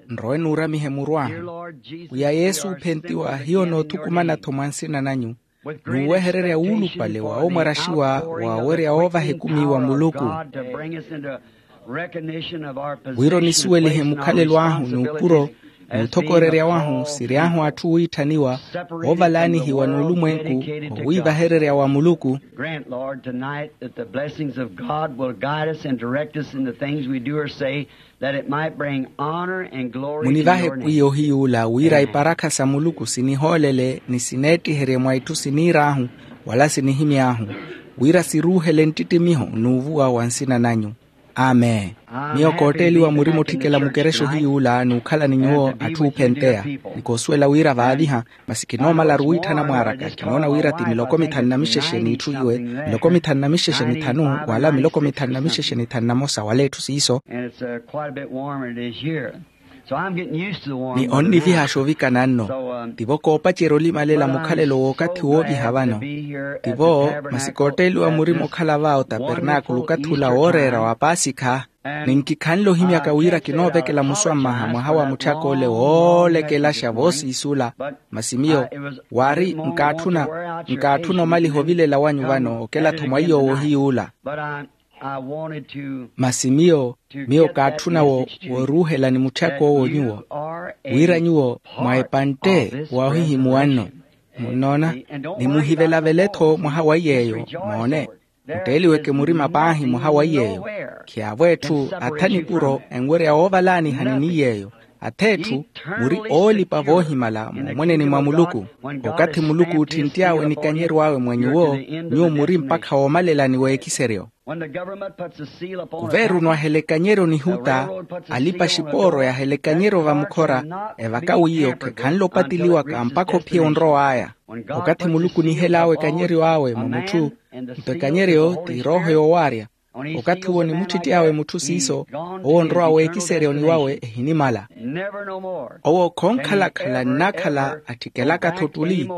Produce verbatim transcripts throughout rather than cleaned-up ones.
Nrowe nuuramihe muru ahu. Pwiya yesu ophentiwa hiyo noothukumana-tho mwa nsina nanyu, nuuwehererya wuulupale wa omwaraxiwa wawerya oovaha ekumi wa muluku, wira onisuwelihe mukhalelo ahu n'upuro n'uthokorerya wahu siri ahu atthu wiitthaniwa oovalaanihiwa n'ulumwenku owiivahererya wa muluku. Grant, Lord, tonight that the blessings of God will guide us and direct us in the things we do or say, that it might bring honor and glory to your name. Munivahe pwiya ohiyuula wira iparakha sa muluku sinihoolele ni sineettiherye mwa itthu siniir'ahu wala sinihimy'ahu, wira siruuhele nttittimiho n'uvuwa wa nsina nanyu. Amen. Miyo kootteeliwa murima otthikela mukerexa ohiyuula n'ukhala ni nyuwo atthu oophenteya, ni koosuwela wira vaaviha, masi kinoomalaru wiitthana mwaaraka kinoona wira ti miloko mithanu na mixexe n'itthu iwe, miloko mithanu na mixexe mithanu wala miloko mithanu na mixexe nithanu na mosa wala etthu siiso. Ni onnivihaaxa ovikana nno. Tivo koopacerya olimalela mukhalelo w'okathi wooviha vano. Tivo masi kootteeliwa murima okhala va otapernaakulu okathi ula wooreera wa paasikha. Ni nkikhanle ohimyaka wira kinoovekela muswammaha mwaha wa mutthak'ole woolekelaxa voosiisula. Masi miyo waari nkaatthuna nkaatthuna omaliha ovilela wanyu vano okela-tho mwa iy'owo ohiyuula. Masi miyo miyo kaatthuna wooruuhela ni mutthak'owo nyuwo wira nyuwo mwa epantte woohihimuwa nno. Munnoona? Ni muhivelavele-tho mwaha wa iy'eyo. Moone, mutteeliweke murima paahi mwaha wa iy'eyo. Khiyaavo etthu atha nipuro enwerya woovalaanihani ni iy'eyo. Atha etthu muri oolipa voohimala moomweneni mwa muluku. Okathi muluku ootthintty'awe nikanyeryo awe mwa nyuwo, nyuwo muri mpakha woomalelani w'ekiseryo. Kuveeruni ahela ekanyeryo nihuta, alipa xipooro yahela ekanyeryo vamukhora, evaka wiiyo khekhanle opateliwaka mpakha ophiya onrow'aya. Okathi muluku onihel'awe ekanyeryo awe mwa mutthu, nto ekanyeryo ti erooho yoowaarya. Okathi owo onimuttitty'awe mutthu siiso, owo onrowa w'ekiseryo ni wawe ehinimala. Owo khoonkhalakhala nnakhala attikelaka-tho ottuli.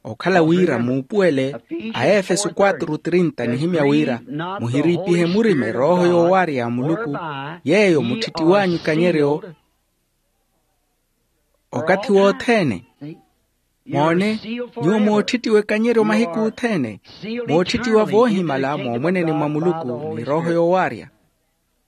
Okhala wira muupuwele, a efeso quatro trinta nihimya wira, muhiriipihe murima erooho yoowaarya ya muluku, yeeyo mutthittiw'anyu ekanyeryo okathi wothene. Moone, nyuwo moottittiwa ekanyeryo mahiku othene, moottittiwa voohimala moomweneni mwa muluku ni erooho yoowaarya.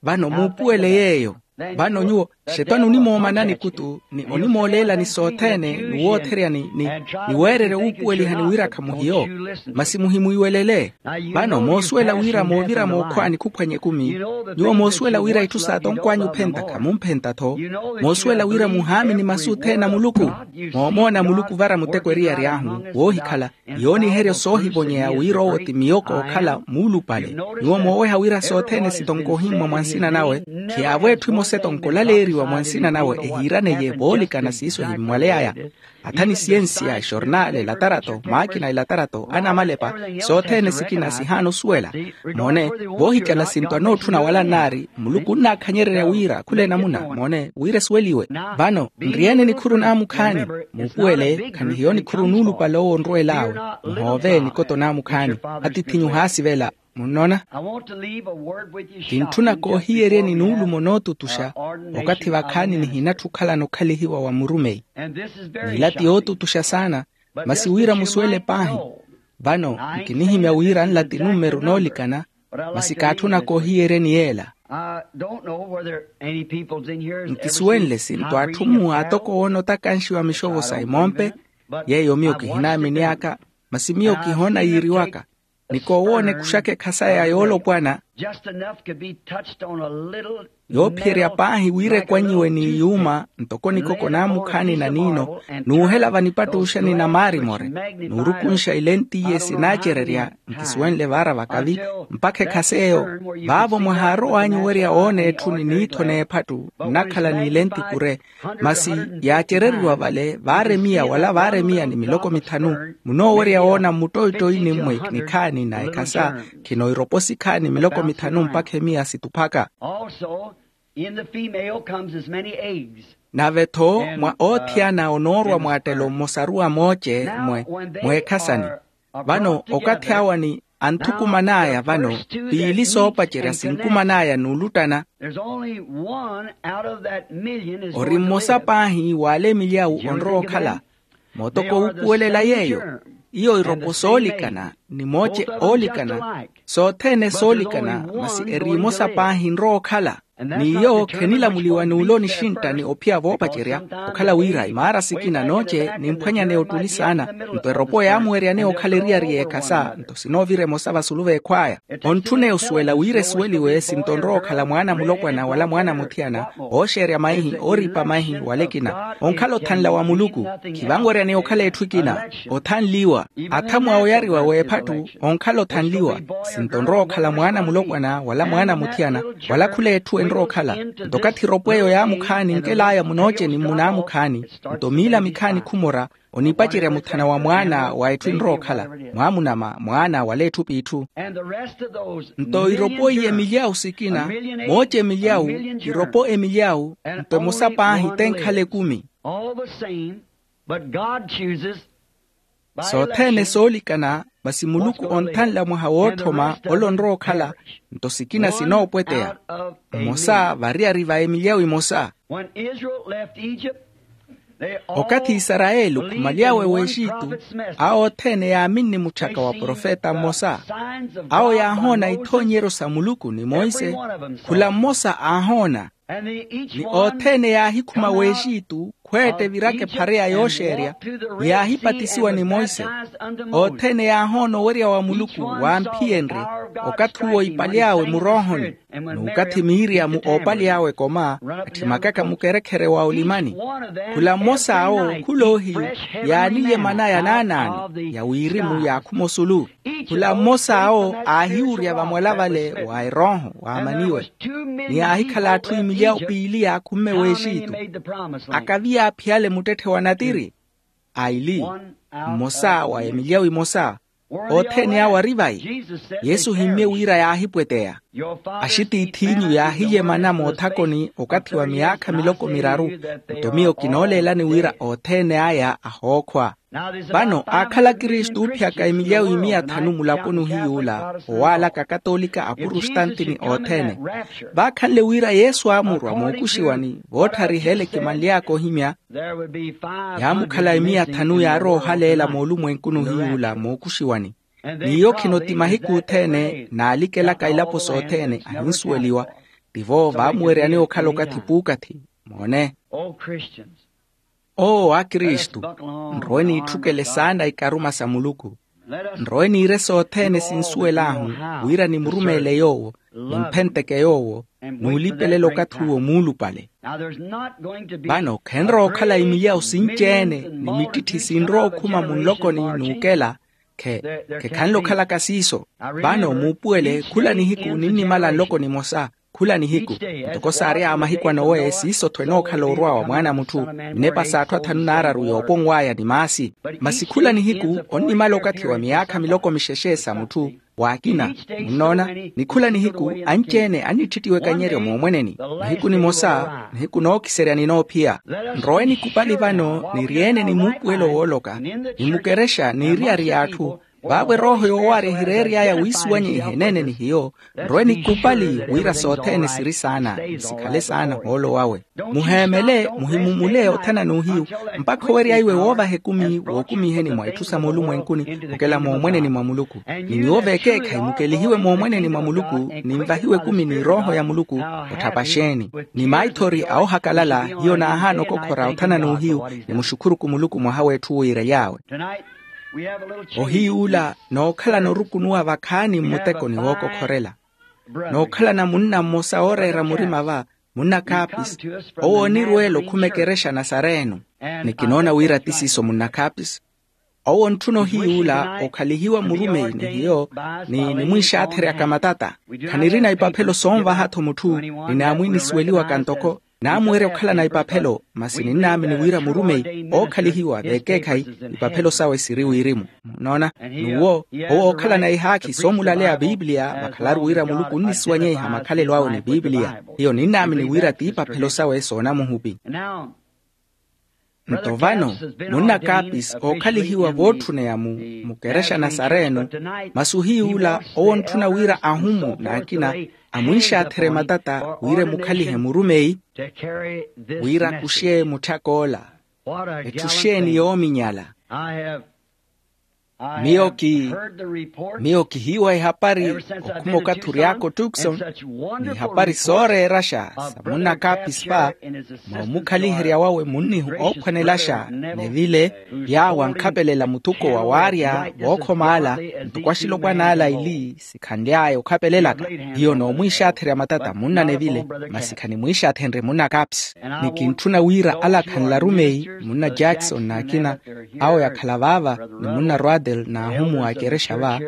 Vano muupuwele yeeyo. Vano nyuwo xetwani onimoomana nikutu ni onimooleelani sothene ni wootherya ni weererya wuupuwelihani wira khamuhiyo. Masi muhimwiiwelele. Vano moosuwela wira moovira mookhwaani khuphwanya ekumi. Nyuwo moosuwela wira itthu saatonkw'anyu ophenta khamumphentta-tho. Moosuwela wira muhaamini masu othene a muluku. Moomoona muluku ovara muteko eriyari ahu woohikhala, yooniheryo soohivonyeya wira owo ti miyo kookhala muulupale. Nyuwo mooweha wira sothene sitonkohimmwa mwa nsina nawe, khiyaavo etthu emosa etonkolaleeriwa mwa nsina nawe ehiiraneye voolikana siiso ehimmwaleyaya. Atha ni siyensiya, exornaale elatarato maakina elatarato anamalepa, sothene sikina sihaana osuwela. Moone, voohicala sinto anootthuna wala nnaari muluku onnaakhanyererya wira khula enamuna. Moone wira esuweliwe. Vano nriyene nikhuru naamukhaani, muupuwele khanihiyo nikhuru nuulupale owo onrowel'awe. Muhoove nikoto naamukhaani. Atiith'inyu ohaasivela. Munnoona? Kintthuna koohiyeryeni nuulumo nootutuxa. Okathi vakhaani nihinatthi okhalana okhalihiwa wa murumeyi. N'ila ti yootutuxa saana. Masi wira musuwele paahi. Vano nkinihimya wira nla ti nummeru noolikana. Masi kaatthuna koohiyeryeni yeela. Nkisuwenle sinto atthu mmu aatoko woona otakanxiwa mixovo sa imompe. Yeeyo miyo kihinaamini aka. Masi miyo kihoona yiiriwaka. Ni koowoona ekuxaka ekhasa ya yoolopwana. Yoophiyerya paahi wira ekwanyiwe ni iyuuma ntoko nikoko naamukhaani na niino, n'uhela vanipattuxa ni namaari more, n'urukunxa ilentiiye sinaacererya. Nkisuwenle vaara vakavi mpakha ekhasa eyo. Vaavo mwahaarow'anyu owerya woona etthu ni niitho n'ephattu nnakhala n'ilenti kure. Masi yaacereriwa vale vaaremiya wala vaaremiya ni miloko mithanu. Munoowerya woona mmuttoittoini mmwe nikhaani na ekhasa khino iropo sikhaani miloko mithanu mpakha emiya situphaka. Nave-tho mwa oothiyana onoorwa mwaattelo mmosaru wa mooce mwe mweekhasani. Vano okathi awa ni Anthukuman'aya vano, piili soopacerya sinkuman'aya n'uluttana. Ori mmosa paahi w'ale milyawu onrowa okhala. Mootoko wuupuwelela yeeyo. Iyo iropo soolikana, ni mooce oolikana, sothene soolikana, masi eri emosa paahi enrowa okhala. N'iyo khenilamuliwa n'ule onixintta ni ophiya voopacerya, okhala wira imaara sikina nooce nimphwanyaneya ottuli saana. Nto eropo yaamuweryaneya okhala eriyari y'ekhasa, nto sinoovira emosa vasulu v'ekhw'aya. Ontthuneya osuwela wira esuweliwe sinto onrowa okhala mwaana mulopwana wala mwaana muthiyana, ooxeerya maihi ooripa maihi wala ekina. Onkhala othanla wa muluku, khivanweryaneya okhala etthu ekina. Othanliwa, athamu awe oyariwa w'ephatthu. Onkhala othanliwa, sinto onrowa okhala mwaana mulopwana wala mwaana muthiyana, wala khula etthu enrowa okhala. Nto okathi eropo eyo yaamukhaani nkel'aya munooceni mmunaamukhaani, nto miila mikhaani khumora, onipacerya muthana wa mwaana wa etthu enrowa okhala, mwaamunama mwaana wala etthu p'itthu. Nto iropo iye milyawu sikina, mooce milyawu, iropo emilyawu, nto emosa paahi tenkhala ekumi. Sothene soolikana, masi muluku onthanla mwaha wootthoma ole onrowa okhala. Nto sikina sinoopweteya. Mmosa variyari va emilyawu emosa. Okathi isarayeli okhumaly'awe w'exitu, awo othene yaaminni mutthaka wa profeta mmosa. Awo yaahoona ithoonyeryo sa muluku ni monse. Khula mmosa aahoona. Ni othene yaahikhuma w'exitu khweetta eviraka ephareya yooxeerya, yaahipatisiwa ni monse. Othene yaahoona owerya wa muluku waamphiyenrye. Okathi uwo ipaly'awe muroohoni, n'ukathi miiriya mu oopaly'awe ekoma, atthimakaka mukerekhere wa olimani. Khula mmosa awo khula ohiyu, yaaniye mana ya naanaano ya wirimu yaakhuma osulu. Khula mmosa awo aahiwurya vamwala vale wa erooho waamaniwe. Ni aahikhala atthu imilyawu piili yaakhumme w'exitu, akavi yaaphiyale muttetthe wa natiri. Aili, mmosa wa emilyawu emosa. Othene awo ari vayi. Yesu ohimmye wira yaahipweteya. Axitiith'inyu yaahiye mana moothakoni okathi wa miyaakha miloko miraru. Nto miyo kinooleelani wira othene aya ahookhwa. Vano aakhala akristu oophiyaka emilyawu imiya thanu mulaponi ohiy'ula, owaalaka akatoolika apurustanti ni othene. Vaakhanle wira yesu aamurwa mookuxiwani voottharihela ekimanly'aka ohimya. Yaamukhala imiya thanu yaarowa ohaleela moolumwenkuni ohiy'ula mookuxiwani. N'iyo khinotti mahiku othene naalikelaka ilapo sothene ahinsuweliwa. Tivo vaamuweryaneya okhala okathi puukathi. Moone. Owo akristu, nrowe niitthukele saana ikaruma sa muluku. Nrowe niire sothene sinsuwel'ahu wira nimurumeele yoowo, nimphenteke yoowo, n'ulipelela okathi uwo muulupale. Vano khenrowa okhala imilyawu sinci-ene ni mittitthi sinrowa okhuma munlokoni n'ukela. Khe khekhanle okhalaka siiso. Vano muupuwele khula nihiku ninnimala nloko nimosa. Khula nihiku, ntoko saary'awe mahiku a nowe siiso-tho enookhala orwa wa mwaana a mutthu. Minepa s'atthu athanu n'araru yooponw'aya ni maasi. Masi khula nihiku onnimala okathi wa miyaakha miloko mixexe sa mutthu. W'akina, munnoona, ni khula nihiku anci-ene annittittiwa ekanyeryo moomweneni. Nihiku nimosa nihiku nookiserya ni noophiya. Nrowe nikupali vano niryeene ni muupuwelo wooloka, ni mukerexa n'iriyari y'atthu. Vaavo erooho yoowaarya ehireery'aya wiisuwanyeiha eneene ni hiyo. Nrowe nikupali wira sothene siri saana sikhale saana ohoolo wawe. Muheemele, muhimumule othana n'uhiyu, mpakha owerya iwe woovaha ekumi wookumiheni mwa itthu sa moolumwenkuni, okela moomweneni mwa muluku. Ni nyuwo vekeekhayi mukelihiwe moomweneni mwa muluku, ninvahiwe ekumi ni erooho ya muluku. Otthapa xeeni? Ni maithori a ohakalala hiyo naahaana okokhora othana n'uhiyu, nimuxukhuruku muluku mwaha w'etthu wiirely'awe. Ohiy'ula nookhalana orukunuwa vakhaani mmutekoni wookokhorela. Nookhalana munna mmosa ooreera murima va, munna kaapisi. Owo onirweela okhuma ekerexa nasareeno. Ni kinoona wira ti siiso munna kaapisi. Owo ontthuna ohiy'ula okhalihiwa murumeyi ni hiyo, ni nimwiixaatheryaka matata. Khanirina ipaphelo soonvaha-tho mutthu. Ninaamwiinisiweliwaka ntoko naamuwerya okhalana ipaphelo, masi ninnaamini wira murumeyi ookhalihiwa vekeekhayi, ipaphelo sawe siri wirimu. Munnoona? N'uwo owo ookhalana ihaakhi soomulaleya biipiliya vakhalaru wira muluku onnisuwanyeiha makhalelo awe ni biipiliya. Hiyo ninnaamini wira t'ipaphelo sawe soonamuhupi. Nto vano, munna kaapisi ookhalihiwa vootthuneya mu mukerexa nasareno. Masi ohiy'ula owo ontthuna wira ahumu n'akina amwiixaatherye matata wira emukhalihe murumeyi wira akuxe mutthak'ola. Etthu xeeni yoominyala? Miyo ki miyo kihiiwa ehapari okhuma okathi ory'aka otukson, n'ihapari sooreeraxa sa munna kaapisi va moomukhaliherya wawe munnihu oophwanelaxa. Nevile yaawo ankhapelela muthuko wa waarya vookhoma ala, ntoko axilopwana ala ili sikhanly'aya okhapelelaka. Hiyo noomwiixaatherya matata munna nevile, masi khanimwiixaathenrye munna kaapisi. Ni kintthuna wira ala khanlaru meyi, munna jackson n'akina awo yakhala vaava, ni munna rwatel n'ahumu a ekerexa va,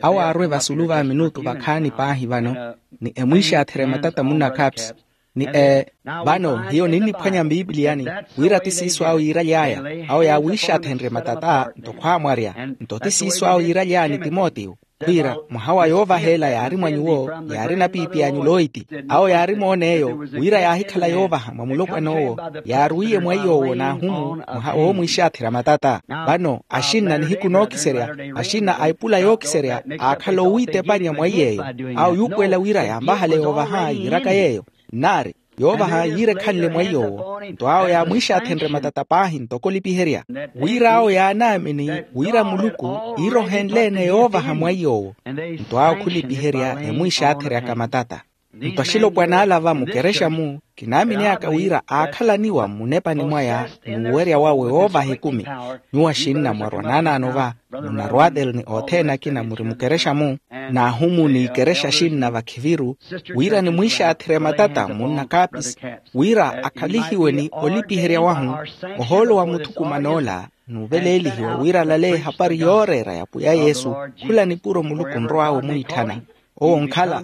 awo aarwe vasulu va minutu vakhaani paahi vano, ni emwiixaatherya matata munna kaapisi. Ni ee vano hiyo ninniphwanya mpiipiliyani wira ti siiso awo yiiraly'aya. Awo yaawiixaathenrye matata nto khwaamwarya. Nto ti siiso awo yiiraly'ani timotiyo, khwiira mwaha wa yoovaha ela yaari mwa nyuwo, yaari napiipi anyu loiti. Awo yaari moon'eyo wira yaahikhala yoovaha mwa mulopwan'owo, yaaruwiye mweiy'owo n'ahumu mwaha woomwiixaatherya matata. Vano axinna nihiku nookiserya, axinna a epula yookiserya aakhala owiitepanya mweiy'eyo. Awo yuupuwela wira yaamvahala yoovaha yiiraka yeeyo. Nnaari yoovaha yiirekhanle mweiy'owo. Nto awo yaamwiixaathenrye matata paahi ntoko olipiherya, wira awo yaanaamini wira muluku iirohenle-ene yoovaha mweiy'owo. Nto awo khulipiherya emwiixaatheryaka matata. Nto axilopwana ala va mukerexa-mu kinaamin'aka wira aakhalaniwa mmunepani mwaya n'uwerya wawe woovaha ekumi. Nyuwo axinna mwarwa naanaano va, munna rwatel ni othene akina muri mukerexa-mu, n'ahumu n'ikerexa axinna vakhiviru, wira nimwiixaatherye matata munna kaapisi wira akhalihiwe ni olipiherya wahu ohoolo wa muthukuman'ola, n'uveleelihiwa wira alale ehapari yooreera ya pwiya yesu. Khula nipuro muluku onrow'awe omwiitthana. Owo onkhala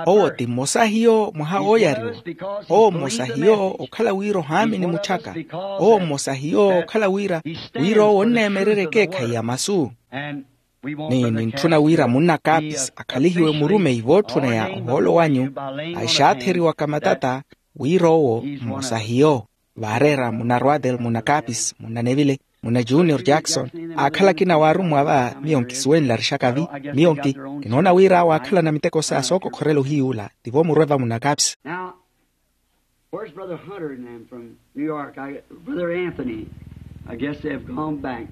owo ti mmosa hiyo mwaha ooyariwa. Owo mmosa hiyo okhala wira ohaamini mutthaka. Owo mmosa hiyo okhala wira wira owo onneemererya ekeekhayi ya masu. Ni nintthuna wira munna kaapisi akhalihiwe murumeyi vootthuneya ohoolo wanyu, axaatheriwaka matata wira owo mmosa hiyo. Vaareera munna rwatel munna kaapisi munna nevile munna junior jackson, aakhala akina waarummwa va. Miyo nkisuwenlarixaka-vi. Miyo nki kinoona wira awo aakhalana miteko sa sookokhorela ohiy'ula tivo murwe va munna kaapisi. Now, where's Brother Hunter and them from New York? I, Brother Anthony, I guess they have gone back.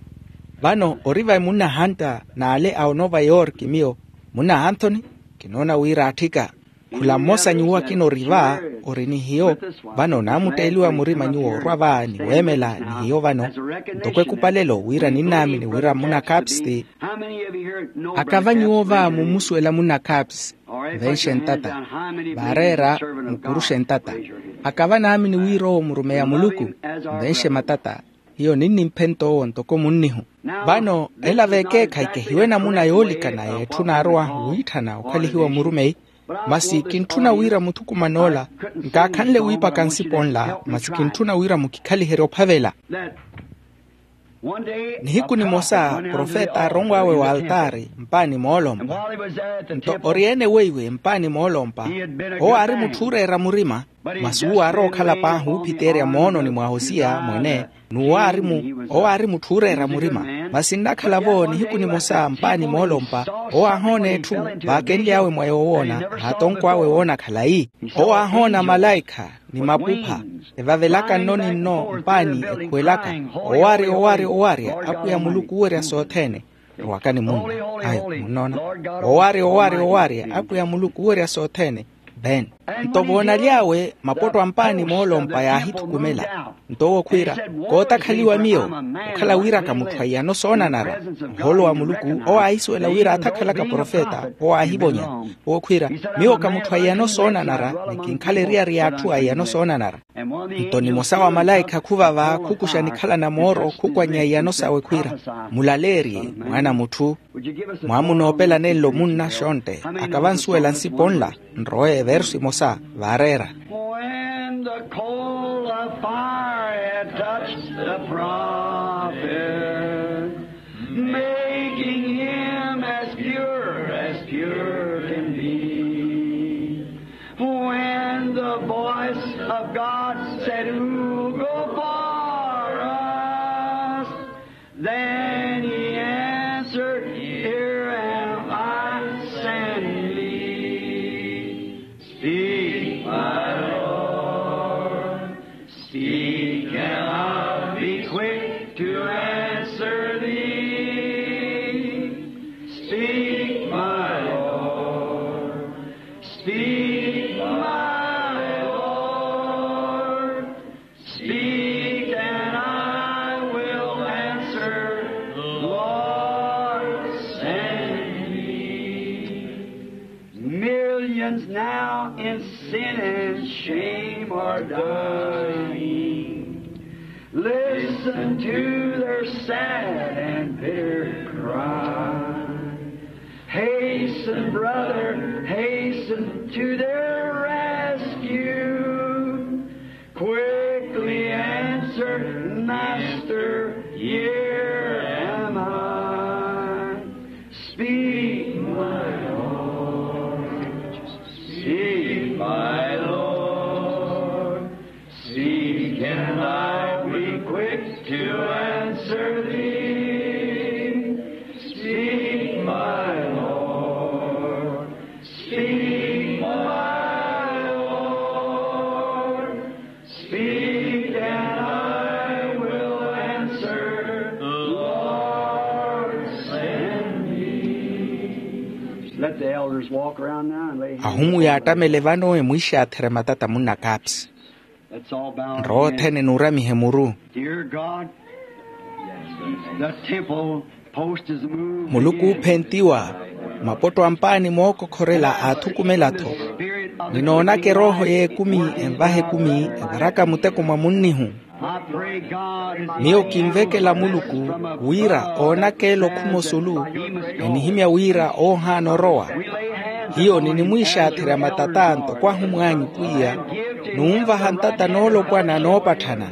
Vano ori vai munna hunter n'ale a onova yorki miyo munna anthony? Kinoona wira atthika khula mmosa nyuwo akina ori va, ori ni hiyo. Vano naamutteeliwa murima nyuwo orwa va ni weemela ni hiyo vano ntoko ekupalelo wira ninnaamini wira munna kaapisi ti. Akava nyuwo va mummusuwela munna kaapisi? Venxe ntata. Vaareera mukuruxe ntata. Akava naamini wira owo murumeyi a muluku? Venxe matata. Hiyo ninnimphenta owo ntoko munnihu. Vano ela v'ekeekhayi kehiwe namuna yoolikana y'etthu naarowahu wiitthana okhalihiwa murumeyi. Masi kintthuna wira muthukuman'ola nkaakhanle wiipaka nsipo nla masi kintthuna wira mukikhaliherye ophavela. Nihiku nimosa profeta aaronw'awe w'altaari mpaani moolompa. Nto ori-ene weiwe mpaani moolompa owo aari mutthu ooreera murima. Masi uwo aarowa okhala paahi oophiteerya moononi mwa hosiya mwene. N'uwo aari mu owo aari mutthu ooreera murima. Masi nnakhala-vo nihiku nimosa mpaani moolompa owo aahoona etthu vaakenly'awe mwa yoowoona. Haatonkw'awe woona khalayi owo aahoona malaikha ni mapupha evavelaka nno ni nno mpaani ekhuwelaka owaari owaari owaari apwiya muluku oowerya sothene. Rowakani munna ayo munnoona owaari owaari owaari apwiya muluku oowerya sothene. Vene nto voonaly'awe mapotto a mpaani moolompa yaahithukumela. Nto owo khwiira kootakhaliwa miyo okhala wira ka mutthu a iyano soonanara. Ohoolo wa muluku owo aahisuwela wira athakhalaka profeta owo aahivonya. Owo khwiira miyo ka mutthu a iyano soonanara ni kinkhala eriyari y'atthu a iyano soonanara. Nto nimosa wa malaikha khuvava khukuxa nikhalana mooro khukwannya iyano sawe khwiira mulaleerye mwaana a mutthu. Mwamunoopela nenlo munna xontte akavansuwela nsipo nla. Nrowe eversu imosa vaareera. When the coal of fire had touched the prophet, making him as pure as pure can be, when the voice of God said, "Who go forth?" Speak, my Lord. Speak, and I'll be quick to answer thee. Speak, my Lord. Speak, my Lord. Speak, and I will answer, Lord, send me. Millions now in sin and shame are dying. Listen to their sad and bitter cry. Hasten, brother, hasten to their rescue. Quickly answer, Master, here am I. Speak, my Lord. Speak, my Lord. Speak, and I'll be quick to answer thee. Speak, my Lord. Speak, my Lord. Speak, and I will answer, Lord, send me. Let the elders walk around now and lay hands. Ahumu yaattamele vano emwiixaatherya matata munnakaapsi. Let's all bow our heads. Nrowa othene nuuramihe muru. Dear God, the temple post is moved again. Muluku oophentiwa, mapotto a mpaani mookokhorela aathukumela-tho. Ninoonaka erooho y'ekumi envaha ekumi evaraka muteko mwa munnihu. I pray God is. Miyo kinvekela Muluku wira oonaka elo khuma osulu, enihimya wira oohaana orowa. Hiyo ninimwiixaatherya matata ntoko ahumw'anyu pwiya, n'unvaha ntata noolopwana noopatthana,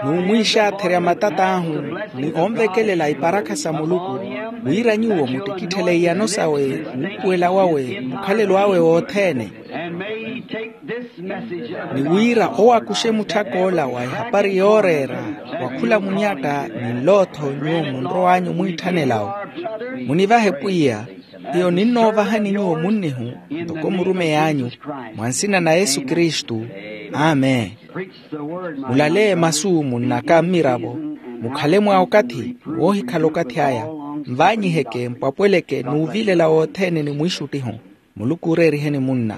n'umwiixaatherya matat'ahu, ni onvekelela iparakha sa Muluku, wira nyuwo muttikitthele iyano sawe, wuupuwela wawe, mukhalelo awe wothene. Ni wira owo akuxe mutthak'ola wa ehapari yooreera, wa khula munyatta ni nlootho nyuwo munrow'anyu mwiitthanela-wo. Munivahe pwiya, hiyo ninnoovahani nyuwo munnihu, ntoko murumey'anyu, mwa nsina na yesu kristu. Amen. Mulale masu munnaka mmiravo, mukhale mwa okathi, woohikhala okathi aya, nvaanyiheke mpwapweleke n'uvilela wothene ni mwiixuttihu. Muluku ooreeriheni munna.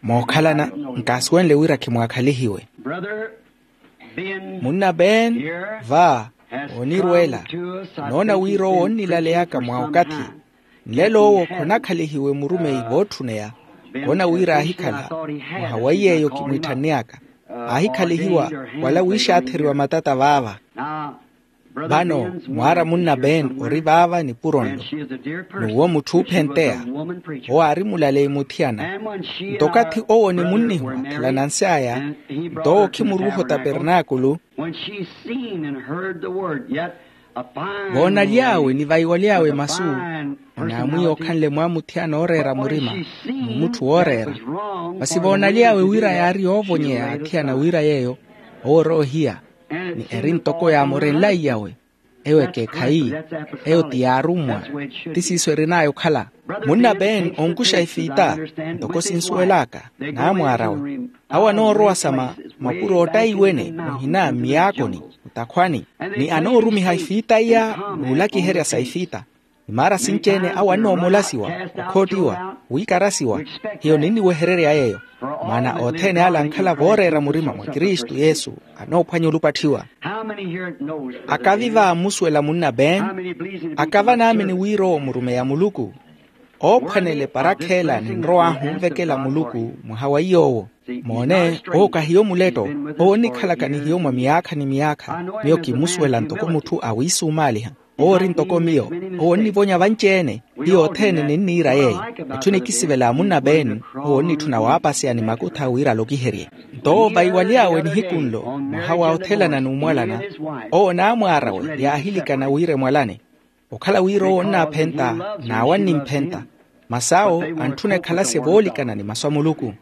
Mookhalana, nkaasuwenle wira khimwaakhalihiwe. Munna ben, va, oonirweela. Noona wira owo onnilaleyaka mwa okathi. Nlelo owo khonakhalihiwe murumeyi vootthuneya. Khoona wira aahikhala, mwaha wa iy'eyo kimwiitthanniyaka, aahikhalihiwa wala wiixaatheriwa matata vaava. Vano mwaara munna ben ori vaava nipuro nlo. N'uwo mutthu oophenteya. Owo aari mulaleyi muthiyana. Nto okathi owo ni munnihu athela nansi aya, nto owo okhimuruuha otapernaakulu. Voonaly'awe ni vaiwaly'awe masu, onaamwiya okhanle mwa muthiyana ooreera murima, n'umutthu wooreera. Masi voonaly'awe wira yaari yoovonyeya athiyana wira yeeyo, owo ori ohiya, ni eri ntoko yaamorenlayi yawe. Eyo ekeekhayi. Eyo ti yaarummwa. Ti siiso erin'aya okhala. Munna ben onkuxa efiita, ntoko sinsuwel'aka, n'amwaar'awe. Awo anoorowa sa ma, mapuro oottayiwene muhina mmiyaakoni, mutakhwani, ni anoorumiha efiita iya n'ulakiherya sa efiita. Imaara sinci-ene awo annoomolasiwa, okhoottiwa, wiikarasiwa. Hiyo ninniwehererya yeeyo. Maana othene ale ankhala vooreera murima mwa kristu yesu, anoophwanya olupatthiwa. Akavi va ammusuwela munna ben? Akava naamini wira owo murumeya muluku. Oophwanela eparakha ela ninrow'ahu onvekela muluku mwaha wa iy'owo. Moone, owo kahiyo muletto. Owo onnikhalaka ni hiyo mwa miyaakha ni miyaakha. Miyo kimmusuwela ntoko mutthu awiisumaaliha. Owo ori ntoko miyo. Owo onnivonya vanci-ene. Hiyo othene ninniira yeeyo. Etthu nikisivela munna ben, owo onnitthuna waapaseya ni makutha wira alokiherye. Nto owo vaiwaly'awe nihiku nlo mwaha wa othelana n'umwalana, owo n'amwaar'awe yaahilikana wira emwalane. Okhala wira owo onnaaphenta, n'awe annimphenta. Masi awo antthuna ekhalase voolikana ni masu a muluku.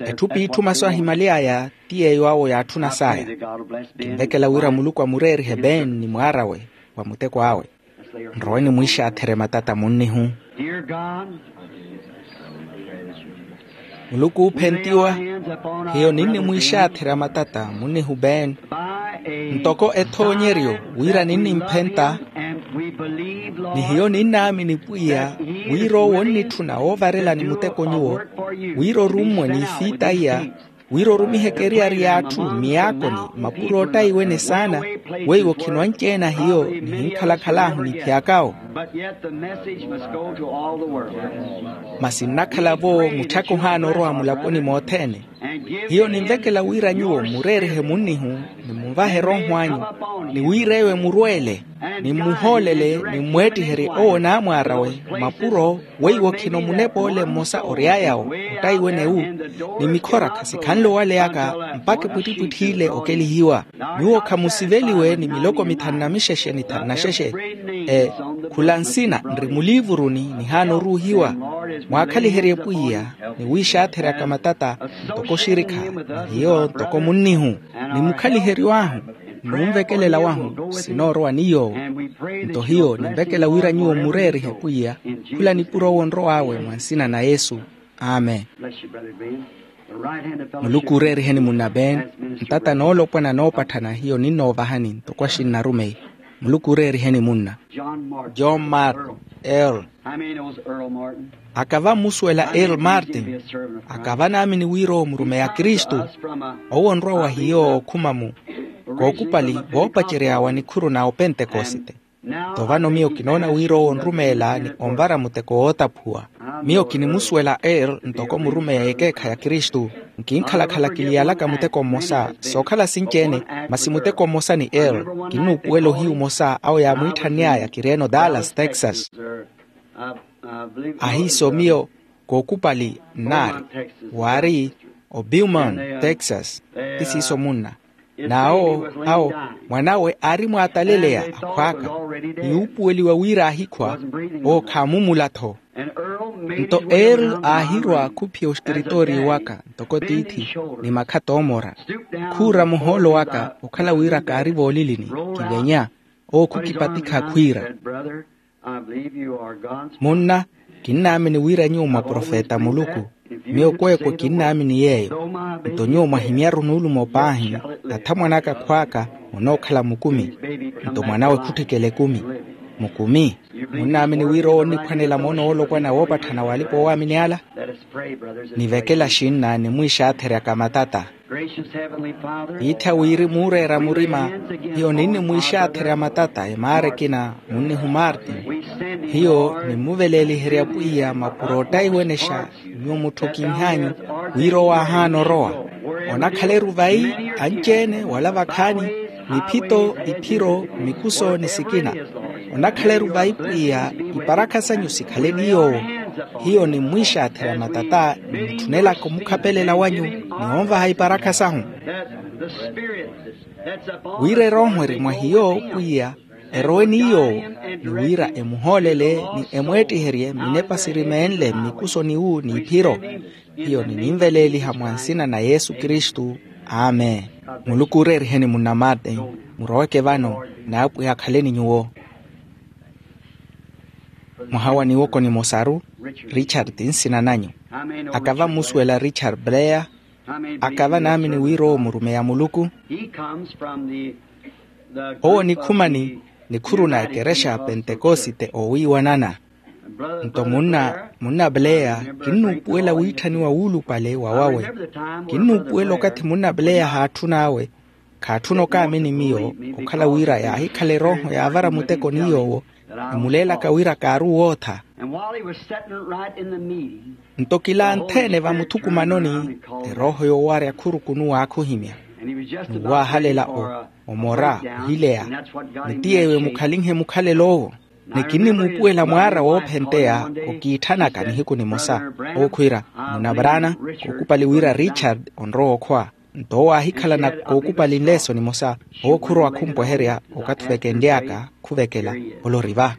Etthu p'itthu masu ahimaly'aya ti yeeyo awo yaatthuna saya. Kinvekela wira muluku amureerihe ben ni mwaar'awe, wa muteko awe. Nrowe nimwiixaatherye matata munnihu. Muluku oophentiwa, hiyo ninnimwiixaatherya matata munnihu ben, ntoko ethoonyeryo wira ninnimphenta. Ni hiyo ninnaamini pwiya, wira owo onnitthuna oovarelani muteko nyuwo, wira orummwe n'ifiita iya, wira orumiheke eriyari y'atthu mmiyaakoni, mapuro ottaiwene saana, weiwo khino anci-ene a hiyo nihinkhalakhal'ahu niphyak'awo. Masi nnakhala-vo mutthaka ohaana orowa mulaponi mothene. Hiyo ninvekela wira nyuwo mmureerihe munnihu, ni munvahe erooho anyu, ni wira eyo emurweele, ni mmuhoolele, ni mmweettiherye owo naamwaar'awe, mapuro weiwo khino munepa ole mmosa ory'aya-wo, ottaiwene-wu, ni mikhora khasikhanle owaleyaka, mpakha epwittipwitthi ile okelihiwa. Nyuwo khamusiveliwe ni miloko mithanu na mixexe ni thanu na xexe. Ee, khula nsina nri muliivuruni nihaana oruuhiwa. Mwaakhaliherye pwiya, ni wiixaatheryaka matata, ntoko oxirikha, ni hiyo ntoko munnihu, ni mukhaliheryo ahu, n'unvekelela wahu sinoorowa ni yoowo. Nto hiyo ninvekela wira nyuwo mmureerihe pwiya, khula nipuro owo onrow'awe mwa nsina na yesu. Amen. Muluku ooreeriheni munna ben, ntata noolopwana noopatthana hiyo ninnoovahani ntoko axinnarumeyi. Muluku ooreeriheni munna. John martin, earl. Akava mmusuwela earl martin? Akava naamini wira owo murumeyi a kristu. Owo onrwa wa hiyo okhuma-mu kookupali, voopacery'awe a nikhuru na opentekosite. Nto vano miyo kinoona wira owo onrumeela ni onvara muteko wootaphuwa. Miyo kinimusuwela earl ntoko murumeyi a ekeekhayi a kristu. Nkinkhalakhala kiliyalaka muteko mmosa, sookhala sinci-ene, masi muteko mmosa ni earl. Kinnuupuwela ohiyu omosa awo yaamwiitthann'aya kireeno dallas texas. Ahiiso miyo kookupali nnaari, waari obiuman texas. Ti siiso munna. N'awo awo mwan'awe aari mwaataleleya akhw'aka, ni yuupuweliwa wira aahikhwa, owo khaamumula-tho. Nto earl aahirwa khuphiya oskiritooriyo waka ntoko tiithi, ni makha toomora, khuura muhoolo waka okhala wira kaari voolilini, kivenya. Owo khukipatikha khwiira, munna, kinnaamini wira nyuwo mwa profeta a muluku. Miyo kweekwe kinnaamini yeeyo. Nto nyuwo mwahimyaru nuulumo paahi, athamwan'aka akhw'aka, munookhala mukumi. Nto mwan'awe khutthikela ekumi. Mukumi. Munnaamini wira owo onniphwanela moono woolopwana woopatthana w'alipa-oowaamini ala? Nivekela xinna nimwiixaatheryaka matata. Piittha wiri muureera murima, hiyo ninnimwiixaatherya matata emaara ekina, munnihu martin. Hiyo nimmuveleeliherya pwiya mapuro ottaiwenexa, nyuwo mutthokinh'anyu, wira owo aahaana orowa. Onakhala-ru vayi, anci-ene wala vakhaani, miphito, iphiro, mikuso ni sikina. Onakhala-ru vayi pwiya, iparakha sanyu sikhale ni yoowo. Hiyo nimmwiixaatherya matata, nimutthunelaka omukhapelela wanyu, ni onvaha iparakha sahu. Wira erooho eri mwa hiyo pwiya, erowe ni yoowo, ni wira emuhoolele ni emweettiherye minepa siri meenle mmikusoni-wu n'iphiro. Hiyo nininveleeliha mwa nsina na yesu kristu. Amen. Muluku ooreeriheni munna martin. Muroweke vano, n'apwiya akhaleni nyuwo. Mwaha wa niwoko nimosaru, richard ti nsina nanyu. Akava mmusuwela richard blair? Akava naamini wira owo murumeyi a muluku? Owo onikhuma ni nikhuru na ekerexa ya pentekosite oowiiwanana. Nto munna, munna blair, kinnuupuwela wiitthaniwa wuulupale wa wawe. Kinnuupuwela okathi munna blair haatthun'awe, khaatthuna okaamini miyo, okhala wira yaahikhala erooho yaavara muteko ni yoowo, emuleelaka wira kaari owootha. Nto kilaantheene vamuthukumanoni, erooho yoowarya khurukunu waakhuhimya, ni waahalela omora ohileya. Ni ti yeeyo emukhalinhe mukhalelo owo. Ni kinnimuupuwela mwaara woophenteya okiitthanaka nihiku nimosa, owo khwiira, munna brana, kookupali wira richard onrowa okhwa. Nto owo aahikhalana kookupali nleeso nimosa, owo khurowa khumpweherya. Okathi ovekenly'aka khuvekela, oloriva.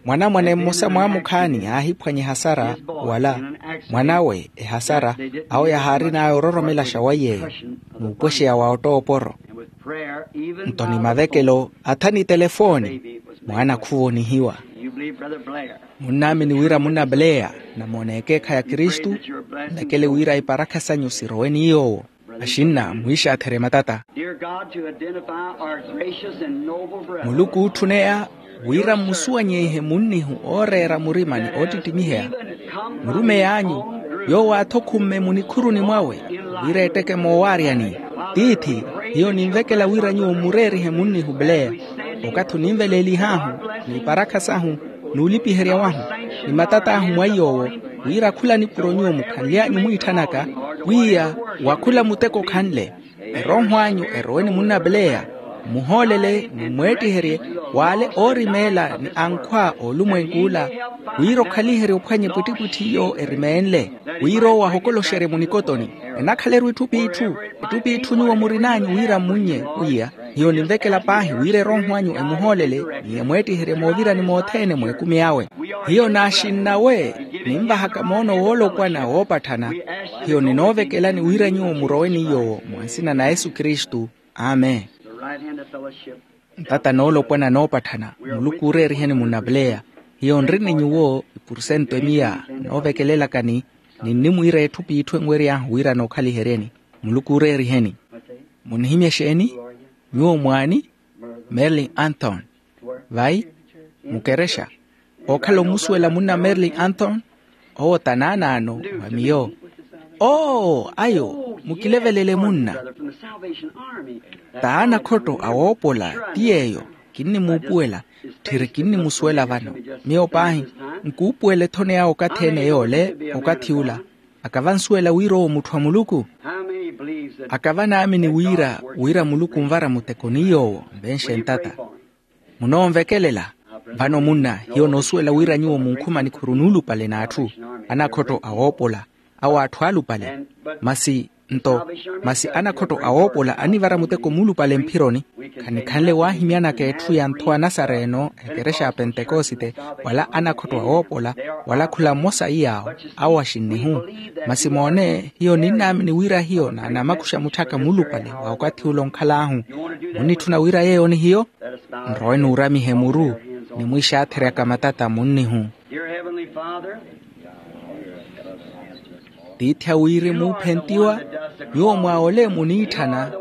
Mwanamwane mmosa mwaamukhaani aahiphwanya ehasara, wala mwan'awe ehasara, awo yahaarin'aya ororomelaxa wa yeeyo, n'upwexeya wa ottooporo. Nto ni mavekelo atha ni telefooni, mwaana khuvonihiwa. Munnaamini wira munna blair namoona ekeekhayi a kristu? Nvekele wira iparakha sanyu sirowe ni yoowo. Axinna mwiixaatherye matata. Dear God, to identify our gracious and noble brother. Muluku ootthuneya wira mmusuwanyeihe munnihu ooreera murima ni oottittimiheya. Murumeyi anyu yoowo aathokhumme munikhuruni mwawe wira etteke moowaaryani. Tiithi, hiyo ninvekela wira nyuwo mmureerihe munnihu bleya okathi oninveleelih'ahu n'iparakha sahu n'ulipiherya wahu ni matat'ahu mwa iy'owo, wira khula nipuro nyuwo mukhanly'anyu mwiitthanaka, pwiya wa khula muteko khanle erooho anyu erowe ni munnapeleya mmuhoolele ni mmweettiherye w'ale oorimeela ni ankhwa a olumwenk'ula, wira okhaliherye ophwanye pwittipwitthi iyo erimeenle, wira owo ahokoloxerye munikotoni. Enakhala-ru itthu p'itthu, itthu p'itthu nyuwo murin'anyu wira mmunnye pwiya. Hiyo ninvekela paahi wira erooho anyu emuhoolele ni emweettiherye moovirani mothene mw'ekumi awe. Hiyo naaxinnawe ninvahaka moono woolopwana woopatthana. Hiyo ninoovekelani wira nyuwo murowe ni yoowo mwa nsina na yesu kristu. Amen. Ntata noolopwana noopatthana muluku ooreeriheni munnapuleya. Hiyo nri ni nyuwo ipursento emiya noovekelelakani. Ninnimwiira etthu p'itthu enwery'ahu wira nookhaliheryeni. Muluku ooreeriheni. Munihimya exeeni? Nyuwo mwaani? Merlin anthon. Vai? Mukerexa. Ookhala omusuwela munna merlin anthon? Owo ta naanaano wa miyo. Oo ayo mukilevelele munna. T'anakhotto awoopola ti yeeyo. Kinnimuupuwela. Tthiri kinnimusuwela vano. Miyo paahi nkuupuwela ethono yawe okathi-ene yoole. Okathi ula akava ansuwela wira owo mutthu a muluku. Akava anaamini wira wira muluku onvara muteko ni yoowo. Nvenxe ntata. Munoonvekelela. Vano munna hiyo noosuwela wira nyuwo munkhuma nikhuru nuulupale n'atthu anakhotto awoopola awo atthu aalupale. Masi nto masi anakhotto awoopola anivara muteko muulupale mphironi. Khanikhanle waahimyanaka etthu ya ntho a nasareno ekerexa ya pentekosite wala anakhotto awoopola wala khula mmosa iyaawo awo axinnihu. Masi moone hiyo ninnaamini wira hiyo naanamakuxa mutth'aka muulupale wa okathi ula onkhal'ahu. Munnitthuna wira yeeyo ni hiyo? Nrowe nuuramihe muru nimwiixaatheryaka matata munnihu. Tiithi a wirimu ophentiwa. Nyuwo mwa ole muniitthana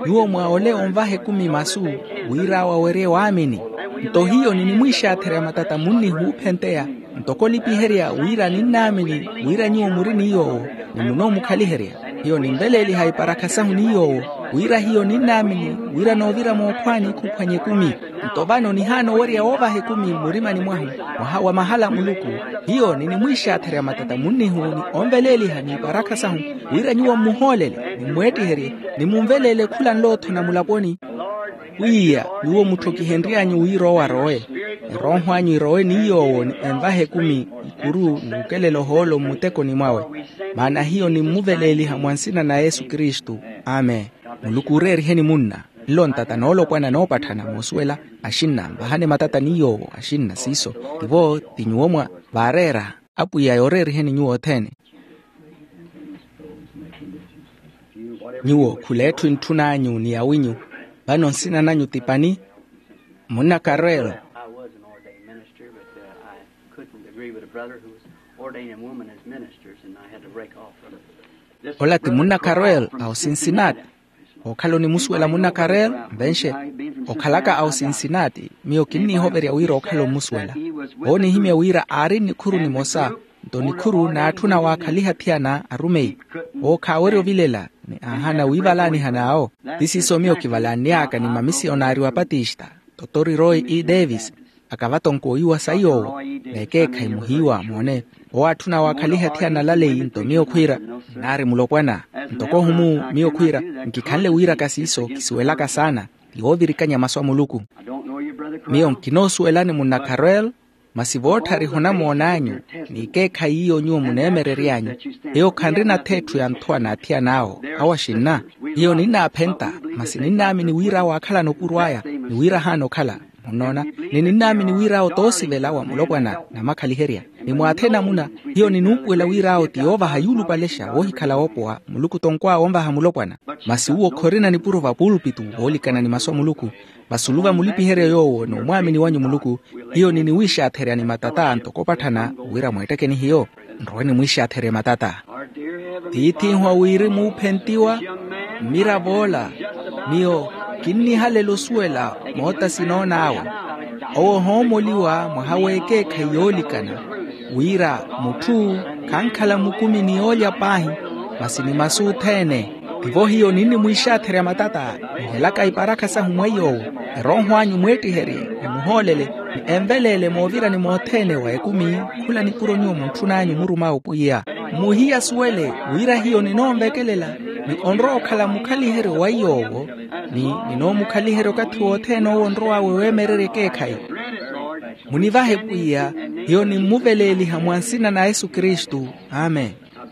nyuwo mwa ole onvaha ekumi masu wira awo awerye waamini. Nto hiyo ninimwiixaatherya matata munnihu oophenteya ntoko olipiherya wira ninnaamini wira nyuwo muri ni yoowo ni munoomukhaliherya. Hiyo ninveleeliha iparakha sahu ni yoowo wira hiyo ninnaamini wira noovira mookhwaani khuphwanya ekumi. Nto vano nihaana owerya woovaha ekumi mmurimani mwahu mwaha wa mahala a muluku. Hiyo ninimwiixaatherya matata munnihu ni onveleeliha n'iparakha sahu wira nyuwo mmuhoolele ni mmweettiherye ni munveleele khula nlootho na mulaponi. Pwiya nyuwo mutthokihenry'anyu wira owo arowe erooho anyu erowe ni yoowo ni envaha ekumi ikuru n'ukelela ohoolo mmutekoni mwawe. Maana hiyo nimmuveleeliha mwa nsina na yesu kristu. Amen. Muluku ooreeriheni munna. Nlo ntata noolopwana noopatthana moosuwela. Axinna nvahani matata ni yoowo axinna siiso tivo ti nyuwo mwa vaareera. Apwiya yooreeriheni nyuwo othene. Nyuwo khula etthu entthun'anyu ni yawinyu. Vano nsina nanyu ti pani? Munna karwelo. I was an ordained minister, but uh, I couldn't agree with a brother who was ordaining a woman as ministers, and I had to break off from it. Ola ti munna karwelo a osinsinati. Ookhala onimusuwela munna karel? Mvenxe okhalaka a osinsinati miyo kinniihoverya wira okhala omusuwela. Oonihimya wira aari nnikhuru nimosa nto nikhuru n'atthu na waakhaliha athiyana arumeyi. Owo khaawerya ovilela ni aahana wiivalaaniha n'awo. Ti siiso miyo kivalaanny'aka ni mamisiyonari wa patista, totori roy e davis. Akavatonko oiwa sayi owo. N'ekeekhayi muhiiwa moone owo atthuna waakhaliha athiyana alaleyi nto miyo khwiira nnaari mulopwana. Ntoko ohumu miyo khwiira nkikhanle wiiraka siiso kisuwelaka saana ti woovirikanya masu a muluku. Miyo nkinoosuwelani munna carel. Masi vootthariha onamoon'anyu n'ikeekhayi iyo nyuwo muneemerery'anyu hiyo khanrina-tho etthu ya nthowa n'athiyana awo. Awo axinna hiyo ninnaaphenta masi ninnaamini wira awo aakhalana opuro aya ni wira ahaana okhala. Munnoona? Ni ninnaamini wira awo t'osivela wa mulopwana namakhaliherya. Ni mwaathi enamuna hiyo ninuupuwela wira awo ti yoovaha yuulupalexa woohikhala woopowa muluku tonkw'awe onvaha mulopwana. Masi uwo khorina nipuro vapulpito woolikana ni masu a muluku. Vasulu vamulipiherye yoowo n'umwaamini wanyu muluku hiyo niniwiixaatherya ni matata ntoko opatthana wira mweettekeni hiyo. Nrowe nimwiixaatherye matata. Tiith'ihu a wirimu oophentiwa, mmirav'ola, miyo kinnihalela osuwela moota sinoon'awe. Owo ohoomoliwa mwaha w'ekeekhayi yoolikana, wira mutthu khankhala mukumi ni yoolya paahi, masi ni masu othene. Tivo hiyo ninnimwiixaatherya matata, nihelaka iparakha sahu mwa iy'owo, erooho anyu mweettiherye, ni muhoolele, ni enveleele moovirani mothene wa ekumi, khula nipuro nyuwo muntthun'anyu murum'awe pwiya. Muhiya asuwele wira hiyo ninoonvekelela, ni onrowa okhala mukhaliheryo wa iy'owo, ni ninoomukhaliherya okathi wothene owo onrow'awe weemererya ekeekhayi. Munivahe pwiya, hiyo nimmuveleeliha mwa nsina na yesu kristu. Amen.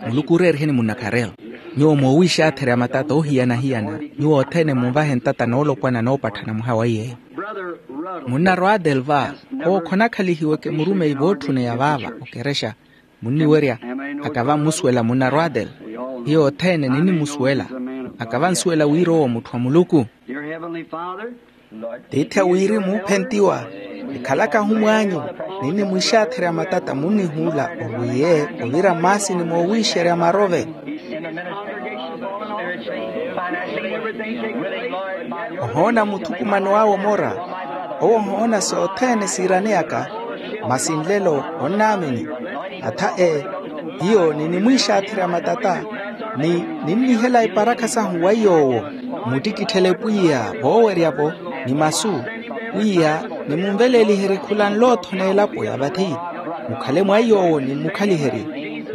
Muluku ooreeriheni munna karelo. Nyuwo moowiixaatherya matata oohiyana-hiyana, nyuwo othene munvahe ntata noolopwana noopatthana mwaha wa iyeeyo. Munna rwadel va, owo khonakhalihiweke murumeyi vootthune ya vaava okerexa. Munniwerya, akava mmusuwela munna rwadel. Hiyo othene ninnimusuwela. Akava nsuwela wira owo mutthu a muluku. Tiithi a wirimu oophentiwa, nikhalaka ahumw'anyu, ninnimwiixaatherya matata munnihuula orwiye ovira mmaasini moowiixerya marove. Ohoona muthukumano awe omora, owo ohoona sothene siiraneyaka. Masi nlelo onnaamini. Atha e, hiyo ninnimwiixaatherya matata, ni ninnihela iparakha sahu wa iy'owo. Muttikitthele pwiya voowerya-vo, ni masu. Pwiya, nimunveleeliherye khula nlootho n'elapo ya vathi. Mukhale mwa iy'owo nimmukhaliherye.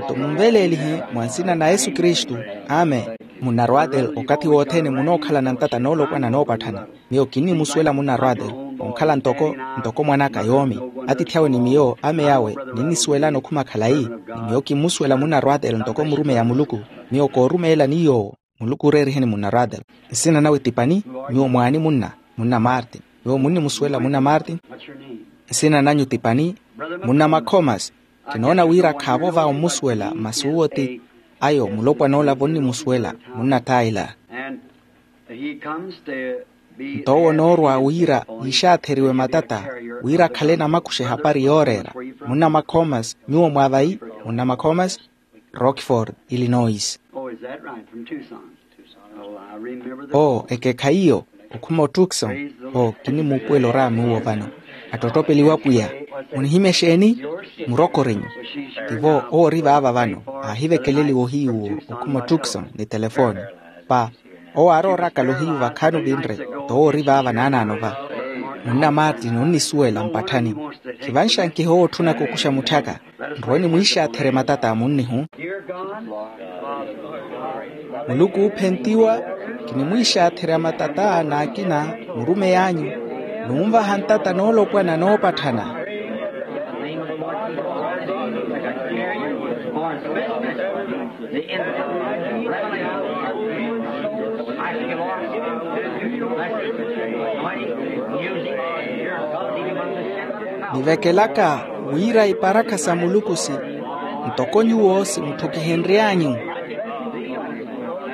Nto munveleelihe mwa nsina na yesu kristu. Amen. Munna rwatel, okathi wothene munookhalana ntata noolopwana noopatthana. Miyo kinnimusuwela munna rwatel, onkhala ntoko ntoko mwan'aka yoomi. Atiithi awe ni miyo ame awe, ninnisuwelana okhuma khalayi. Ni miyo kimmusuwela munna rwatel ntoko murumeyi a muluku. Miyo koorumeelani yoowo. Muluku ooreeriheni munna rwatel. Nsina nawe ti pani? Nyuwo mwaani munna. Munna martin. Nyuwo munnimusuwela munna martin? Nsina nanyu ti pani? Munna makhomas. Kinoona wira khaavo va ommusuwela masi uwo ti ayo mulopwan'ola vonnimusuwela. Munna taila. Nto owo onoorwa wira yiixaatheriwe matata, wira akhale namakuxa ehapari yooreera. Munna makhomas. Nyuwo mwa vayi? Munna makhomas. Rockford, illinois. Oo ekeekhayi iyo. Okhuma otukson. Oo kinnimuupuwela oraami uwo vano. Attottopeliwa pwiya. Munihimya exeeni? Murokorinyu. Tivo owo ori vaava vano. Aahivekeleliwa ohiyu owo. Okhuma otukson ni telefoni. Pa, owo aarooraka lohiyu vakhaani ovinre. Towo ori vaava naanaano va. Munna martin onnisuwela mpatthani. Khivanxankihe owo otthunaka okuxa mutth'aka. Nrowe nimwiixaatherye matata a munnihu. Muluku oophentiwa, kinimwiixaatherya matata n'akina murumey'anyu. Nunvaha ntata noolopwana noopatthana. Nivekelaka wira iparakha sa muluku si ntoko nyuwo simutthukihenry'anyu.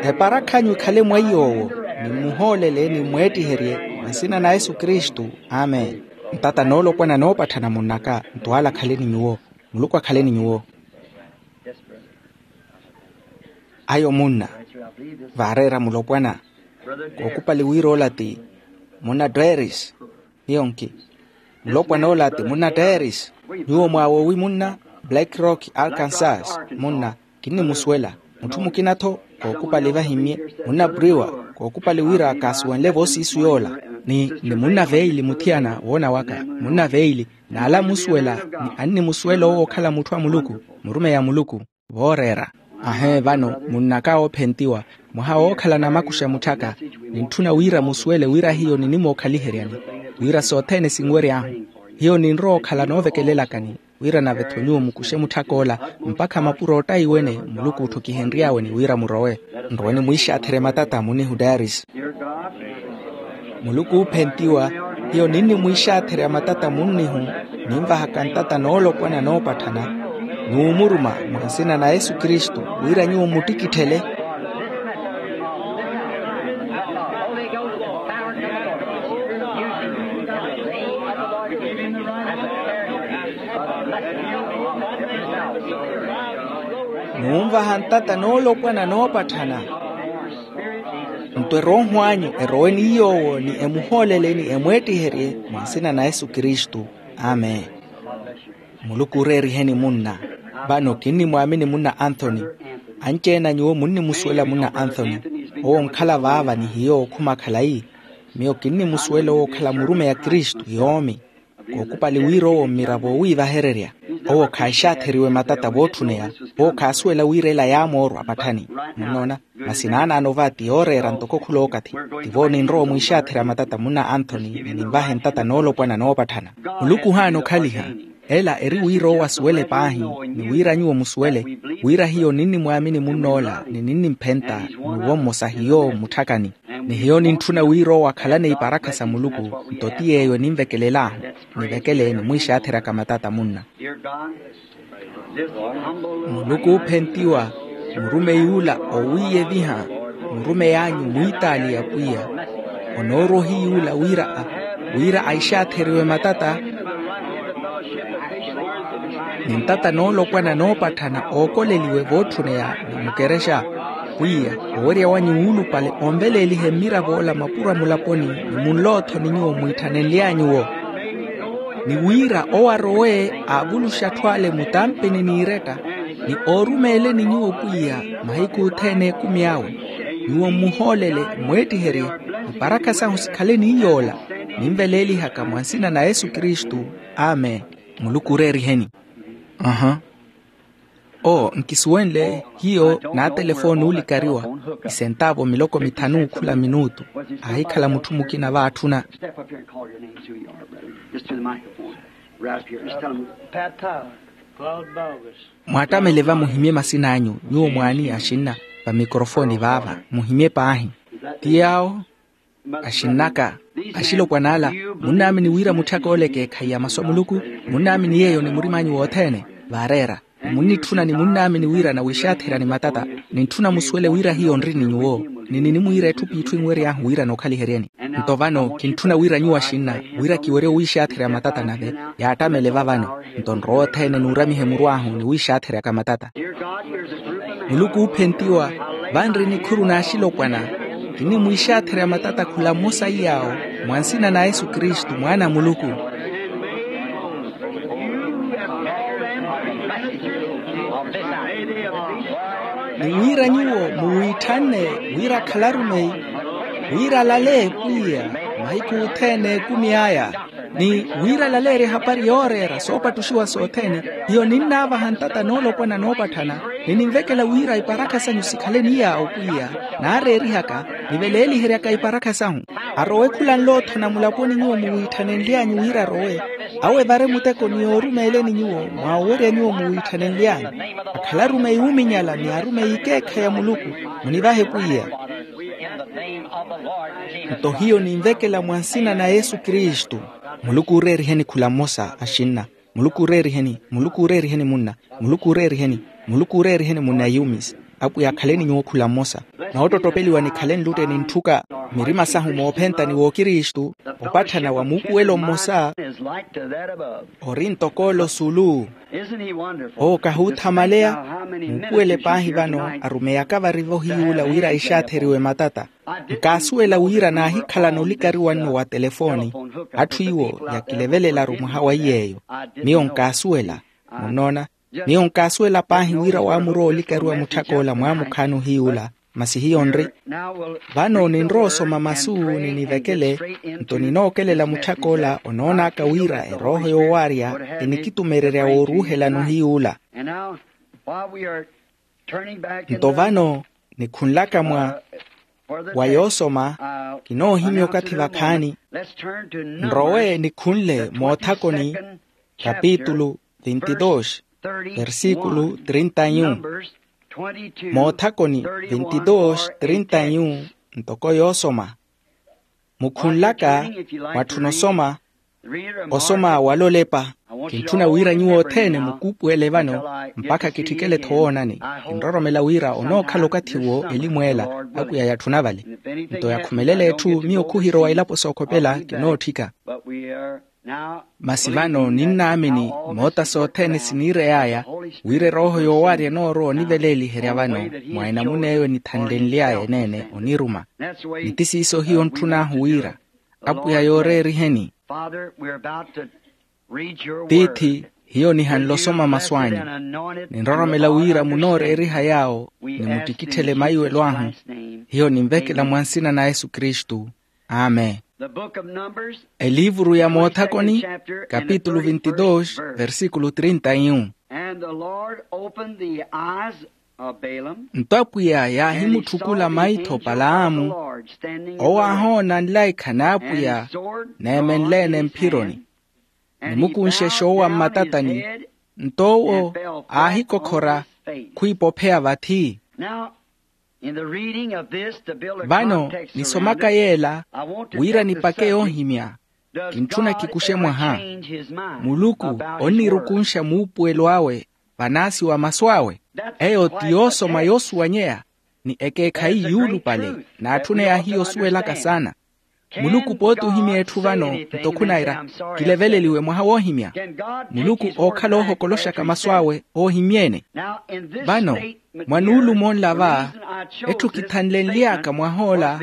Eparakh'anyu ikhale mwa iy'owo. Nimmuhoolele nimweettiherye mwa nsina na yesu kristu. Amen. Ntata noolopwana noopatthana munn'aka ntwaala akhale ni nyuwo. Muluku akhale ni nyuwo. Ayo munna. Vaareera mulopwana. Kookupali wira ola ti munna dweris. Miyo nki? Mulopwana ola ti munna dweris. Nyuwo mwaawowi munna? Black rock arkansas. Munna. Kinnimusuwela. Mutthu mukina-tho. Kookupali vahimmye. Munna briwa. Kookupali wira kaasuwenle voosiisu yoola. Ni ni munna veili muthiyana woona waka. Munna veili. N'ala amusuwela. Ni annimusuwela owo okhala mutthu a muluku. Murumeyi a muluku. Vooreera. Ahee vano munn'aka oophentiwa. Mwaha wookhala namakuxa mutth'aka. Nintthuna wira musuwele wira hiyo ninimookhaliheryani. Wira sothene sinwery'ahu. Hiyo ninrowa okhala noovekelelakani. Wira nave-tho nyuwo mukuxe mutth'ak'ola. Mpakha mapuro ottaiwene muluku otthukihenry'awe ni wira murowe. Nrowe nimwiixaatherye matata munnihu dairis. Muluku oophentiwa. Hiyo ninnimwiixaatherya matata munnihu. Ninvahaka ntata noolopwana noopatthana. Nuumuruma mwa nsina na yesu kristu. Wira nyuwo mmuttikitthele. Munvaha ntata noolopwana noopatthana. Nto erooho anyu erowe ni yoowo ni emuhoolele ni emweettiherye mwa nsina na yesu kristu. Amen. Muluku ooreeriheni munna. Vano kinnimwaamini munna anthony. Anci-ene a nyuwo munnimusuwela munna anthony. Owo onkhala vaava ni hiyo okhuma khalayi. Miyo kinnimusuwela owo okhala murumeyi a kristu yoomi. Kookupali wira owo mmiravo oowiivahererya. Owo khaaxaatheriwe matata vootthuneya. Owo khaasuwela wira ela yaamoorwa apatthani. Munnoona? Masi naanaano va ti yooreera ntoko khulookathi. Tivo ninrowa omwiixaatherya matata munna anthony ni ninvahe ntata noolopwana noopatthana. Muluku ohaana okhaliha. Ela eri wira owo asuwele paahi ni wira nyuwo musuwele wira hiyo ninnimwaamini munn'ola ni ninnimphenta. N'uwo mmosa hiyo mmutthakhani. Ni hiyo nintthuna wira owo akhalane iparakha sa muluku. Nto ti yeeyo eninvekelel'ahu. Nivekele nimwiixaatheryaka matata munna. Muluku oophentiwa, murumeyi ula owiiyeviha. Murumeyi anyu mwiitaali ya pwiya. Onoorwa ohiyuula wira a wira aixaatheriwe matata. Ni ntata noolopwana noopatthana ookoleliwe vootthuneya. Ni mukerexa pwiya, owerya wanyu wuulupale onveleelihe mmirav'ola mapuro a mulaponi. Ni munlootho ni nyuwo mwiitthanenly'anyu-wo. Ni wira owo arowe aavuluxe atthu ale mutampini n'iiretta. Ni oorumeeleni nyuwo pwiya mahiku othene ekumi awe. Nyuwo mmuhoolele mmweettiherye. Iparakha sahu sikhale ni yoola. Ninveleelihaka mwa nsina na yesu kristu. Amen. Muluku ooreeriheni. Aha. Oo nkisuwenle hiyo naatelefooni oolikariwa. Isentaavo miloko mithanu khula minutu. Aahikhala mutthu mukina vaatthuna. Step up here and call your names, who you are, brother. Just to the microphone. Right up here. Just tell them. Mwattamele va muhimye masin'anyu. Nyuwo mwaani axinna va mikorofoni vaava muhimye paahi. Ti yaawo axinn'aka. Axilopwana ala munnaamini wira mutthaka ole ekeekhayi ya masu a muluku. Munnaamini yeeyo ni murim'anyu wothene. Vaareera. Munnitthuna ni munnaamini wira nawiixaatherya ni matata. Nintthuna musuwele wira hiyo nri ni nyuwo. Ni ninimwiira etthu p'itthu enwery'ahu wira nookhaliheryeni. Nto vano kintthuna wira nyuwo axinna wira kiwerye owiixaatherya matata nave. Yaattamele va vano. Nto nrowe othene nuuramihe muru ahu niwiixaatheryaka matata. Muluku oophentiwa. Vanri nikhuru n'axilopwana. Kinimwiixaatherya matata khula mmosa iy'awo mwa nsina na yesu kristu mwaana a muluku. Ni wira nyuwo muwiitthane wira akhalarumeyi wira alale pwiya mahiku othene ekumi aya. Ni wira alaleerye ehapari yooreera soopattuxiwa sothene. Hiyo ninnaavaha ntata noolopwana noopatthana ni ninvekela wira iparakha sanyu sikhale ni yaawo pwiya naareerihaka niveleeliheryaka iparakha sahu. Arowe khula nlootho na mulaponi nyuwo muwiitthanenly'anyu wira arowe. Awo evare muteko ni yoorumeeleni nyuwo mwaawerya nyuwo muwiitthanenly'anyu. Akhalarumeyi oominyala ni arumeyi ikeekhayi a muluku munivahe pwiya. Nto hiyo ninvekela mwa nsina na yesu kristu. Muluku ooreeriheni khula mmosa axinna. Muluku ooreeriheni muluku ooreeriheni munna. Muluku ooreeriheni muluku ooreeriheni munna yumis. Apwiya akhaleni nyuwo khula mmosa. Noottottopeliwa nikhale nlutte nintthuka mirima sahu moophenta ni wookristu opatthana wa muupuwelo mmosa. Ori ntoko ole osulu. Owo kahuuthamaleya. Muupuwele paahi vano arumeyaka vari vohiyuula wira ixaatheriwe matata. Nkaasuwela wira naahikhalana olikariwa nno wa telefooni. Atthu iwo yakilevelelaru mwaha wa iy'eyo. Miyo nkaasuwela. Munnoona. Miyo nkaasuwela paahi wira waamurowa olikariwa mutthak'ola mwaamukhaani ohiyuula. Masi hiyo nri. Vano ninrowa osoma masu ni nivekele. Nto ninookelela mutthak'ola onoon'aka wira erooho yoowaarya enikitumererya wooruuhelana ohiyuula. Nto vano nikhunlaka mwa wa yoosoma. Kinoohimya okathi vakhaani. Nrowe nikhunle moothakoni kapitulu vintidooxi versikulu trinta yu. Moothakoni vintidooxi trinta yu ntoko yoosoma. Mukhunlaka mwatthuna osoma osoma walolepa. Kintthuna wira nyuwo othene mukuupuwele vano mpakha kitthikele-tho woonani. Kinroromela wira onookhala okathi-wo elimu ela apwiya yatthuna vale. Nto yakhumelela etthu miyo khuhirowa ilapo sookhopela kinootthika. Masi vano ninnaamini moota sothene siniirey'aya, wira erooho yoowarya enoorowa oniveleeliherya vano mwa enamuna eyo enithanlenly'aya eneene oniruma. Ni ti siiso hiyo ntthun'ahu wira, apwiya yooreeriheni. Tiithi, hiyo nihanle osoma masu anyu. Ninroromela wira munooreeriha yaawo, nimuttikitthele maiwelo ahu. Hiyo ninvekela mwa nsina na yesu kristu. Amen. Eliivuru ya moothakoni, kapitulu vinte e dos, versíkulu trinta e um. Nto apwiya yaahimutthukula maitho palaamu, owo aahoona nlaikha n'apwiya neemenle-ene mphironi, nimukunxexa owa mmatatani. Nto owo aahikokhora, khwiipopheya vathi. Vano nisomaka yeela, wira nipake yoohimya, kintthuna kikuxe mwaha. Muluku onnirukunxa muupuwelo awe vanaasiwa masu awe. Eyo ti yoosoma yoosuwanyeya, ni ekeekhayi yuulupale, n'atthuneya hiyo osuwelaka saana. Muluku pooti ohimya etthu vano, nto khunaira kileveleliwe mwaha woohimya. Muluku ookhala oohokoloxaka masu awe oohimyeene. Vano, mwa nuulumo nla va, etthu kithanlenly'aka mwah'ola,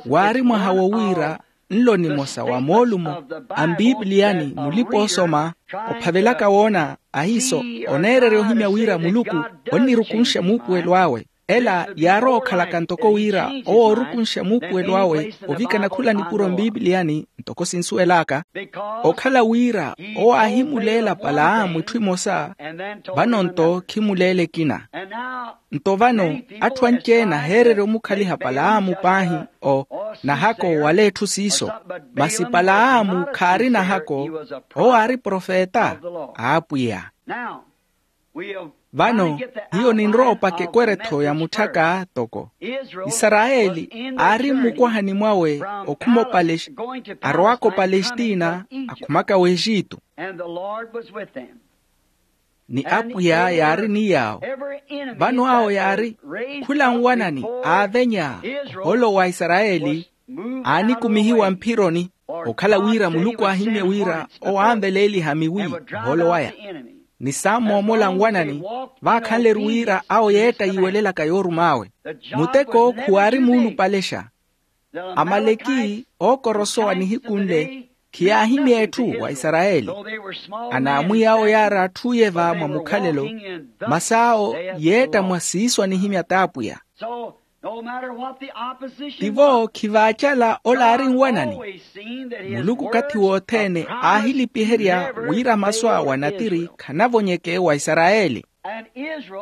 waari mwaha wo wira nlo nimosa wa moolumo a mpiipiliyani mulipa-oosoma, ophavelaka woona ahiiso, oneererya ohimya wira muluku onnirukunxa muupuwelo awe. Ela yaarowa okhalaka ntoko wira owo oorukunxa muupuwelo awe ovikana khula nipuro mpiipiliyani, ntoko sinsuwel'aka. Okhala wira owo aahimuleela palaamu itthu imosa, vano nto khimuleela ekina. Nto vano, atthu anci-ene aheererya omukhaliha palaamu paahi, o nahako wala etthu siiso. Masi palaamu khaari nahako, owo aari profeta a apwiya. Vano, hiyo ninrowa opaka ekweretho ya mutthaka toko isarayeli aari mmukwahani mwawe okhuma opalestina, arowaka opalestina, akhumaka w'exitu. Ni apwiya yaari ni yaawo. Vano awo yaari khula nwanani aavenya, ohoolo wa isarayeli aanikumihiwa mphironi, okhala wira muluku aahimmye wira owo aanveleeliha miwi ohoolo waya. Ni saammoomola nwanani, vaakhanle-ru wira awo yeetta yiiwelelaka yoorum'awe. Muteko khuwaari muulupalexa. Amaleki ookorosowa nihiku nle, khiyaahimya etthu wa isarayeli. Anaamwiya awo yaari atthu iye va mwa mukhalelo, masi awo yeetta mwa siiso anihimya t'apwiya. Tivo khivaacala ola aari nwanani. Muluku okathi wothene aahilipiherya wira masu awe anatiri khanavonyeke wa isarayeli.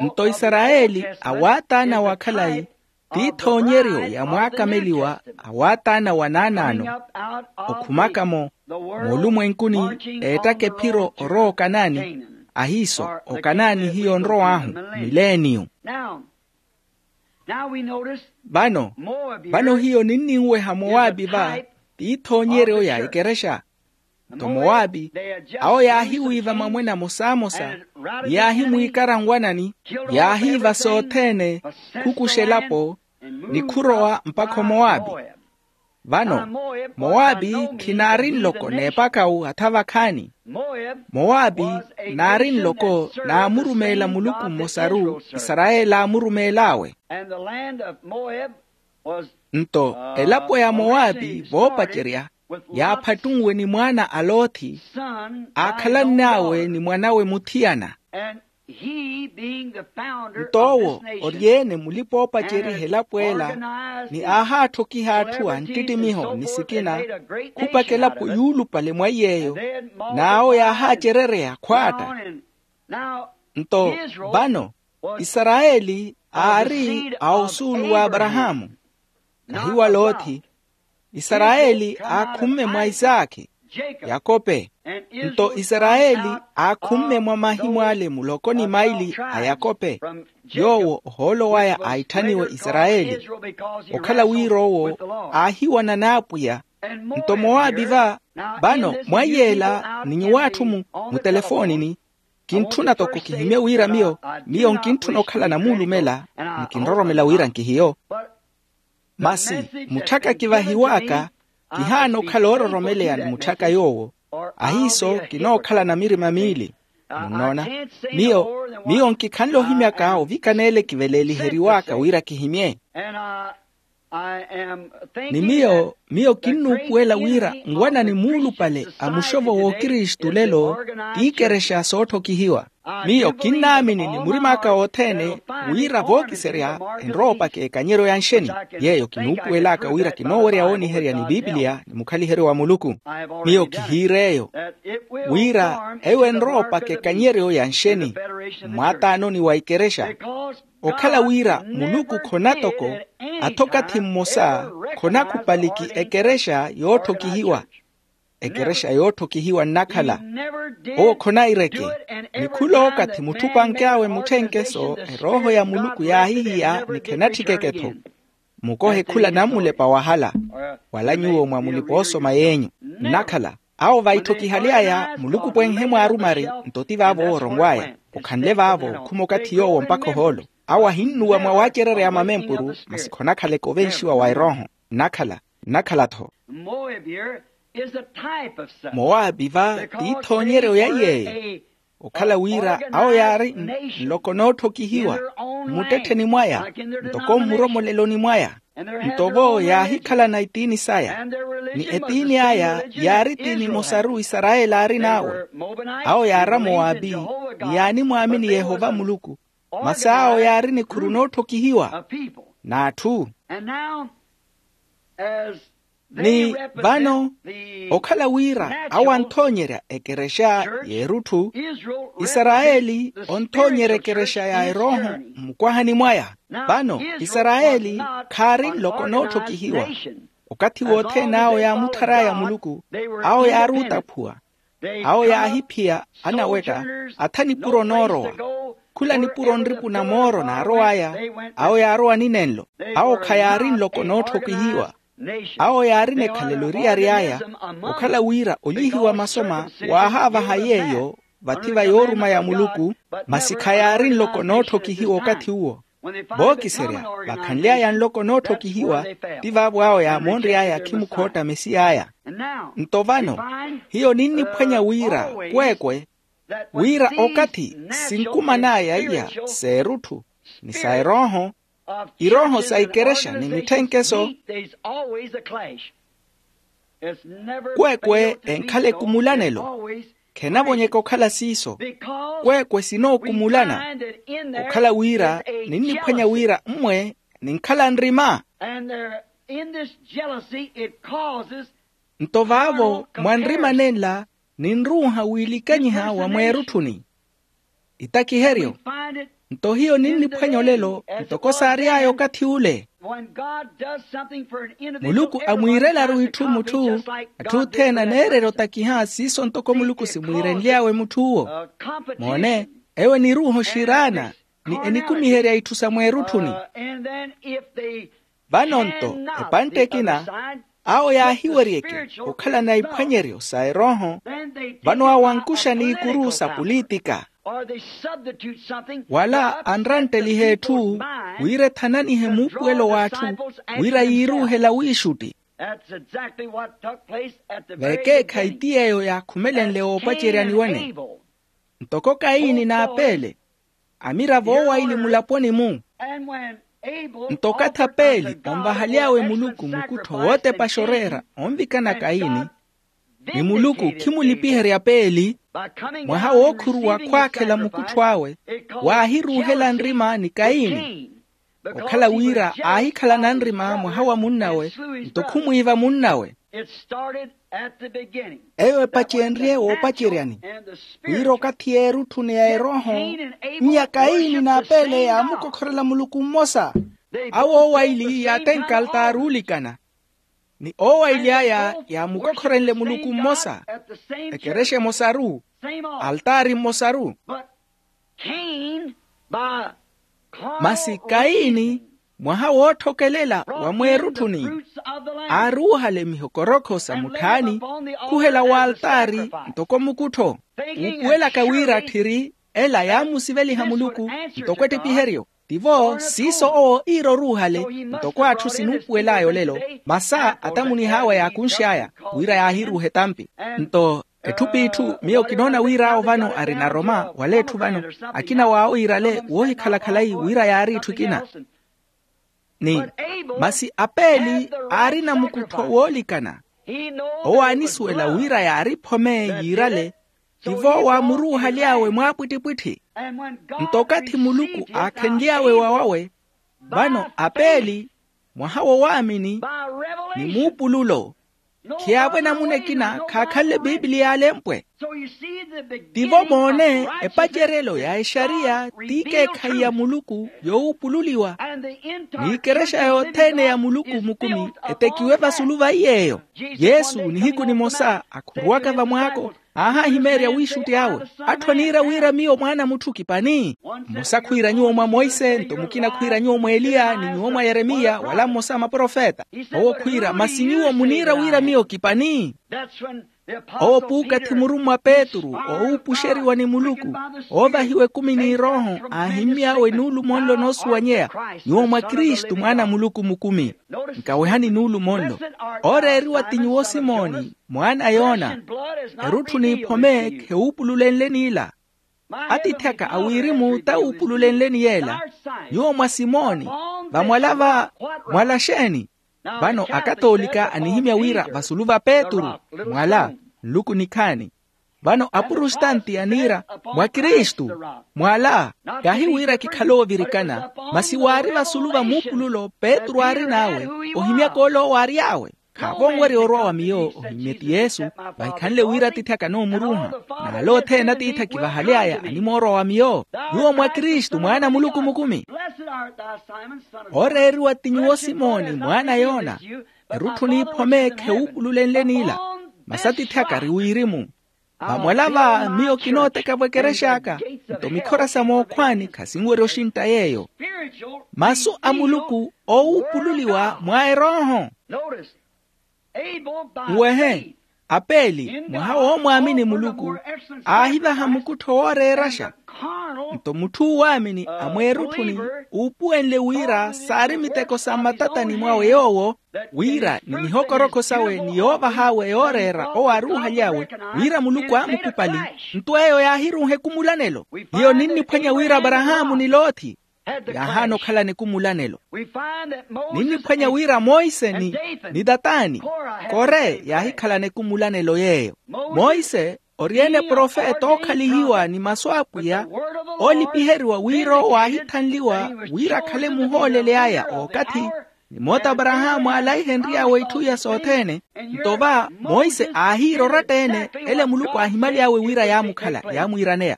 Nto isarayeli awaataana wa khalayi, t'ithoonyeryo ya mwaakameliwa awaataana wa naanaano, okhumaka-mo moolumwenkuni, eettaka ephiro orowa okanaani. Ahiiso okanaani hiyo onrow'ahu mileniyu. Vano, vano hiyo ninninweha mowaapi va, t'ithoonyeryo ya ekerexa. Nto mowaapi, awo yaahiwiiva mamwene amosamosa, ni yaahimwiikara nwanani, yaahiiva sothene, khukuxa elapo, ni khurowa mpakha omowaapi. Vano, mowaapi khinaari nloko n'epakawu hatha vakhaani. Mowaapi naari nloko naamurumeela muluku mmosaru, isarayeli aamurumeel'awe. Nto elapo ya mowaapi voopacerya, yaaphattunwe ni mwaana a lothi, aakhalann'awe ni mwan'awe muthiyana. Nto owo ori-ene mulipa-oopaceriha elapo ela, ni aahaathokiha atthu a nttittimiho ni sikina, khupaka elapo yuulupale mwa iy'eyo, n'awo yaahaacerereya khwaatta. Nto vano, isarayeli aari a osuulu w'aparahaamu, kahi wa lothi. Isarayeli aakhumme mwa isaakhi, yakope. Nto isarayeli aakhumme mwa mahimu ale muloko ni maili a yakope, yoowo ohoolo waya aitthaniwe isarayeli, okhala wira owo aahiwana n'apwiya. Nto mowaapi va, vano mwaiy'ela ni nyuw'atthu mu mutelefoonini, kintthuna toko kihimye wira miyo, miyo nkintthuna okhala namuulumela, ni kinroromela wira nkihiyo. Masi mutthaka kivahiw'aka, kihaana okhala oororomeleya ni mutthaka yoowo, Ahiiso kinookhalana mirima miili. Munnoona, miyo miyo nkikhanle ohimyaka ovikana ele kiveleeliheriwaka wira kihimye. Ni miyo miyo kinnuupuwela wira nwanani muulupale a muxovo w'okristu lelo, t'iikerexa sootthokihiwa. Miyo kinnaamini ni murim'aka othene wira vookiserya enrowa opaka ekanyeryo ya nxeni. Yeeyo kinuupuwel'aka wira kinoowerya wooniherya ni pipiliya ni mukhaliheryo wa muluku. Miyo kihiir'eyo wira eyo enrowa opaka ekanyeryo ya nxeni mmwaataanoni wa ikerexa. Okhala wira muluku khonatoko atho okathi mmosa khonakhupaliki ekerexa yootthokihiwa. Ekerexa yootthokihiwa nnakhala owo khonaireke. Ni khul'okathi mutthu opanky'awe mutthenkeso erooho ya muluku yaahihiya ni khenatthikeke-tho. Mukohe khula nammulepa wahala wala nyuwo mwa mulipa oosoma yenyu. Nnakhala awo vaitthokihaly'aya muluku pwenhe mwaarumari. Nto ti vaavo wooronw'aya okhanle vaavo khuma okathi yoowo mpakha ohoolo. Awo ahinnuwa mwa waacererya mamempuru masi khonakhaleke ovenxiwa wa erooho. Nnakhala nnakhala-tho. Moabi va t'ithoonyeryo ya iy'eyo. Okhala wira awo yaari nloko nootthokihiwa mmuttettheni mwaya ntoko mmuromoleloni mwaya. Nto vo yaahikhalana etiini saya ni etiini aya yaari tiini emosaru isarayeli aarin'awe. Awo yaari amoabi ni yaanimwaamini yehova muluku. Masi awo yaari nikhuru nootthokihiwa n'atthu. Ni vano okhala wira awo anthoonyerya ekerexa y'erutthu, isarayeli onthoonyerya ekerexa ya erooho mmukwahani mwaya. Vano isarayeli khaari nloko nootthokihiwa. Okathi wothene awo yaamutthar'aya muluku awo yaari otaphuwa. Awo yaahiphiya anawetta atha nipuro noorowa. Khula nipuro nripuna mooro naarow'aya awo yaarowa ni nenlo. Awo khayaari nloko nootthokihiwa. Awo yaarina ekhalelo eriyari aya okhala wira olyihiwa masoma waahaavaha yeeyo vathi va yooruma ya muluku. Masi khayaari nloko nootthokihiwa okathi uwo. Vookiserya vakhanly'aya nloko nootthokihiwa ti vaavo awo yaamoonry'aya akhimukhootta mesiy'aya. Nto vano hiyo ninniphwanya wira kweekwe wira okathi sinkuman'aya iya s'erutthu ni sa erooho irooho sa ikerexa ni mitthenkeso. Kweekwe enkhala ekumulanelo khenavonyeka okhala siiso. Kweekwe sinookumulana okhala wira ninniphwanya wira mmwe ninkhala nrima. Nto vaavo mwa nrima nenla ninruuha wiilikanyiha wa mweerutthuni. Itakiheryo. Nto hiyo ninniphwanya olelo ntoko saary'aya okathi ule. Muluku amwiirelaru itthu mutthu atthu othene aneererya otakiha siiso ntoko muluku simwiirenly'awe mutth'uwo. Moone, eyo eniruuha oxiraana ni enikumiherya itthu sa mweerutthuni. Vano nto epantte ekina awo yaahiweryeke okhalana iphwanyeryo sa erooho. Vano awo ankuxa n'ikuru sa pulitika wala anrantteliha etthu wira ethananihe muupuwelo w'atthu wira yiiruuhela wiixutti. Vekeekhayi ti yeeyo yaakhumelenle woopaceryani wene. Ntoko kayini n'apeele amira voowaili mulaponi-mu. Nto okathi apeeli onvahaly'awe muluku mukuttho wootepaxa oreera onvikana kayini ni muluku khimulipiherya peeli. Mwaha wookhuruwa khwaakhela mukuttho awe waahiruuhela nrima ni kayini okhala wira aahikhalana nrima mwaha wa munnawe nto khumwiiva munnawe. Eyo epacenrye woopaceryani wira okathi y'erutthu ni ya erooho nnya kayini n'apeele yaamukokhorela muluku mmosa. Awo owaili yaatenka altaari oolikana ni owaili aya yaamukokhorenle muluku mmosa ekerexa emosaru altaari mmosaru. Masi kayini mwaha wootthokelela wa mweerutthuni aaruuhale mihokorokho sa mutthaani khuhela w'altaari ntoko mukuttho. Wuupuwelaka wira tthiri ela yaamusiveliha muluku ntoko ettipiheryo tivo siiso owo iira oruuhale ntoko atthu sinuupuwel'aya olelo. Masi atamunih'awe yaakunx'aya wira yaahiruuha etampi nto Etthu p'itthu miyo kinoona wir'awo vano ari na roma wala etthu vano, akina w'awo iirale woohikhala khalayi wira yaari etthu ekina. Ni masi apeeli aari na mukuttho woolikana. Owo aanisuwela wira yaari phome yiirale, tivo waamuruuhaly'awe mwaapwittipwitthi. Nto okathi muluku aakhenly'awe wa wawe, vano apeeli mwaha wo waamini ni muupululo, khiyaavo enamuna ekina khaakhanle biipiliya alempwe. Tivo moone, epaceryelo ya exariya t'ikeekhayi ya muluku yoowuupululiwa, n'ikerexa yothene ya muluku mukumi etekiwe vasulu va iy'eyo. Yesu nihiku nimosa akhuruwaka vamwaako, aahahimeerya wiixutti awe, atthu aniira wira miyo mwaana a mutthu kipani. Mmosa khwiira nyuwo mwa monse nto mukina khwiira nyuwo mwa eliya ni nyuwo mwa yeremiya wala mmosa a maprofeta. Owo khwiira masi nyuwo muniira wira miyo kipani. Owo puukathi murummwa petru oowuupuxeriwa ni muluku, oovahiwa ekumi n'irooho, aahimmy'awe nuulumo nlo noosuwanyeya, nyuwo mwa kristu mwaana a muluku mukumi. Nkawehani nuulumo nlo. Ooreeriwa ti nyuwo simoni mwaana a yona, erutthu n'iphome khewuupululenle n'ila. Atiithi aka a wirimu t'awuupululenleni yeela. Nyuwo mwa simoni, vamwala va mwala xeeni? Vano akatoolika anihimya wira vasulu va petru, mwala nluku nikhaani. Vano apurustanti aniira, mwa kristu, mwala. Kaahi wira kikhale oovirikana, masi waari vasulu va muupululo petru aarin'awe, ohimyaka ole owo aary'awe. Khaavo onwerya orwa wa miyo ohimmye ti yesu. Vahikhanle wira atiithi akanoomurunha. N'ale othene atiithi akivahaly'aya animoorwa wa miyo. Nyuwo mwa kristu mwaana a muluku mukumi. Ooreeriwa ti nyuwo simoni mwaana a yona, erutthu n'iphome khewuupululenle n'ila. Masi atiithi aka ari wirimu. Vamwala va miyo kinooteka vwekerex'aka, nto mikhora sa mookhwaani khasinwerya oxintta yeeyo. Masu a muluku oowuupululiwa mwa erooho. Nwehe, apeeli mwaha woomwaamini muluku, aahivaha mukuttho wooreeraxa. Nto mutthu oowaamini a mweerutthuni, uupuwenle wira saari miteko sa mmatatani mwawe yoowo, wira ni mihokorokho sawe ni yoovah'awe yooreera owo aaruuhaly'awe, wira muluku aamukupali. Nto eyo yaahiruuha ekumulanelo. Hiyo ninniphwanya wira aparahaamu ni loothi yaahaana okhalana ekumulanelo. Ninniphwanya wira monse ni, ni tatani, kore yaahikhalana ekumulanelo yeeyo. Monse ori-ene profeta ookhalihiwa ni masu a apwiya, oolipiheriwa wira owo aahithanliwa wira akhale muhooleli aya ookathi, ni moota aparahaamu aalaihenry'awe itthu iya sothene. Nto va monse aahiira oratta-ene ele muluku aahimaly'awe wira yaamukhala yaamwiiraneya.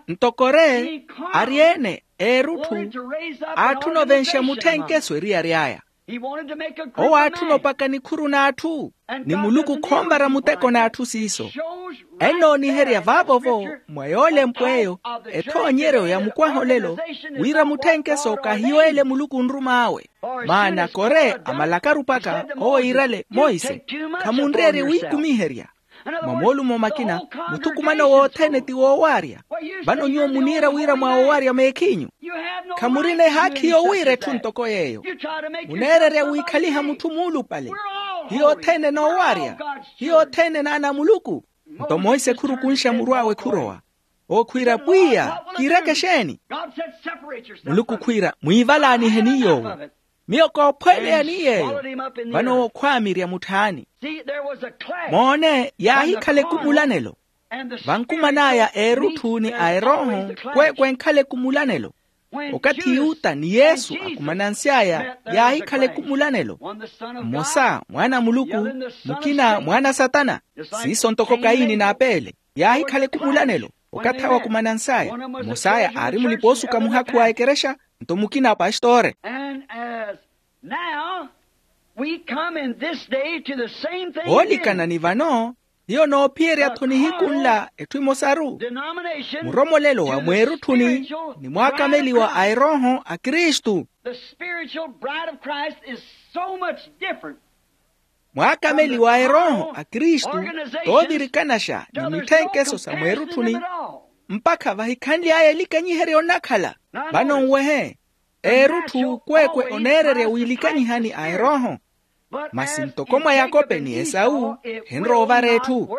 Nto kore ari-ene eerutthu aatthuna ovenxa mutthenkeso eriyari aya. Owo aatthuna opaka nikhuru n'atthu, ni muluku khonvara muteko n'atthu siiso. Ennooniherya vaavo-vo mwa yoolempw'eyo ethoonyeryo ya mukwaha olelo, wira mutthenkeso kahiyo ele muluku onrum'awe. Maana kore amalakaru paka owo iirale monse, khamunreerye wiikumiherya. Mwa moolumo makina, muthukumano wothene ti woowarya. Vano nyuwo muniira wira mwaawowarya meekhinyu. Khamurina ehaakhi yowiira etthu ntoko yeeyo. Muneererya wiikhaliha mutthu muulupale. Hiyo othene enoowarya. Hiyo othene enaana a muluku. Nto monse khurukunxa muru awe khurowa, owo khwiira pwiya, kiireke exeeni? Muluku khwiira mwiivalaaniheni yoowo. Miyo koophweleyani yeeyo. Vano owo khwaamirya mutthaani. Moone yaahikhala ekumulanelo. Vankuman'aya eerutthu ni a erooho, kweekwe enkhala ekumulanelo. Okathi yuta ni yesu akumanansy'aya, yaahikhala ekumulanelo. Mmosa mwaana a muluku, mukina mwaana a satana. Siiso ntoko kaini n'apele yaahikhala ekumulanelo. Okathi awo akumanans'aya, mmos'aya aari mulipa-oosuka muhakhu wa ekerexa, nto mukina apastore. Now we come in this day to the same thing. Oolikana ni vano, hiyo noophiyerya-tho nihiku nla etthu emosaru. Muromolelo wa mweerutthuni ni mwaakameliwa a erooho a kristu. The spiritual bride of Christ is so much different. Mwaakameliwa a erooho a kristu toovirikanaxa ni mitthenkeso sa mweerutthuni, mpakha vahikhanly'aya elikanyiheryo nnakhala. Vano nwehe, eerutthu kweekwe oneererya wiilikanyihani a erooho. Masi ntoko mwa yakope ni esau, henrowa ovara etthu.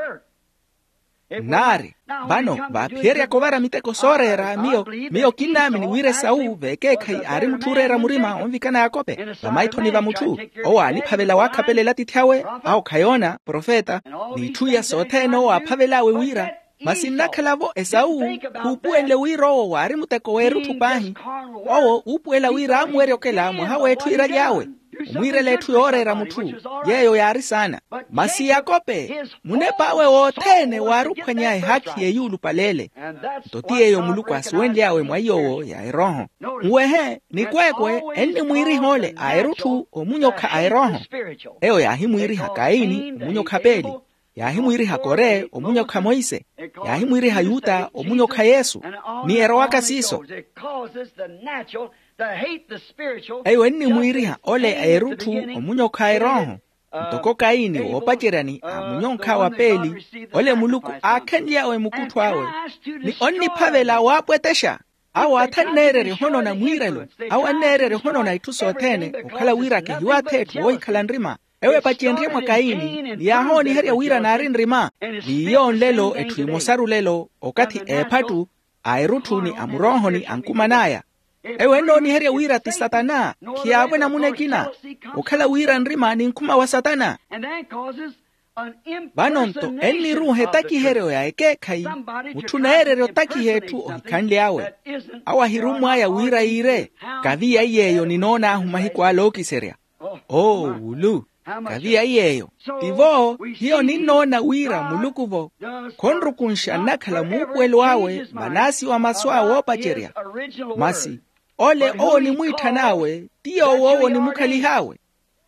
Nnaari, vano vaaphiyeryaka ovara miteko sooreera miyo, miyo kinnaamini wira esawu veekeekhayi aari mutthu ooreera murima onvikana yakope. Vamaithoni va mutthu, owo aaniphavela waakhapelela atiithi awe, awo khayoona profeta, n'itthu iya sothene owo aaphavel'awe wira. Masi nnakhala-vo esawu, khuupuwenle wira owo waari muteko w'erutthu paahi. Owo uupuwela wira aamuwerya okela mwaha w'etthu iiraly'awe, omwiirela etthu yooreera mutthu, yeeyo yaari saana. Masi yakope, munep'awe wothene waari ophwanya ehaakhi y'eyuulupaleele. Nto ti yeeyo muluku aasuwenly'awe mwa iy'owo ya erooho. Nwehe nikweekwe ennimwiiriha ole a erutthu omunyokha a erooho. Eyo yaahimwiiriha kaini omunyokha apeeli, yaahimwiiriha kore omunyokha monse, yaahimwiiriha yuta omunyokha yesu, ni erowaka siiso. Eyo ennimwiiriha ole a erutthu omunyokha a erooho. Ntoko kaini woopaceryani aamunyonkha wa peeli, ole muluku aakhenly'awe mukuttho awe, ni onniphavela waapwetexa. Awo athanneererya ohonona mwiirelo, awo anneererya ohonona itthu sothene okhala wira kehiwaathe etthu woohikhala nrima. Ewo epacenrye mwa kaini ni yaahooniherya wira naari nrima. N'iyo nlelo etthu emosaru lelo, okathi eephattu a erutthu ni a muroohoni ankuman'aya. Ewo ennooniherya wira ti satana, khiyaavo enamuna ekina. Okhala wira nrima ni nkhuma wa satana. Vano-nto enniruuha etakiheryo ya ekeekhayi, mutthu oneererya otakiha etthu ohikhanly'awe. Awo ahirummw'aya wira yiire, kaviya iy'eyo ninoon'ahu mahiku ala ookiserya. Oo wulu, kaviya iy'eyo. Tivo hiyo ninnoona wira muluku-vo khonrukunxa nnakhala muupuwelo awe manaasi wa masu awe oopacerya. Masi ole owo onimwiithan'awe ti yoowo owo onimukhalih'awe.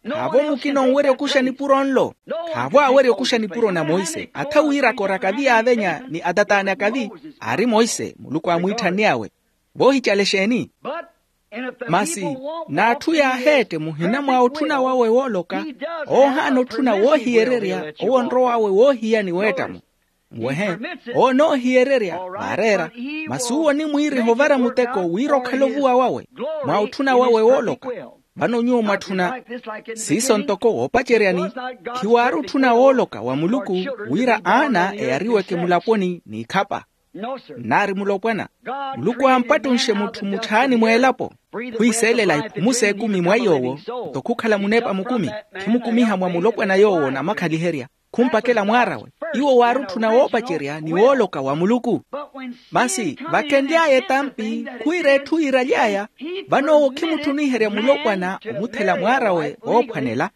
Khaavo mukina onwerya okuxa nipuro nlo. Khaavo aawerya okuxa nipuro na monse atha wiiraka oraka vi yaavenya ni atataani akavi. Aari monse muluku aamwiithanny'awe. Voohicala exeeni? Masi n'atthu yaaheette muhina mwa otthuna wawe wooloka, owo ohaana otthuna woohiyererya owo onrow'awe woohiyani weettamo. Muwehe, owo onoohiyererya vaareera. Masi uwo onimwiiriha ovara muteko wira okhale ovuwa wawe mwa otthuna wawe wooloka. Vano nyuwo mwatthuna siiso ntoko woopaceryani. Khiwaari otthuna wooloka wa muluku wira aana eyariweke mulaponi n'ikhapa. Nnaari mulopwana. Muluku aampattunxe mutthu mutthaani mw'elapo, khwiseelela iphumu s'ekumi mwa iy'owo. Nto khukhala munepa mukumi, khimukumiha mwa mulopwana yoowo onamakhaliherya, khumpakela mwaar'awe. Iwo waari otthuna woopacerya ni wooloka wa muluku. Masi vakenly'aya etampi khwiira etthu yiiraly'aya, vano owo khimutthuniherya mulopwana omuthela mwaar'awe oophwanela,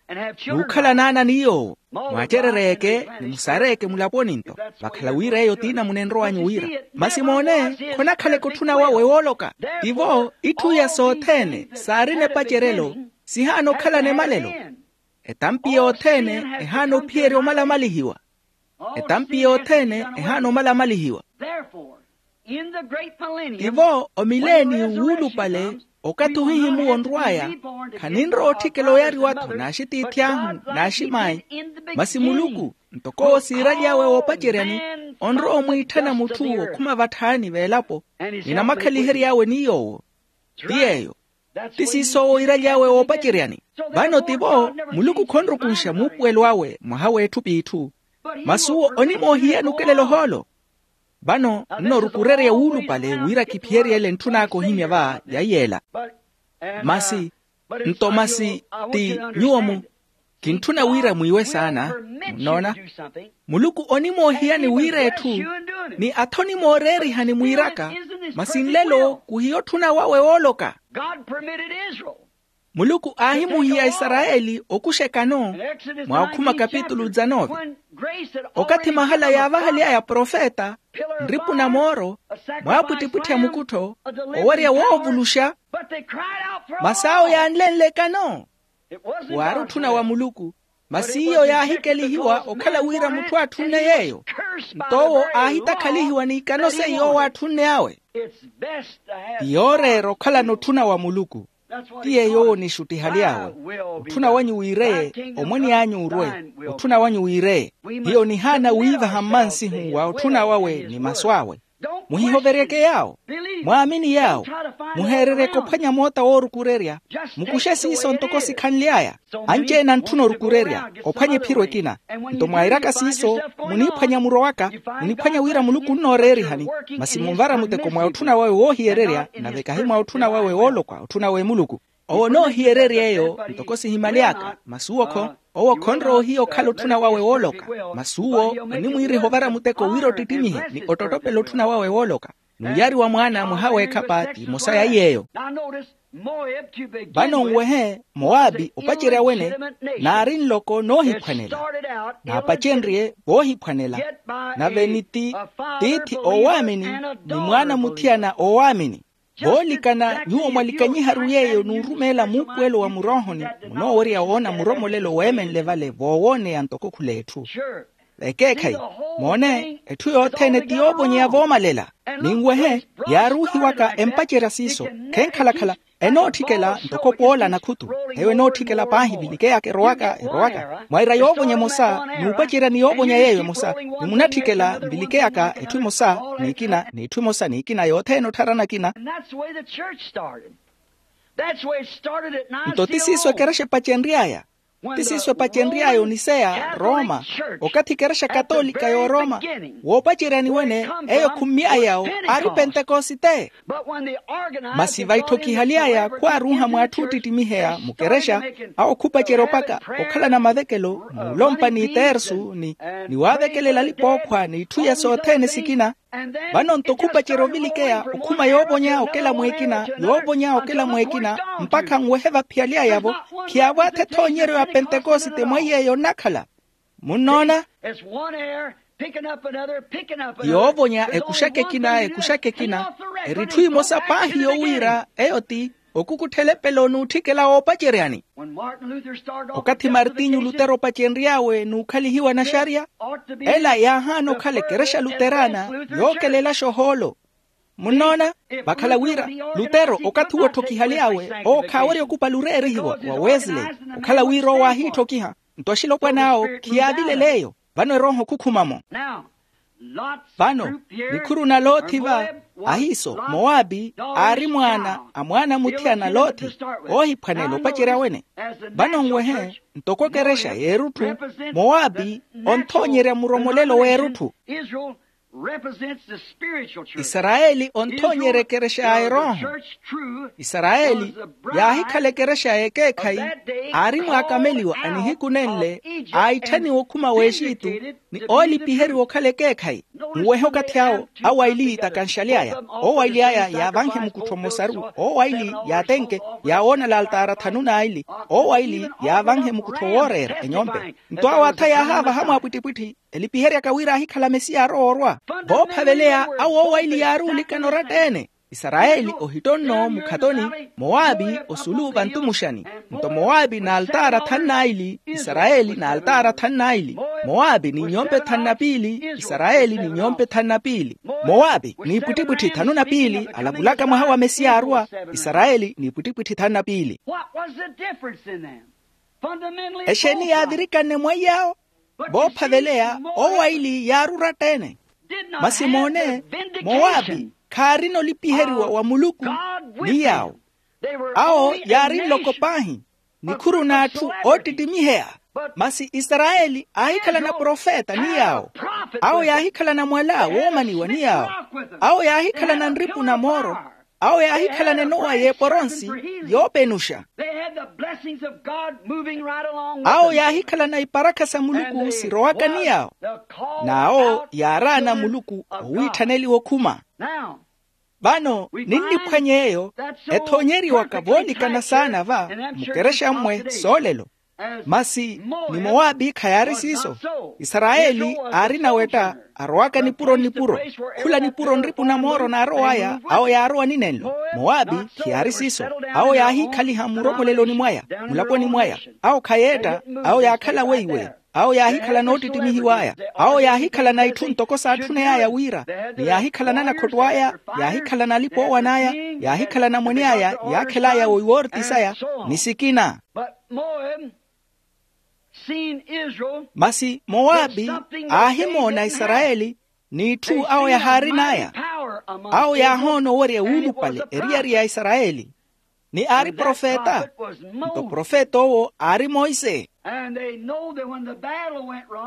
n'ukhala naana ni yoowo. Mwacerereyeke ni musareyeke mulaponi-nto, vakhala wira eyo t'inamuna enrow'anyu wira. Masi moone, khonakhaleke otthuna wawe wooloka. Tivo itthu iya sothene saarina epaceryelo, sihaana okhalana emalelo. Etampi yothene ehaana ophiyerya omalamalihiwa. Etampi yothene ehaana omalamalihiwa. Tivo omileeni wuulupale, okathi ohihimuwa onrw'aya, khaninrowa otthikela oyariwa-tho n'axitiithi ahu n'aximaayi. Masi muluku, ntoko owo siiraly'awe woopaceryani, onrowa omwiitthana mutthu okhuma vatthaani v'elapo, ni namakhalihery'awe ni yoowo. Ti yeeyo. Ti siiso owo iiraly'awe woopaceryani. Vano tivo muluku khonrukunxa muupuwelo awe mwaha w'etthu p'itthu. Masi uwo onimoohiyani okelela ohoolo. Vano nnorukurerya wuulupale wira kiphiyery'ele ntthun'aka ohimya va ya yeela. Masi nto masi ti nyuwo mu kintthuna wira mwiiwe saana. Munnoona, muluku onimoohiyani wira etthu, ni atha onimooreerihani mwiiraka. Masi nlelo khuhiya otthuna wawe wooloka. Muluku aahimuhiya aisarayeli okuxa ekano. Mwa okhuma kapitulu dizanove, okathi mahala yaavahaly'aya profeta, nripu na mooro, mwaapwittipwitthi a mukuttho, owerya woovuluxa. Masi awo yaanlenle ekano. Waari otthuna wa muluku. Masi iyo yaahikelihiwa okhala wira mutthu atthunne yeeyo. Nto owo aahitakhalihiwa n'ikano seiyo owo atthunne awe. Ti yooreera okhalana otthuna wa muluku. Ti yeeyo owo onixuttihaly'awe. Otthuna wanyu wiireye. Omwene anyu orwe. Otthuna wanyu wiireye. Hiyo onihaana wiivaha mmansihu wa otthuna wawe ni masu awe. Muhihoveryeke yaawo. Mwaamini yaawo. Muheereryeke ophwanya moota woorukurerya. Mukuxe siiso ntoko sikhanly'aya. Anci-ene antthuna orukurerya ophwanya ephiro ekina. Nto mwairaka siiso, muniphwanya murowaka, muniphwanya wira muluku onnooreerihani. Masi munvara muteko mwa otthuna wawe woohiyererya, nave kahi mwa otthuna wawe woolokwa otthuna w'emuluku. Owo onoohiyererya eyo ntoko sihimaly'aka masi uwo-kho. Owo khonrowa ohiya okhala otthuna wawe wooloka. Masi uwo onimwiiriha ovara muteko wira ottittimihe ni ottottopela otthuna wawe wooloka. N'uyari wa mwaana mwaha w'ekhapa t'imosa ya iy'eyo. Vano nwehe, moabi opacerya wene naari nloko noohiphwanela. Naapacenrye voohiphwanela. Nave ni ti tiithi oowaamini, ni mwaana muthiyana oowaamini. Voolikana nyuwo mwalikanyiharu yeeyo n'urumeela muupuwelo wa muroohoni, munoowerya woona muromolelo weemenle vale voowooneya ntoko khula etthu. Vekeekhayi, moone, etthu yothene ti yoovonyeya voomalela. Ninwehe, yaaruuhiwaka empacerya siiso, khenkhala-khala, enootthikela ntoko poola nakhutu. Eyo enootthikela paahi vilikeyaka erowaka erowaka mwaira yoovonya emosa, n'upacerya ni yoovonya yeeyo emosa. Ni munatthikela nvilikeyaka etthu emosa n'ikina n'etthu emosa n'ikina yothene ottharana akina. Nto ti siiso ekerexa epacenry'aya. Ti siiso epacenry'aya oniseya roma, okathi ekerexa katolika y'oroma, woopaceryani wene, eyo khummy'ayawo aari pentekosite. Masi va itthokihaly'aya khwaaruuha mw'atthu oottittimiheya mukerexa, awo khupacerya opaka okhalana mavekelo muulompa ni tersu ni waavekelela alipa ookhwa n'itthu iya sothene sikina. Vano nto khupacerya ovilikeya okhuma yoovonya okela mw'ekina yoovonya okela mw'ekina, mpakha nwehe vaphiyaly'aya-vo. Khiyaavo athethoonyeryo ya pentekosite mwa iy'eyo onnakhala. Munnoona? Yoovonya ekuxaka ekina ekuxaka ekina. Eri etthu emosa paahi yowiira eyo ti okukutthela epelo n'utthikela woopaceryani. Okathi martinyu lutero opacenry'awe n'ukhalihiwa naxarya, ela yaahaana okhala ekerexa luterana yookelelaxa ohoolo. Munnoona? Vakhala wira lutero okathi wootthokihaly'awe owo khaawerya okupali oreerihiwa wa wesley. Okhala wira owo aahiitthokiha, nto axilopwan'awo khiyaavilel'eyo. Vano erooho khukhuma-mo. Vano nikhuru na lothi va, ahiiso moabi aari mwaana a mwaana muthiyana lothi, oohiphwanela opacerya wene. Vano nwehe, ntoko ekerexa y'erutthu, moabi onthoonyerya muromolelo w'erutthu. Isarayeli onthoonyerya ekerexa ya erooho. Isarayeli yaahikhala ekerexa ya ekeekhayi, aari mwaakameliwa a nihiku nenle, aitthaniwa okhuma w'exitu, ni oolipiheriwa okhala ekeekhayi. Muwehe okathi awo awo aili yiitakanxaly'aya. Owo aili aya yaavanhe mukuttho mmosaru, owo aili yaatenke, yaawoona laaltaara thanu n'aili. Owo aili yaavanhe mukuttho wooreera enyompe. Nto awo atha yaahaavaha mwaapwittipwitthi, elipiheryaka wira aahikhala mesiya arowa orwa. Voophaveleya awo owo aili yaaruulikana oratta-ene. Isarayeli ohittonno mukhatoni, moabi osulu vantumuxani. Nto moabi n'altaara thanu n'aili, isarayeli n'altaara thanu n'aili. Moabi n'inyompe thanu na piili, isarayeli n'inyompe thanu na piili. Moabi n'ipwittipwitthi thanu na piili alavulaka mwaha wa mesiya arwa, isarayeli n'ipwittipwitthi thanu na piili. Exeeni yaavirikane mwa iy'awo? Voophaveleya owo aili yaari oratta-ene. Masi moone, moabi khaarina olipiheriwa wa muluku ni yaawo. Awo yaari nloko paahi, nikhuru n'atthu oottittimiheya. Masi isarayeli aahikhalana profeta ni yaawo. Awo yaahikhalana mwala woomaniwa ni yaawo. Awo yaahikhalana nripu na mooro. Awo yaahikhalana enowa y'eporonsi yoopenuxa. Awo yaahikhalana iparakha sa muluku sirowaka ni yaawo. N'awo yaaraana muluku owiitthaneliwa okhuma. Vano ninniphwanya eyo ethoonyeriwaka voolikana saana va mukerexa mmwe soolelo. Masi ni moabi khayaari siiso. Isarayeli aari nawetta arowaka nipuro nnipuro, khula nipuro nripu na mooro naarow'aya. Awo yaarowa ni nenlo. Moabi khiyaari siiso. Awo yaahiikhaliha mmuromoleloni mwaya, mulaponi mwaya. Awo khayeetta. Awo yaakhala weiwe. Awo yaahikhalana oottittimihiw'aya. Awo yaahikhalana itthu ntoko saatthuney'aya wira, ni yaahikhalana nakhotto aya, yaahikhalana alipa oowan'aya, yaahikhalana mwene aya yaakhel'aya woiwoortisaya. Ni sikina. Masi moabi aahimoona isarayeli, n'itthu awo yahaarin'aya. Awo yaahoona owerya wuulupale eriyari ya isarayeli. Ni aari profeta. Nto profeta owo aari monse.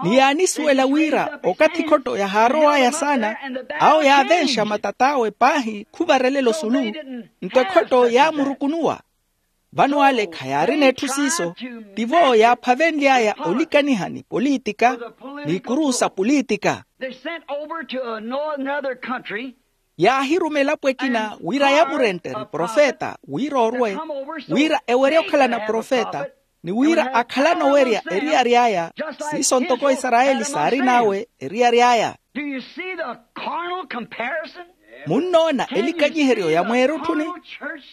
Ni yaanisuwela wira okathi ekhotto yahaarow'aya saana, awo yaavenxa matat'awe paahi khuvarelela osulu. Nto ekhotto yaamurukunuwa. Vano ale khayaarina etthu siiso. Tivo yaaphavenly'aya olikaniha ni politika, n'ikuru sa politika. Yaahiruma elapo ekina wira yamurenttere profeta wira orwe, wira ewerye okhalana profeta, ni wira akhalana owerya eriyari aya. Siiso ntoko isarayeli saarin'awe eriyari aya. Munnoona elikanyiheryo ya mweerutthuni?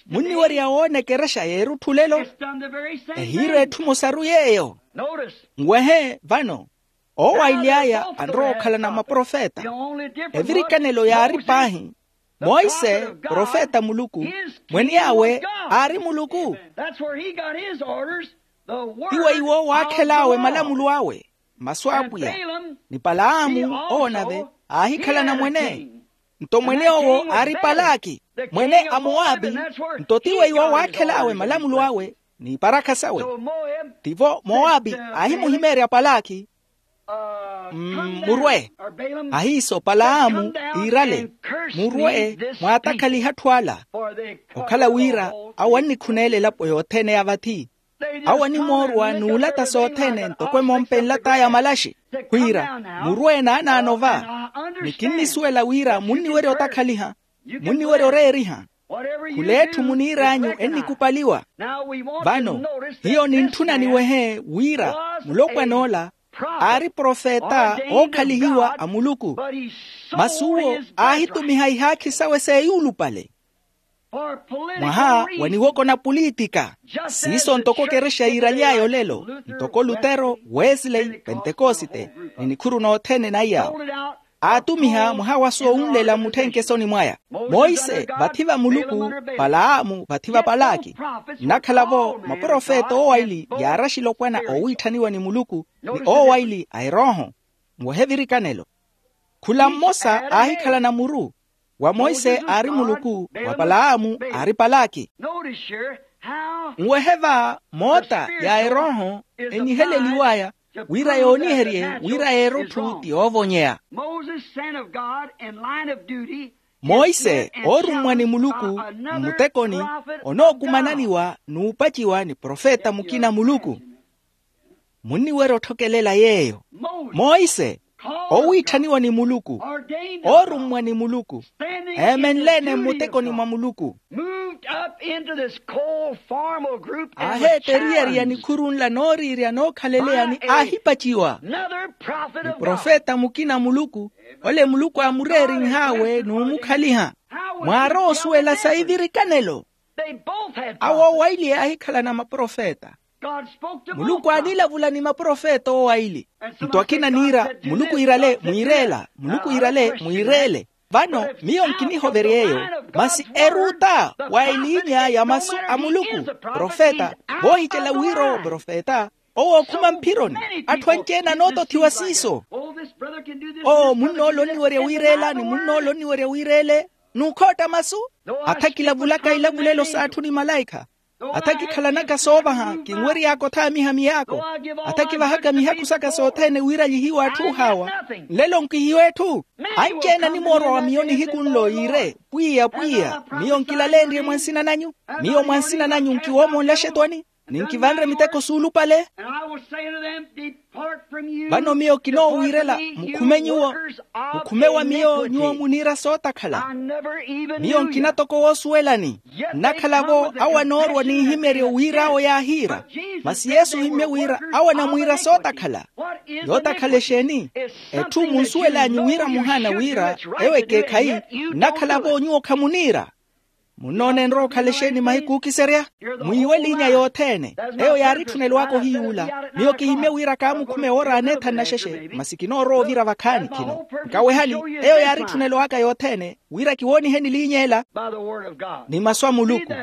Munniwerya woona ekerexa y'erutthu lelo? Ehiira etthu emosaru yeeyo. Nwehe vano, owaili aya anrowa okhalana maprofeta. Evirikanelo yaari paahi. Monse profeta a muluku, mwene awe aari muluku. Iwo iwo waakhel'awe malamulo awe, masu a apwiya. Ni palaamu owo nave aahikhalana mwene. Nto mwene owo aari palaki, mwene a moapi. Nto tiwo iwo waakhel'awe malamulo awe n'iparakha sawe. Tivo moapi aahimuhimeerya palaki, murwe. Ahiiso palaamu iirale, murwe mwaatakhaliha atthu ala. Okhala wira awo annikhuneela elapo yothene ya vathi. Awo animoorwa n'ulata sothene ntoko emompe enlat'aya malaxi, khwiira murwe naanaano va. Ni kinnisuwela wira munniwerya otakhaliha, munniwerya oreeriha. Khul'etthu muniir'anyu ennikupaliwa. Vano hiyo nintthuna niwehe wira mulopwan'ola aari profeta ookhalihiwa a muluku. Masi uwo aahitumiha ihaakhi sawe seeyuulupale. Mwaha wa niwoko na pulitika. Siiso ntoko ekerexa yiiraly'aya olelo, ntoko lutero, wesley, pentekosite, ni nikhuru nothene na iyaawo. Aatumiha mwaha wa soowunlela mutthenke esoni mwaya. Monse vathi va muluku, palaamu vathi va palaki. Nnakhala-vo maprofeta owaili yaaraxile opwana oowiitthaniwa ni muluku, ni owaili a erooho. Mwehe virikanelo. Khula mmosa aahikhalana muru. Wa monse aari muluku, wa palaamu aari palaki. Nwehe va moota ya erooho eniheleliw'aya wira yooniherye wira yeerutthu ti yoovonyeya. Monse oorummwa ni muluku mmutekoni, onookumananiwa n'upaciwa ni profeta mukina muluku. Munniwerya otthokelela yeeyo. Monse, owiitthaniwa ni muluku, oorummwa ni muluku, eemenle-ene mmutekoni mwa muluku. Aaheeta eriyari ya nikhuru nla nooriirya nookhaleleya ni aahipaciwa. Ni profeta mukina muluku, ole muluku aamureerinh'awe n'umukhaliha. Mwaarowa osuwela sayi virikanelo. Awo owaili aahikhalana maprofeta. Muluku aanilavula ni maprofeta owaili. Nto akina niira muluku iirale mwiireela, muluku iirale mwiireele. Vano miyo nkinihoverya eyo, masi eruta wa eliinya ya masu a muluku. Profeta, voohicela wira owo profeta, owo okhuma mphironi. Atthu anci-ene anootothiwa siiso. Owo munn'ole onniwerya wiireela ni munn'ole onniwerya wiireele. N'ukhootta masu. Atha kilavulaka ilavulelo s'atthu ni malaikha. Atha kikhalanaka soovaha kinwery'aka othaamiha miyaako. Atha kivahaka mihakhu saka sothene wira lihiwe atthu ohaawa. Nlelo nkihiwa etthu. Anci-ene animoorwa wa miyo nihiku nlo yiire, pwiya pwiya, miyo nkilaleenrye mwa nsina nanyu. Miyo mwa nsina nanyu nkiwoomonle axetwani, ni nkivanre miteko suulupale. Vano miyo kinoowiirela, mukhume nyuwo. Mukhume wa miyo nyuwo muniira sootakhala. Miyo nkina toko woosuwelani. Nnakhala-vo awo anoorwa n'ihimeryo wira awo yaahiira. Masi yesu ohimmye wira awo anamwiira sootakhala. Yootakhala exeeni? Etthu munsuwel'anyu wira muhaana wira eyo ekeekhayi. Nnakhala-vo nyuwo khamuniira. Munnoona enrowa okhala exeeni mahiku ookiserya? Mwiiwe eliinya yothene. Eyo yaari etthu nelwaaka ohiyuula. Miyo kihimmye wira kaamukhume woora aneethani naxexe masi kinoorowa ovira vakhaani khino. Nkawehani. Eyo yaari etthu nelwaaka yothene wira kiwooniheni eliinya ela ni masu a muluku.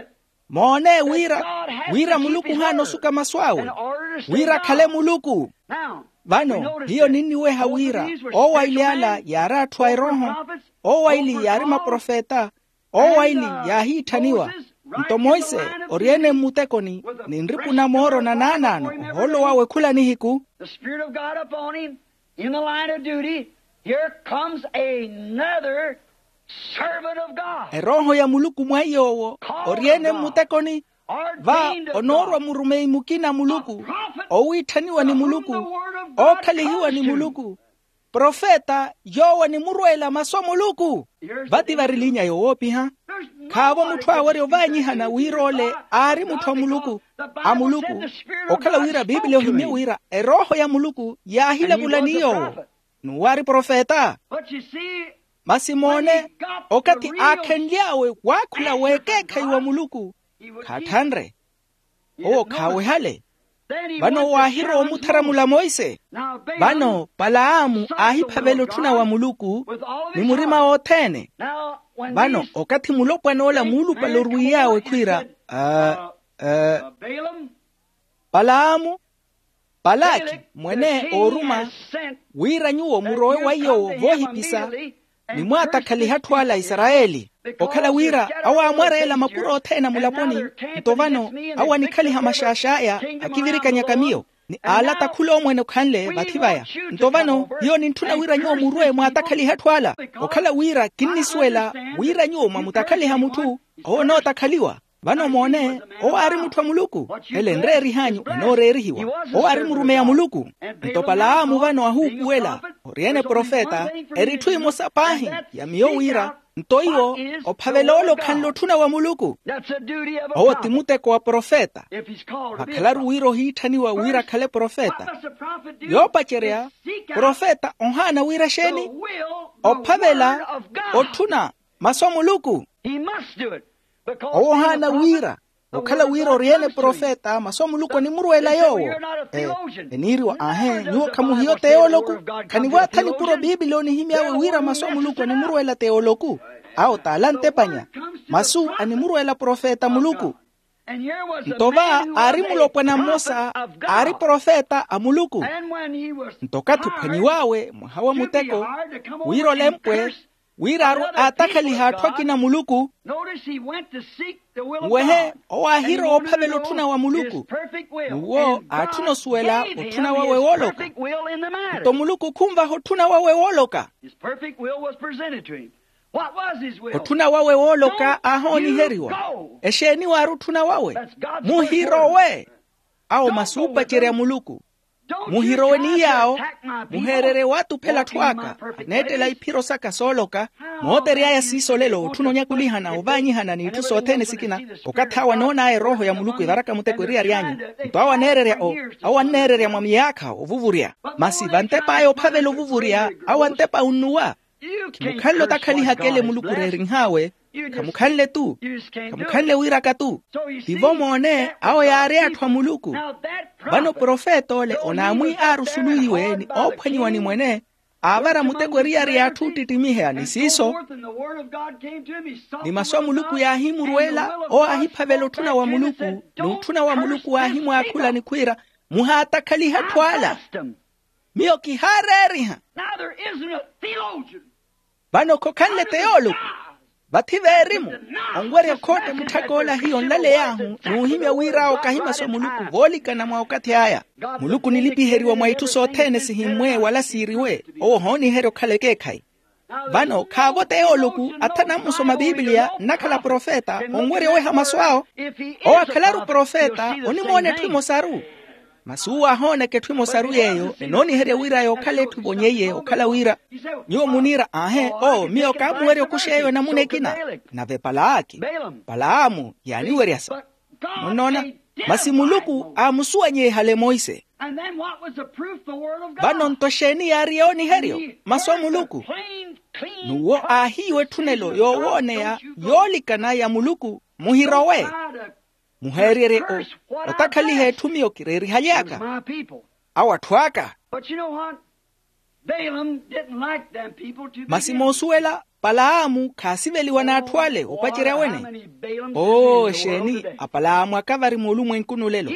Moone wira wira muluku ohaana osuka masu awe wira akhale muluku. Vano hiyo ninniweha wira owo aili ala yaari atthu a erooho, owo aili yaari maprofeta, owo aili yaahiitthaniwa. Nto monse ori-ene mmutekoni, ni nripu na mooro na naanaano ohoolo wawe khula nihiku. The Spirit of God upon him, in the line of duty, here comes another servant of God. Erooho ya muluku mwa iy'owo ori-ene mmutekoni, va onoorwa murumeyi mukina a muluku, owiitthaniwa ni muluku, ookhalihiwa ni muluku, profeta yoowo animurweela masu a muluku. Vati vari linya yowoopiha. Khaavo mutthu aawerya ovaanyihana wira ole aari mutthu a muluku, a muluku, okhala wira bibiliya ohimye wira erooho ya muluku yaahilavula ni yoowo, n'uwo aari profeta. Masi moone, okathi aakhenly'awe waakhula w'ekeekhayi wa muluku, khaatthanre. Owo khaawehale. Vano owo aahirowa omutharamula monse. Vano palaamu aahiphavela otthuna wa muluku ni murima wothene. Vano okathi mulopwan'ola muulupale orwiiy'awe khwiira, ah, ah, palaamu, palaki mwene ooruma, wira nyuwo murowe wa iy'owo voohipisa, nimwaattakhalihe atthu ala a isarayeli. Okhala wira awo aamwareela makuru othene a mulaponi, nto vano awo anikhaliha maxaax'aya, akivirikanyaka miyo, ni aalata khula omwene okhanle vathi vaya. Nto vano hiyo nintthuna wira nyuwo murwe mwaatakhalihe atthu ala. Okhala wira kinnisuwela wira nyuwo mwamutakhaliha mutthu, owo onootakhaliwa. Vano moone, owo aari mutthu a muluku. Ele enreerih'anyu enooreerihiwa. Owo aari murumeyi a muluku. Nto palaamu vano ahuupuwela, ori-ene profeta, eri etthu emosa paahi ya miyo wira, nto iwo ophavela ole okhanle otthuna wa muluku. Owo ti muteko wa profeta. Vakhalaru wira ohiitthaniwa wira akhale profeta. Yoopacerya, profeta ohaana wira exeeni? Ophavela otthuna masu a muluku. Owo ohaana wira, okhala wira ori-ene profeta masu a muluku animurweela yoowo. Eniiriwa aahe nyuwo khamuhiyo teoloku. Khanivwaathani kuro bibiliya onihimy'awe wira masu a muluku animurweela teoloku. Awo t'ala antepanya, masu animurweela profeta muluku. Nto va aari mulopwana mmosa aari profeta a muluku. Nto okathi ophwanyiw'awe mwaha wa muteko, wira olempwe, wira aatakhaliha atthu akina a muluku. Nwehe, owo aahirowa ophavela otthuna wa muluku. N'uwo aatthuna osuwela otthuna wawe wooloka. Nto muluku khunvaha otthuna wawe wooloka. Otthuna wawe wooloka aahooniheriwa. Exeeni waari otthuna wawe? Muhirowe. Awo masi oopacerya muluku. Muhirowe ni yaawo. Muheererye waatuphela atthu aka aneettela iphiro saka sooloka. Mootery'aya siiso lelo otthuna onyakulihana ovaanyihana n'itthu sothene sikina. Okathi awo anoon'aya erooho ya muluku evaraka muteko eriyari anyu. Nto awo aneererya o awo anneererya mwa miyaakha ovuvurya. Masi vantep'aya ophavela ovuvurya awo antepa unnuwa. Khimukhanle otakhalihaka ele muluku reerinh'awe. Khamukhanle-tu. Khamukhanle wiiraka-tu. Tivo moone awo yaari atthu a muluku. Vano profeta ole onaamwi aarusuluwiwe ni oophwanyiwa ni mwene, aavara muteko eriyari y'atthu oottittimiha ni siiso. Ni masu a muluku yaahimurweela. Owo aahiphavela otthuna wa muluku. N'utthuna wa muluku waahimwaakhula ni khwiira, muhaatakhalihe atthu ala. Miyo kihaareeriha. Vano khokhanle teoloku. Vathi veerimu onwerya khootte mutthak'ola hiyo nlaley'ahu n'uhimya wira awo kahi masu a muluku voolikana mwa okathi aya. Muluku onilipiheriwa mwa itthu sothene sihimmwe wala siiriwe. Owo ohooniherya okhala ekeekhayi. Vano khaavo teoloku athana ammusoma bibiliya nnakhala profeta onwerya oweha masu awo. Owo akhalaru profeta onimoona etthu emosaru. Masi uwo aahoonaka etthu emosaru yeeyo enooniherya wira yookhala etthu evonyeiye okhala wira. Nyuwo muniira aahe owo miyo kaamuwerya okuxa eyo enamuna ekina. Nave palaaki, palaamu yaaniweryasa. Munnoona? Masi muluku aamusuwanyihale monse. Vano nto exeeni yaari yooniheryo? Masu a muluku. N'uwo aahiiwa etthunelo yoowooneya yoolikana ya muluku. Muhirowe. Muheeryerye o otakhaliha etthu miyo kireerihaly'aka. Awo atthu aka. Masi moosuwela Apalaamu khaasiveliwa n'atthu ale opacerya wene. Oo exeeni? Apalaamu akavari muulumwenkuni olelo.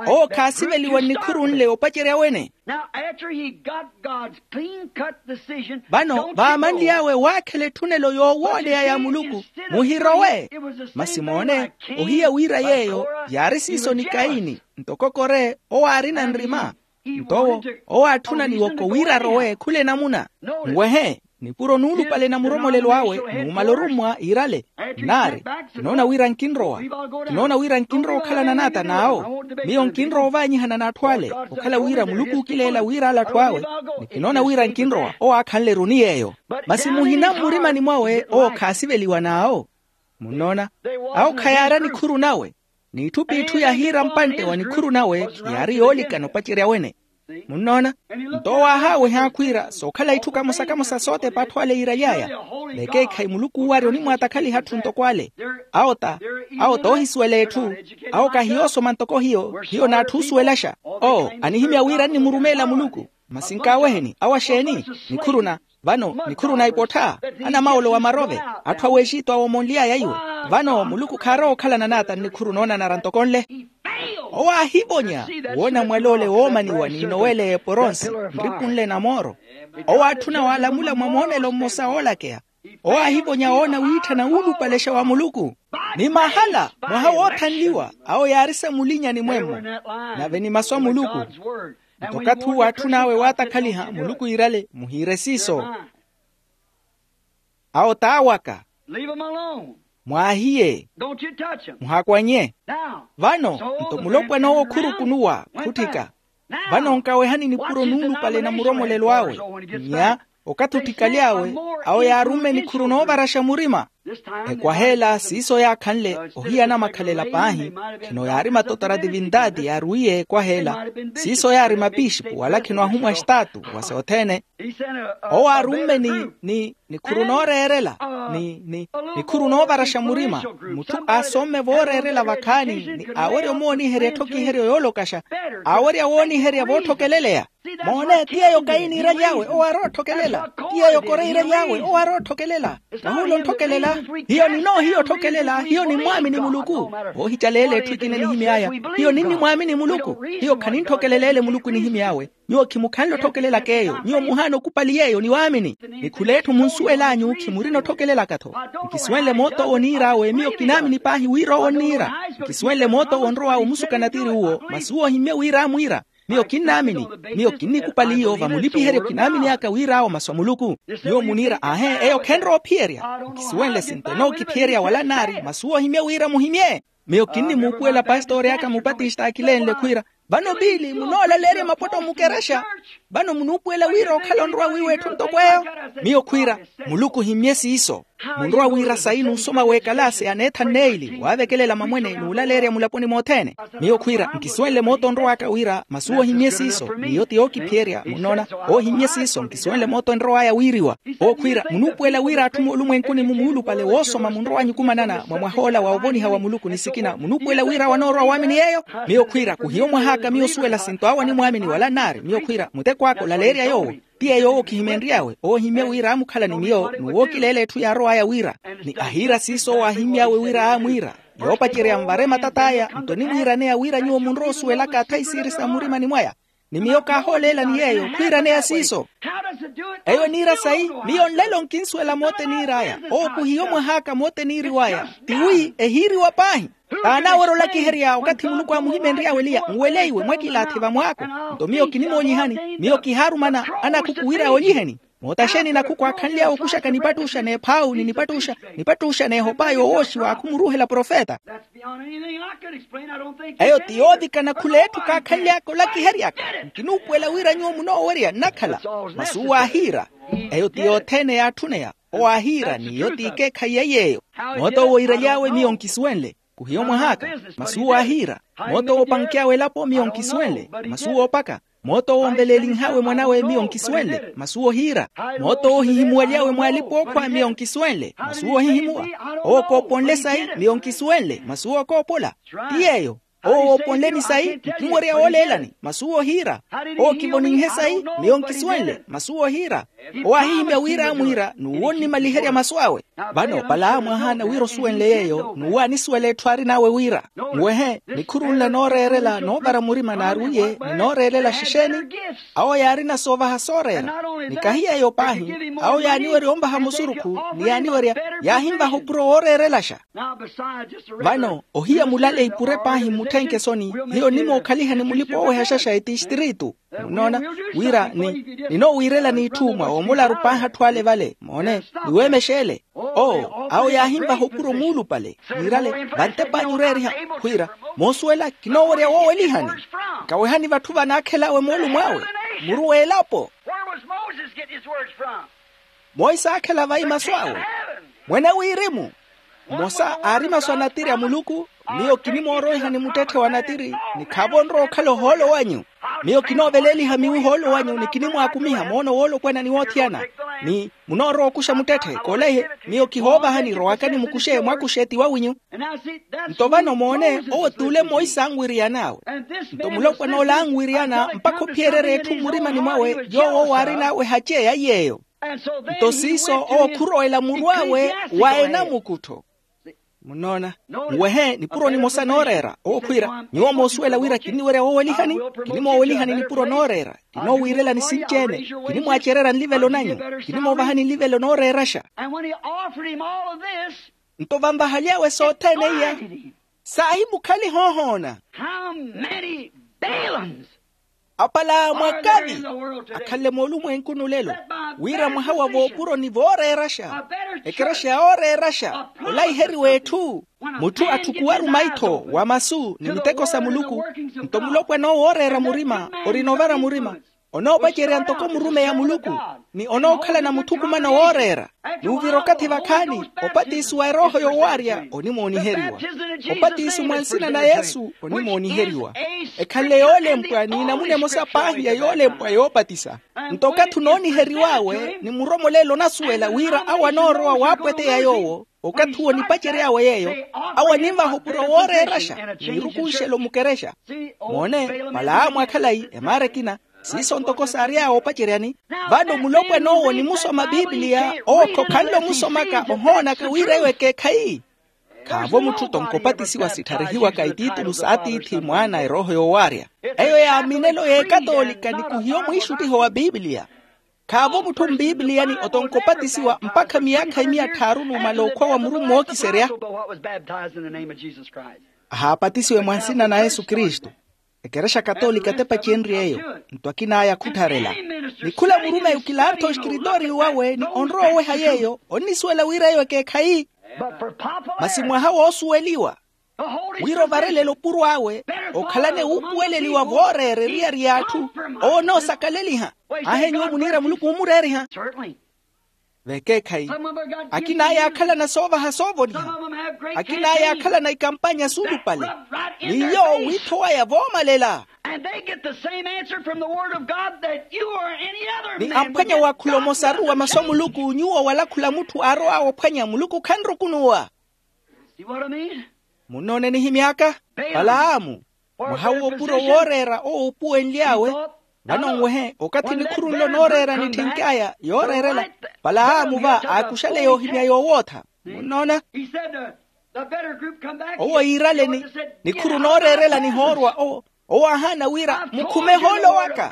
Owo khaasiveliwa nnikhuru nle opacerya wene. Now after he got god's clean cut decision. Vano vaamanly'awe waakhela etthunelo yoowooleya ya muluku, muhirowe. Masi moone, ohiya wira yeeyo yaari siiso ni kayini, ntoko kore owo aarina nrima. Nto owo, owo aatthuna niwoko wira arowe khula enamuna. Nwehe, nipuro nuulupale na muromolelo awe, numala orummwa iirale. Nnaari, kinoona wira nkinrowa. Kinoona wira nkinrowa okhalana n'ata n'awo. Miyo nkinrowa ovaanyihana n'atthu ale, okhala wira muluku ookileela wira ale atthu awe. Ni kinoona wira nkinrowa owo aakhanle-ru ni yeeyo. Masi muhina mmurimani mwawe owo khaasiveliwa n'awo. Munnoona? Awo khayaari anikhuru nawe. N'itthu p'itthu yahiira mpantte wa nikhuru nawe, yaari yoolikana opacerya wene. Munnoona? Nto owo aahaaweha khwiira sookhala itthu kamosa-kamosa sootepa atthu ale yiiraly'aya. Vekeekhayi muluku oowarya onimwaatakhaliha atthu ntoko ale. Awo ta, awo t'ohisuwela etthu. Awo kahiyoosoma ntoko hiyo, hiyo n'atthu oosuwelaxa. Oo anihimya wira nnimurumeela muluku. Masi nkaaweheni awo axeeni? Nikhuruna. Vano nikhuruna ipottha, anamawolo wa marove, atthu a wexito awomonly'aya iwe. Vano muluku khaarowa okhalana n'ata nnikhuru noonanara ntoko nle. Owo aahivonya woona mwal'ole woomaniwa n'inowele y'eporonsi, nripu nle na mooro. Owo aatthuna waalamula mwa moonelo mmosa oolakeya. Owo aahivonya woona wiitthana wuulupalexa wa muluku. Ni mahala mwaha woothanliwa awo yaari samulinyani mwemmo. Nave ni masu a muluku. Nto okathi uwo aatthun'awe waatakhaliha muluku iirale muhiire siiso. Awo t'awaka. Leave 'em alone. Mwaahiye. Don't you touch 'em. Muhaakwanye. Now, vano so nto the mulopwana owo khurukunuwa khutthika. Vano nkawehani nipuro nuulupale na muromolelo awe. Nya okathi otthikaly'awe, awo yaarumme nikhuru noovaraxa murima. Ekwaha ela siiso yaakhanle ohiyana makhalela paahi. Khino yaari matotora tivintaati yaaruwiye ekwaha ela. Siiso yaari mapixipu wala khino ahumwa axitaatu wa sothene. Owo aarumme ni, ni nikhuru nooreerela, ni, ni nikhuru noovaraxa murima. Mutthu aasomme vooreerela vakhaani ni aawerya omooniherya etthokiheryo yoolokaxa. Aawerya wooniherya vootthokeleleya. Moone ti yeeyo kayi niiraly'awe owo aarowa otthokelela. Ti yeeyo kore iiraly'awe owo aarowa otthokelela. Kahuula ontthokelela. Hiyo ninoohiya otthokelela hiyo nimmwaamini muluku. Oohicaleela etthu ekina enihimy'aya. Hiyo ninnimwaamini muluku. Hiyo khanintthokeleleele muluku enihimy'awe. Nyuwo khimukhanle otthokelelaka eyo nyuwo muhaana okupali yeeyo ni waamini. Ni khul'etthu munsuwel'anyu khimurina otthokelelaka-tho. Nkisuwenle moot'owo oniir'awe miyo kinaamini paahi wira owo onniira. Nkisuwenle moot'owo onrow'awe omusuka natiri uwo masi uwo ohimmye wira amwiira. Miyo kinnaamini. Miyo kinnikupaliyo vamulipiheryo kinaamin'aka wir'awo masu a muluku. Nyuwo muniira aahe eyo khenrowa ophiyerya. Nkisuwenle sinto enookiphiyerya wala nnaari masi uwo ohimmye wira muhimmye. Miyo kinnimuupuwela pastori aka mupatista akilenle khwiira, vano piili munoolaleerya mapotto mukerexa. Vano munuupuwela wira okhala onrowa wiiwa etthu ntoko eyo. Miyo khwiira, muluku ohimmye siiso. Munrowa wira sayi n'usoma w'ekalaasi aneetha nneeyili waavekelela mamwene n'ulaleerya mulaponi mothene. Miyo khwiira nkisuwenle moota onrow'aka wira masi uwo ohimmye siiso n'iyo ti yookiphiyerya munnoona. Ohimmye siiso nkisuwenle moota onrow'aya wiiriwa. Owo khwiira munuupuwela wira atthu moolumwenkuni-mu muulupale woosoma munrowa anyukumanana mwa mwah'ola wa ovoniha wa muluku ni sikina munuupuwela wira wanoorowa waamini yeeyo. Miyo khwiira khuhiyo mwah'aka miyo osuwela sinto awo animwaamini wala nnaari miyo khwiira muteko aka olaleerya yoowo. Ti yeeyo owo khihimenry'awe owo ohimmye wira aamukhala ni miyo n'uwookileela etthu yaarow'aya wira. Ni ahiira siiso owo aahimmy'awe wira aamwiira. Yoopacerya nvare matat'aya nto onimwiiraneya wira nyuwo munrowa osuwelaka athayi siiri sa mmurimani mwaya. Ni miyo kaahooleelani yeeyo khwiiraneya siiso. Eyo eniira sayi? Miyo nlelo nkinsuwela moota eniir'aya. Owo khuhiyo mwah'aka moota eniiriw'aya. Tiwi ehiiriwa paahi. T'anaawerya olakiherya okathi muluku aamuhimenry'awe eliya nweleiwe mwakilaathi vamwaako. Nto miyo kinimoonyihani. Miyo kihaarumana anakhuku wira oonyiheni. Moota xeeni nakhuku aakhanly'awe okuxaka nipattuxa n'ephaawu ni nipattuxa n'ehopa yoowooxiwa khumuruuhela profeta? Eyo ti yoovikana khul'etthu kaakhanly'aka olakihery'aka. Nkinuupuwela wira nyuwo munoowerya nnakhala. Masi uwo aahiira. Eyo ti yothene yaatthuneya. Owo aahiira n'iyo ti ikeekhayi ya iy'eyo. Moota owo iiraly'awe miyo nkisuwenle. Khuhiyo mwah'aka. Masi uwo aahiira. Moota owo opank'awe elapo miyo nkisuwenle. Masi uwo opaka. Moota owo onveleelinh'awe mwan'awe miyo nkisuwenle. Masi uwo ohiira. Moota owo ohihimuwaly'awe mw'alipa ookhwa miyo nkisuwenle. Masi uwo ohihimuwa. Owo kooponle sayi miyo nkisuwenle. Masi uwo okoopola. Ti yeeyo. Owo wooponleni sayi, nkhumwerya wooleelani, masi uwo ohiira. Owo kivoninhe sayi, miyo nkisuwenle, masi uwo ohiira. Owo aahihimya wira amwiira n'uwo onnimaliherya masu awe. Vano palaamu ahaana wira osuwenle yeeyo n'uwo anisuwela etthu aarin'awe wira, nwehe nikhuru nla nooreerela noovara murima naari uye ni nooreerela xexeeni. Awo yaarina soovaha sooreera. Ni kahi yeeyo paahi, awo yaaniwerya onvaha musurukhu, ni yaaniwerya yaahinvaha opuro wooreerelaxa. Vano ohiya mulale ipure paahi mmutthenke soni. Hiyo onnimookhaliha ni mulipa oowehaxaxa etistiritu. Munnoona wira ni ninoowiirelani itthu mwa omularu paahi atthu ale vale moone, niweemexeele. Oo awo yaahinvaha opuro muulupale. Niirale vantep'anyu oreeriha khwiira, moosuwela kinoowerya woowelihani. Nkawehani vatthu vanaakhel'awe moolumo awe, muru w'elapo. Where was Moses getting his words from? Monse aakhela vayi masu awe? Mwene wirimu. Mmosa aari masu a natiri a muluku. Miyo kinimooroihani muttetthe wa natiri, ni khaavo onrowa okhala ohoolo wanyu. Miyo kinooveleliha miwi ohoolo wanyu ni kinimwaakumiha moono woolopwana ni woothiyana. Ni munoorowa okuxa muttetthe kooleihe. Miyo kihoovahani rowakani mukuxe mwakuxe ti wawinyu. Nto vano moone owo t'ule monse anwiriyan'awe. Nto mulopwana ole anwiriyana mpakha ophiyererya etthu mmurimani mwawe yoowo owo aarin'awe hace ya iy'eyo. Nto siiso owo khurowela muru awe wa enamukuttho. Munnoona nwehe nipuro nimosa nooreera owo khwiira nyuwo moosuwela wira kinniwerya woowelihani. Kinimoowelihani nipuro nooreera. Kinoowiirelani sinci-ene. Kinimwaacererya nlivelo nanyu. Kinimoovahani nlivelo nooreeraxa. Nto vanvahaly'awe sothene iya saahimukhaliha ohoona. How many Balaams? Apalaamu akavi akhanle moolumwenkuni olelo, wira mwaha wa voopuroni vooreeraxa, ekerexa yooreeraxa, olaiheriwa etthu. Mutthu atthukuwaru maitho wa masu ni miteko sa muluku. Nto mulopwana owo ooreera murima orina ovara murima, onoopacerya ntoko murumeyi a muluku, ni onookhalana muthukumano wooreera. N'uvira okathi vakhaani opatisi wa erooho yowaarya onimooniheriwa. Opatisi mwa nsina na yesu onimooniheriwa. Ekhanle yoolempwa ni enamuna emosa paahi ya yoolempwa yoopatisa. Nto okathi onooniheriw'awe ni muromoleelo onasuwela wira awo anoorowa waapweteya yoowo. Okathi uwo nipacery'awe yeeyo, awo aninvaha opuro wooreeraxa, niirukunxelo mukerexa. Moone, palaamu akhalayi emaara ekina, siiso ntoko saary'awe opaceryani. Vano mulopwana owo nimusoma bibiliya owo khokhanle omusomaka ohoonaka wira eyo ekeekhayi. Khaavo mutthu tonkopatisiwa sittharihiwaka itiitulu s'atiithi mwaana erooho yoowaarya. Eyo yaaminelo y'ekatoolika ni khuhiyo mwiixuttiho wa bibiliya. Khaavo mutthu mbiibiliyani otonkopatisiwa mpakha miyaakha imiya tthaaru numala okhwa wa muru mmookiserya. Ahaapatisiwe mwa nsina na yesu kristu. Ekerexa katoolika tepacenrye eyo. Nto akin'aya khuttharela. Ni khula murumeyi okilaartha oskiritooriyo wawe ni onrowa oweha yeeyo onnisuwela wira eyo ekeekhayi. Masi mwaha woosuweliwa wira ovarelela opuro awe, okhalane wuupuweleliwa vooreera eriyari y'atthu. Owo onoosakaleliha. Aahe nyuwo muniira muluku omureeriha. Vekeekhayi. Akin'aya akhalana soovaha soovoniha. Akin'aya akhalana ikampanya suulupale. Ni yoowo wiitho waya voomalela. Ni amphwanya waakhula omosaru wa masu a muluku nyuwo wala khula mutthu aarow'awe ophwanya muluku khanrukunuwa. Munnoone nihimy'aka? Palaamu. Mwaha w'opuro wooreera owo uupuwenly'awe. Vano nwehe okathi nikhuru nlo nooreera nitthink'aya yooreerela, palaamu va aakuxale yoohimya yoowootha. Munnoona? Owo yiiraleni nikhuru nooreerela nihoorwa owo. Owo aahaana wira mukhume ehoolo waka.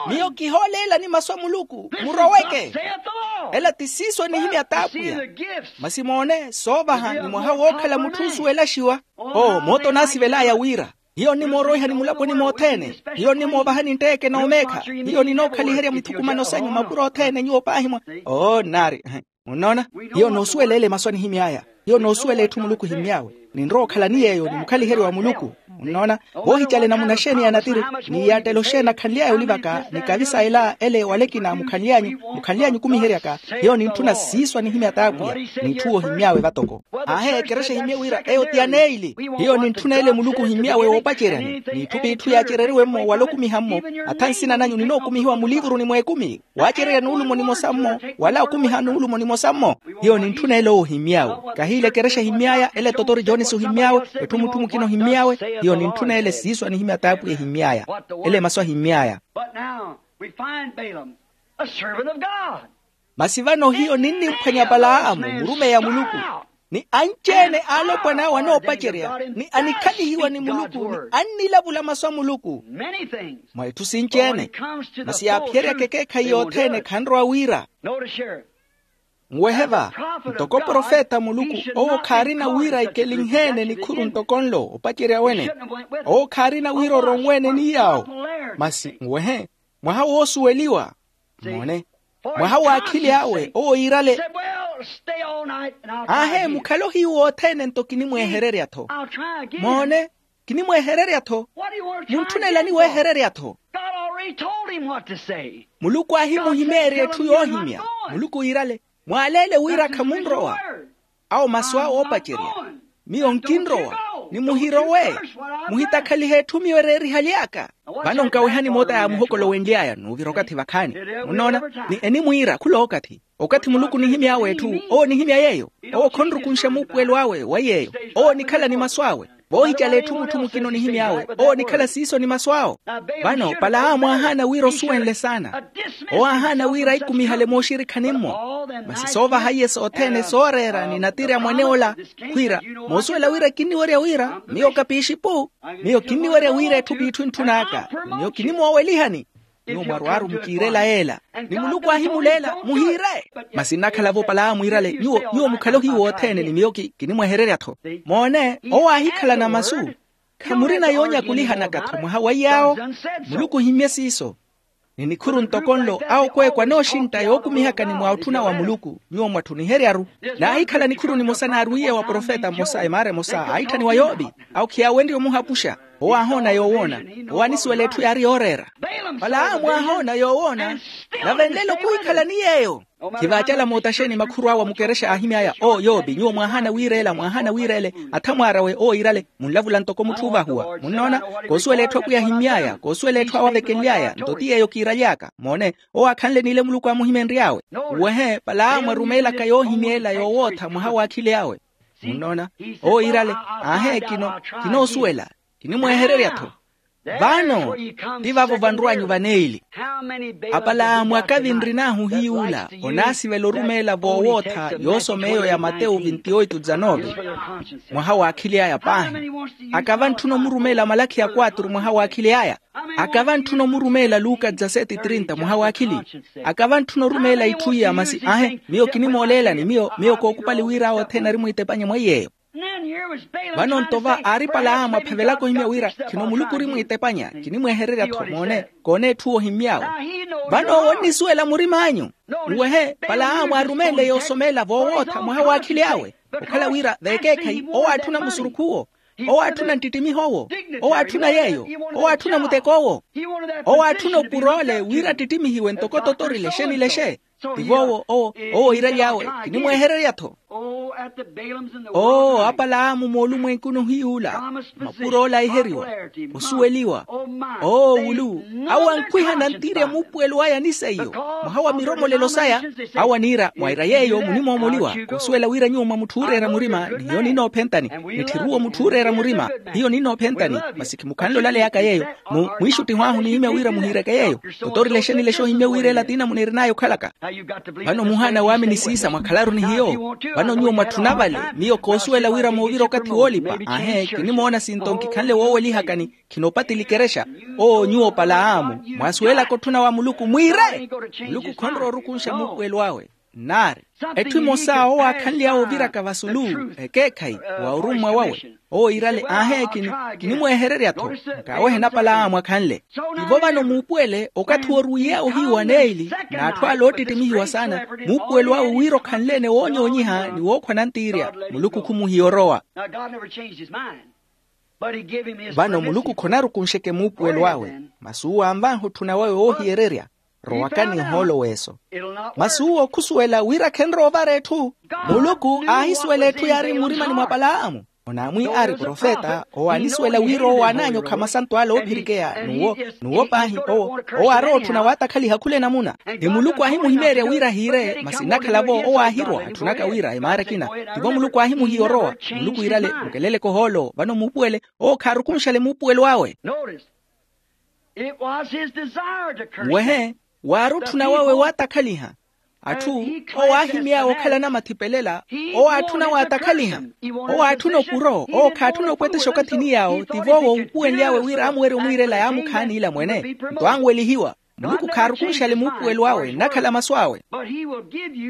Miyo kihooleelani masu a muluku. Muroweke. Ela ti siiso enihimya t'apwiya. Masi moone soovaha ni mwaha wookhala mutthu oosuwelaxiwa. Oo mooto onaasivel'aya wira hiyo nnimooroihani mulaponi mothene. Hiyo nnimoovahani ntteeke n'omeekha. Hiyo ninookhaliherya mithukumano sanyu mapuro othene nyuwo paahi mwa. Oo nnaari. Munnoona? Hiyo noosuwela ele masu anihimy'aya. Hiyo noosuwela etthu muluku ohimmy'awe. Ninrowa okhala ni yeeyo ni mukhaliheriwa wa muluku. Munnoona? Voohicale namuna xeeni ya natiri ni yaattela oxeeni akhanly'aya olivaka ni kavisa ela ele wala ekina mukhanly'anyu mukhanly'anyu okumiheryaka. Hiyo nintthuna siiso anihimya t'apwiya. N'itthu ohimmy'awe vatoko. Aahe ekerexa ehimye wira eyo ti aneili. Hiyo nintthuna ele muluku ohimmy'awe woopaceryani n'itthu p'itthu yaacereriwe-mo wala okumiha-mo. Atha nsina nanyu ninookumihiwa mulivuruni mw'ekumi. Waacererya nuulumo nimosa-mmo wala okumiha nuulumo nimosa-mmo. Hiyo nintthuna ele owo ohimmy'awe. Kahiila ekerexa ehimmy'aya ele totori Anisi ohimmy'awe, etthu mutthu mukina ohimmy'awe. Hiyo nintthuna ele siiso anihimya t'apwiya ehimmy'aya. Ele masu ahimmy'aya. But now we find Balaam, a servant of God. Masi vano hiyo ninnimphwanya palaamu murumeyi a muluku, ni anci-ene alopwana awe anoopacerya, ni anikhalihiwa ni muluku ni annilavula masu a muluku. Mwa itthu sinci-ene. Masi yaaphiyeryaka ekeekhayi yothene khanrowa wira. Nwehe va, ntoko profeta a muluku owo khaarina wira ekelinhe-ene nikhuru ntoko nlo opacerya wene. Owo khaarina wira oronwe-ene ni yaawo. Masi nwehe, mwaha woosuweliwa. Moone, mwaha w'akhili awe owo yiirale. Aahe mukhale ohiyu wothene nto kinimwehererya-tho. Moone, kinimwehererya-tho. Muntthunelani wehererya-tho? Muluku aahimuhimeerya etthu yoohimya. Muluku yiirale, mwaaleele wira khamunrowa. Awo masu awe oopacerya. Miyo nkinrowa, ni muhirowe. Muhitakhalihe etthu miyo ereerihaly'aka. Vano nkawehani moota yaamuhokolowenly'aya n'uvira okathi vakhaani. Munnoona, ni enimwiira khula okathi. Okathi muluku onihimy'awe etthu, owo onihimya yeeyo. Owo khonrukunxa muupuwelo awe wa yeeyo. Owo onikhala ni masu awe. Voohicala etthu mutthu mukina onihimy'awe, owo onikhala siiso ni masu awo. Vano palaamu aahaana wira osuwenle saana. Owo aahaana wira aikumihale mooxirikhani-mmo. Masi soovaha iye sothene sooreera ni natiri a mwane ola, khwiira, moosuwela wira kinniwerya wira miyo kapiixipu. Miyo kinniwerya wira etthu p'itthu entthun'aka. Miyo kinimoowelihani. Nyuwo mwarwaaru mukiirela yeela. Ni muluku aahimuleela muhiire. Masi nnakhala-vo palaamu yiirale nyuwo nyuwo mukhale ohiyu wothene ni miyo kinimwehererya-tho. Moone, owo aahikhalana masu. Khamurina yoonyakulihanaka-tho mwaha wa iyaawo. Muluku ohimmye siiso. Ni nikhuru ntoko nlo awo okweekwa anooxintta yookumihaka ni mwaatthuna wa muluku nyuwo mwatthuniherya-ru. Naahikhala nikhuru nimosa naarwiiye wa profeta mmosa emaara emosa aahitthaniwa yoopi. Awo khiyaawenrye omuhapuxa. Owo aahoona yoowoona. Owo anisuwela etthu yaari yooreera. Palaamu aahoona yoowoona. Nave nlelo khuhikhala ni yeeyo. Khivaacala mootaxeni makhuru awe a mukerexa aahimy'aya oo yoopi nyuwo mwaahaana wiireela mwaahaana wiireele. Athamwaarawe owo yiirale. Munlavula ntoko mutthu oovahuwa munnoona. Koosuwela etthu apwiya ahimmy'aya koosuwela etthu awo avekenly'aya nto ti yeeyo kiiraly'aka moone. Owo aakhanle n'ile muluku aamuhimenry'awe. Uwehe palaamu arumeelaka yoohimyeela yoowootha mwaha w'akhili awe. Munnoona. Owo yiirale, aahe kino kinoosuwela. Kinimwehererya-tho. Vano ti vavo vanrw'anyu vaneili. Apalaamu akavi nrin'ahu hiy'ula onaasivela orumeela voowootha yoosoma eyo ya matewu vinti oitu dizanove. Mwaha w'akhili aya paahi. Akava ntthuna omurumeela malakhi ya kwatru mwaha w'akhili aya. Akava ntthuna omurumeela luka dizaseti trinta mwaha w'akhili. Akava ntthuna orumeela itthu iya masi aahe miyo kinimooleelani miyo miyo kookupali wira awo othene arimwiitepanya mwa iy'eyo. Vano nto va aari palaamu aphevelaka ohimya wira khino muluku orimwiitepanya. Kinimwehererya-tho moone. Koone etthu ohimmy'awe. Vano owo onnisuwela murim'anyu. Nwehe palaamu aarumeele yoosomeela voowootha mwaha w'akhili awe. Okhala wira veekeekhayi owo aatthuna musurukhu owo. Owo aatthuna nttittimiho owo. Owo aatthuna yeeyo. Owo aatthuna muteko owo. Owo aatthuna opuroole wira attittimihiwe ntoko totori lexe ni lexe. Tivo owo owo owo yiiraly'awe. Kinimwehererya-tho. Oo apalaamu moolumwenkuni ohiy'ula. Mapuroole aaheriwa osuweliwa. Oo wulu awo ankhwiha nantiirya muupuwelo aya ni seiyo. Mwaha wa miromolelo saya. Awo aniira mwaira yeeyo munimoomoliwa koosuwela wira nyuwo mwa mutthu ooreera murima ni hiyo ninnoophentani. Nitthiri uwo mutthu ooreera murima. Hiyo ninnoophentani. Masi khimukhanle olaleyaka yeeyo. Mwiixuttiho ahu onihimya wira muhiireke yeeyo. Totori lexe ni lexe ohimmye wira ela ti namuna erin'aya okhalaka. Vano muhaana waamini siisa mwakhalaru ni hiyo. Vano nyuwo mwatthuna vale miyo koosuwela wira moovira okathi woolipa aahe kinimoona sinto nkikhanle woowelihakani. Khinoopatili kerexa. Oo nyuwo palaamu mwaasuwelaka otthuna wa muluku mwiire. Muluku khonrowa orukunxa muupuwelo awe. Nnaari etthu emosa owo aakhanly'awe oviraka vasulu ekeekhayi wa orummwa wawe. Owo yiirale aahe kinimwehererya-tho. Nkaawehe napalaamu akhanle. Ivo vano muupuwele okathi woorwiiy'awe ohiyu wa neeli n'atthu ale oottittimihiwa saana. Muupuwelo awe wira okhanle-ene woonyoonyiha ni wookhwa nantiirya muluku khumuhiya orowa. Vano muluku khonarukunxeke muupuwelo awe. Masi uwo anvanha otthuna wawe woohiyererya. Rowakani ohoolo w'eso. Masi uwo khusuwela wira khenrowa ovara etthu. Muluku aahisuwela etthu yaari mmurimani mwa palaamu. Onaamwi aari profeta owo aanisuwela wira owo aananyokha masanto ale oophirikeya. N'uwo n'uwo paahi owo owo aarowa otthuna waattakhaliha khula enamuna. Ni muluku aahimuhimeerya wira ahiire masi nnakhala-vo owo aahirwa atthunaka wira emaara ekina. Tivo muluku aahimuhiya orowa. Muluku iirale mukeleleke ohoolo vano muupuwele. Owo khaarukunxale muupuwelo awe. Nwehe waari otthuna wawe waatakhaliha. Atthu owo aahimy'awe okhala anamathipelel'a. Owo aatthuna waatakhaliha. Owo aatthuna okuro. Owo khaatthuna opwetexa okathini yaawo tivo owo uupuwenly'awe wira amuwerye omwiirela yaamukhaani ila mwene. Nto anwelihiwa. Muluku khaarukunxale muupuwelo awe nnakhala masu awe.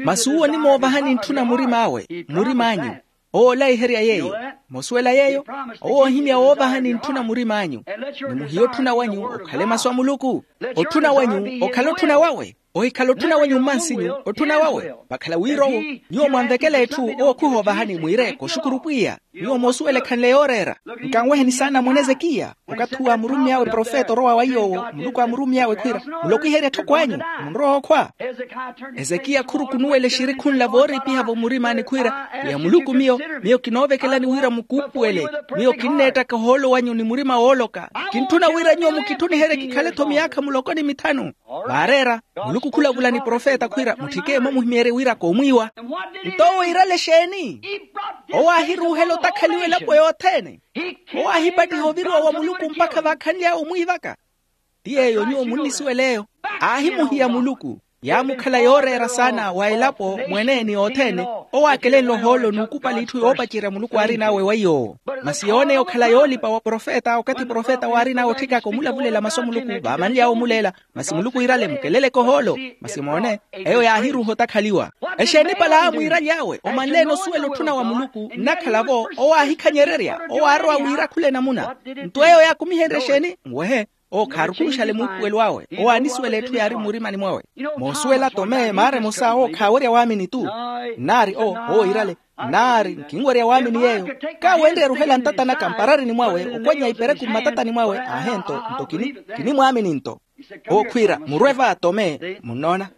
Masi uwo onimoovahani ntthuna murim'awe murim'anyu. Owo olaiherya yeeyo. Mosuwela yeeyo. Owo oohimya woovahani ntthuna murim'anyu. Ni muhiye otthuna wanyu okhale masu a muluku. Otthuna wanyu okhale otthuna wawe. Ohikhala otthuna wanyu mmansinyu otthuna wawe. Vakhala wira owo nyuwo mwanvekela etthu owo khuhoovahani mwiire koxukuru pwiya. Nyuwo moosuwela ekhanle yooreera. Nkanweheni saana mwaana ezekiya. Okathi uwo aamurummy'awe profeta orowa wa iy'owo muluku aamurummy'awe khwiira mulokwiherye etthoko anyu. Munrowa okhwa. Ezekiya khurukunuwela exirikhunla vooriipiha-vo mmurim'ani khwiira pwiya muluku miyo miyo kinoovekelani wira mukuupuwele. Miyo kinneettaka ohoolo wanyu ni murima wooloka. Kintthuna wira nyuwo mukitthuniherye kikhale-tho miyaakha muloko ni mithanu. Vaareera muluku khulavula ni profeta khwiira mutthike mwamuhimeerye wira koomwiiwa. Nto owo iirale exeeni? Owo aahiruuhela otakhaliwa elapo yothene. Owo aahipattiha oviriwa wa muluku mpakha vaakhanly'awe omwiivaka. Ti yeeyo nyuwo munnisuwel'eyo. Aahimuhiya muluku yaamukhala yooreera saana wa elapo mwene ni othene. Owo aakelenle ohoolo n'ukupala itthu yoopacerya muluku aarin'awe wa iy'owo. Masi yooneya okhala yoolipa wa profeta okathi profeta waarin'awe otthikaka omulavulela masu a muluku vaamanly'awe omuleela. Masi muluku iirale mukeleleke ohoolo. Masi moone eyo yaahiruuha otakhaliwa. Exeeni pala aamwiiraly'awe omanle-ene osuwela otthuna wa muluku nnakhala-vo owo aahikhanyererya owo aarowa wira khula enamuna. Nto eyo yaakumihenrye exeeni? Nwehe owo khaarukunxale muupuwelo awe. Owo aanisuwela etthu yaari mmurimani mwawe. Moosuwela tome maara emosa owo khaawerya waamini-tu. Nnaari owo owo iirale nnaari nkinwerya waamini yeeyo. Kaawenrye eruhela ntatanaka mpararini mwawe okwannya ipereku mmatatani mwawe aahe nto nto kini kinimwaamini nto. Owo khwiira murwe va tome munnoona.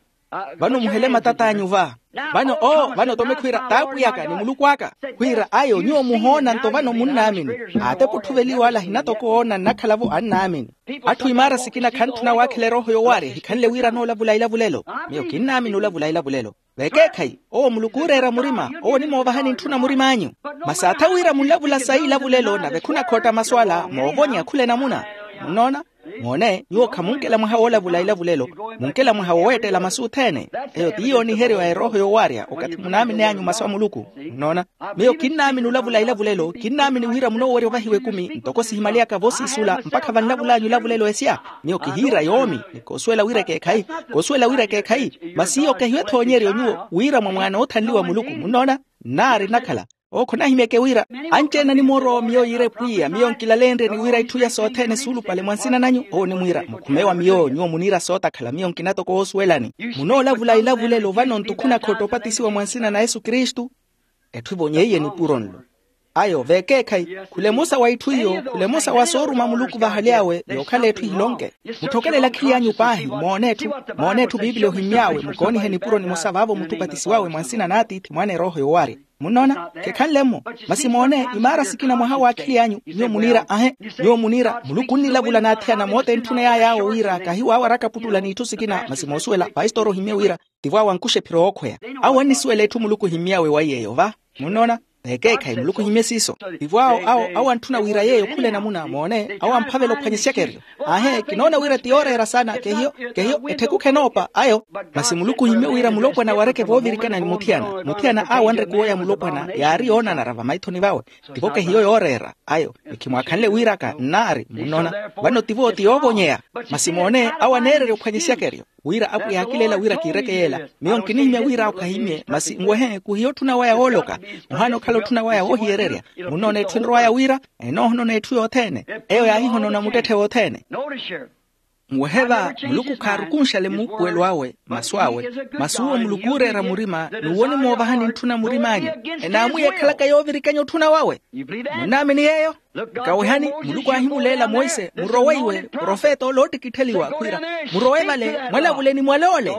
Vano muhele matat'anyu va. Vano oo vano tome khwiira t'apwiy'aka ni muluku aka. Khwiira ayo nyuwo muhoona nto vano munnaamini. Aatepa otthuveliwa ale ahinatoko oona nnakhala-vo annaamini. Atthu imaara sikina khantthuna waakhela erooho yowaarya ehikhanle wira anoolavula ilavulelo. Miyo kinnaamini olavula ilavulelo. Vekeekhayi owo muluku ooreera murima owo onimoovahani ntthuna murim'anyu. Masi atha wira munlavula sayi ilavulelo nave khunakhotta masu ala moovonya khula enamuna. Munnoona? Moone nyuwo khamunkela mwaha woolavula ilavulelo. Munkela mwaha woweettela masu othene. Eyo ti yooniheryo ya erooho yowaarya okathi munaamin'anyu masu a muluku. Munnoona? Miyo kinnaamini olavula ilavulelo kinnaamini wira munoowerya ovahiwa ekumi ntoko sihimaliyaka voosiisula mpakha vanlavul'anyu ilavulelo esya. Miyo kihiira yoomi ni koosuwela wira ekeekhayi. Koosuwela wira ekeekhayi. Masi iyo kehiwe ethoonyeryo nyuwo wira mwa mwaana oothanliwa muluku munnoona. Nnaari nnakhala owo khonahimyeke wira anci-ene animoorowa miyo yiire pwiya miyo nkilaleenryeni wira itthu iya sothene suulupale mwa nsina nanyu owo onimwiira mukhume wa miyo nyuwo muniira sootakhala miyo nkina toko woosuwelani. Munoolavula ilavulelo vano nto khunakhotta opatisiwa mwa nsina na yesu kristu. Etthu evonyeiye nipuro nlo. Ayo vekeekhayi khula emosa wa itthu iyo khula emosa wa sooruma muluku vahaly'awe yookhala etthu ehilonke. Mutthokelela akhili anyu paahi moone etthu moone etthu piipili ohimmy'awe mukoonihe nipuro nimosa vaavo mutthu opatisiwawe mwa nsina n'atiithi mwaana erooho yowaarya. Munnoona? Khekhanle-mo. Masi moone imaara sikina mwaha w'akhili anyu nyuwo muniira ahe nyuwo muniira muluku onnilavula n'athiyana mootentthuna yaay'awo wira kahiwaawaraka puttula n'itthu sikina masi moosuwela paistori ohimmye wira tivo awo ankuxa ephiro yookhweya. Awo annisuwela etthu muluku ohimmy'awe wa iy'eyo va. Munnoona? Vekeekhayi muluku ohimmye siiso tivo awo awo awo antthuna wira yeeyo khula enamuna moone awo amphavela ophwanya esyakeryo. Aahe kinoona wira ti yooreera saana kehiyo kehiyo ettheku khenoopa ayo. Masi muluku ohimmye wira mulopwana wareke voovirikana ni muthiyana muthiyana aawanre kuwo ya mulopwana yaari yoonanara vamaithoni vawe. Tivo kehiyo yooreera ayo ni khimwaakhanle wiiraka nnaari munnoona. Vano tivo ti yoovonyeya. Masi moone awo aneererya ophwanya esyakeryo wira apwiya aakileela wira kiireke yeela. Miyo nkinihimya wira awo khahimmye masi nwehe kuhiya otthuna waya wooloka. Muhaana okhala otthuna waya woohiyererya. Munnoona etthu enrow'aya wira enoohonona etthu yothene. Eyo yaahihonona muttetthe wothene. Nwehe va, muluku khaarukunxale muupuwelo awe, masu awe. Masu uwo muluku ooreera murima, n'uwo onimoovahani ntthuna murim'anyu. Enaamwiya ekhalaka yoovirikanya otthuna wawe. Munnaamini yeeyo? Nkawehani, muluku aahimuleela monse, murowe iwe profeta ole oottikittheliwa khwiira, murowe vale, mwalavule ni mwale ole.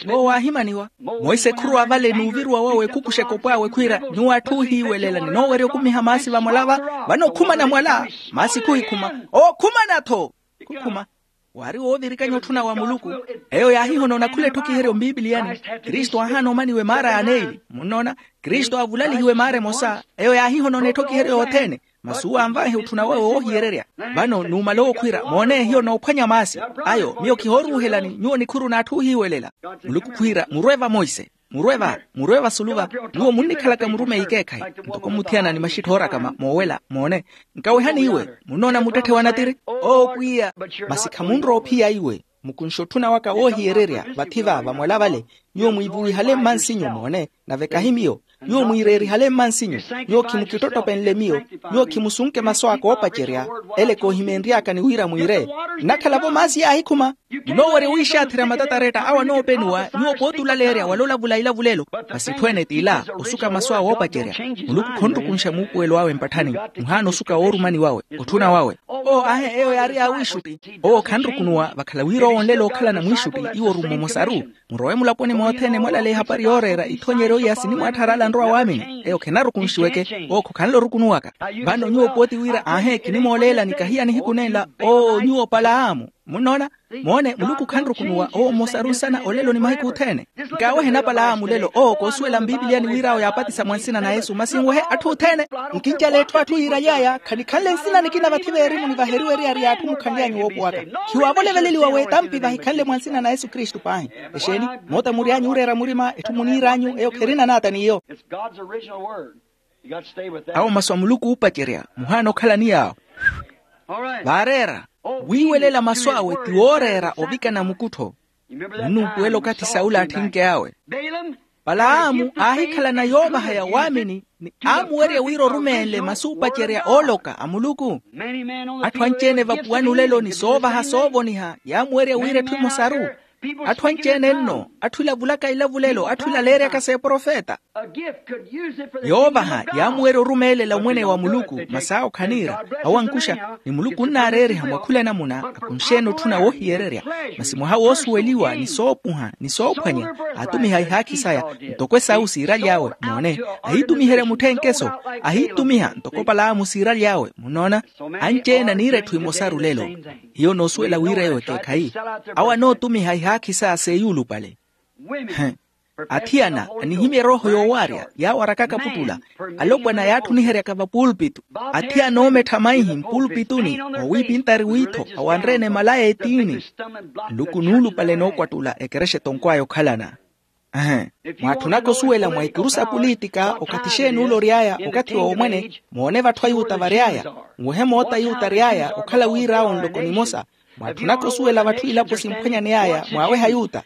Owo waahimaniwa. Monse khurowa vale n'uviruwa wawe khukuxa ekopw'awe khwiira, nyuwo atthu oohiiwelela ninoowerya okumiha maasi vamwala va. Vano khumana mwala. Maasi khuhikhuma. Owo khumana-tho. Khukhuma. Waari woovirikanya otthuna wa muluku. Eyo yaahihonoona khula etthokiheryo mpiipiliyani. Kristu aahaana omaniwa emaara ya neili, munnoona. Kristu aavulalihiwa emaara emosa. Eyo yaahihonoona etthokiheryo yothene. Masi uwo anvaihe otthuna wawe woohiyererya. Vano numala owo khwiira, moone, hiyo noophwanya maasi. Ayo miyo khihooruuhelani nyuwo nikhuru n'atthu oohiiwelela. Muluku khwiira, murwe vamoise. Murwe va, murwe vasulu va. Nyuwo munnikhalaka murumeyi ekeekhayi. Ntoko muthiyana ni maxitthi oorakama moowela, moone. Nkawehani iwe, munnoona muttetthe wa natiri? Oo pwiya. Masi khamunrowa ophiya iwe. Mukunxe otthuna waka woohiyererya vathi va vamwala vale. Nyuwo mwiivuwihale mmansinyu, moone, nave kahi miyo. Nyuwo mwiireerihale mmansinyu. Nyuwo khimukittottophenle miyo. Nyuwo khimusunke masu aka oopacerya. Ele koohimeenry'aka ni wira mwiire. Nnakhala-vo maasi yaahikhuma. Munoowerya wiixaatherya matataretta awo anoopeniwa. Nyuwo pooti olaleerya wala olavula ilavulelo. Masi etthu ene t'ila, osuka masu awe oopacerya. Muluku khonrukunxa muupuwelo awe mpatthani. Muhaana osuka woorumani wawe, otthuna wawe. Oo ahe eyo yaari yaawiixutti. Owo khanrukunuwa vakhala wira owo onlela okhalana mwiixutti. Iwo orumme omosaru. Murowe mulaponi mothene mwalale ehapari yooreera ithoonyeryo iya sinimwaattharala nrowa waamini eyo khenarukunxiweke. Owo khokhanle orukunuwaka. Vano nyuwo pooti wira aahe kinimooleelani kahiya nihiku nenla. Oo nyuwo palaamu. Munnoona? Moone muluku khanrukunuwa owo mmosaru nsana olelo ni mahiku othene. Nkaawehe napalaamu lelo owo koosuwela mpiipiliyani wir'awo yaapatisa mwa nsina na yesu masi nwehe atthu othene. Nkincala etthu atthu yiiraly'aya khanikhanle nsina nikina vathi veerimuni vaheriwa eriyari y'atthu mukhanly'anyu woopowaka. Khiwaavole veleliwa w'etampi vahikhanle mwa nsina na yesu kristu paahi. Exeeni? Moota mury'anyu ooreera murima etthu muniir'anyu eyo kherina naata n'iyo. Awo masu a muluku oopacerya muhaana okhalani yaawo. Vaareera wiiwelela masu awe ti wooreera ovikana mukuttho. Munnuupuwela okathi saula atthinkey'awe. Palaamu aahikhalana yoovahaya waamini ni aamuwerya wira orumeenle masu oopacerya ooloka a muluku. Atthu anci-ene vapuwani olelo ni soovaha soovoniha yaamuwerya wira etthu emosaru. Atthu anci-ene nno atthu ilavulaka ilavulelo atthu ilaleeryaka s'eprofeta. Yoovaha yaamuwerya orumeelela omwene wa muluku masi awo khaniira. Awo ankuxa ni muluku onnaareeriha mwa khula enamuna. Akunxe-ene otthuna woohiyererya masi mwaha woosuweliwa ni soopuha ni soophwanya. Aatumiha ihaakhi saya ntoko esawu siiraly'awe moone. Ahiitumiherya mutthenkeso ahiitumiha ntoko palaamu siiraly'awe munnoona. Anci-ene aniira etthu emosaru lelo. Hiyo noosuwela wira eyo ekeekhayi. Awo anootumiha ihaakhi saya seeyuulupale. Athiyana anihimya erooho yoowaarya yaawarakaka puttula. Alopwana yaatthuniheryaka vapuulpitu. Athiyana oomettha maihi mpuulpituni owiipintari wiitho awanre-ene malaya etiini. Nluku nuulupale nookwattula ekerexa etonkw'aya okhalana. Mwaatthunaka osuwela mwa ikuru sa pulitika okathi xeeni ula ory'aya okathi wa omwene. Moone vatthu ayuta vary'aya nwehe moota ayuta ary'aya okhala wir'awo nloko nimosa. Mwaatthunaka osuwela vatthu ilapo simphwanyaney'aya mwaaweha ayuta.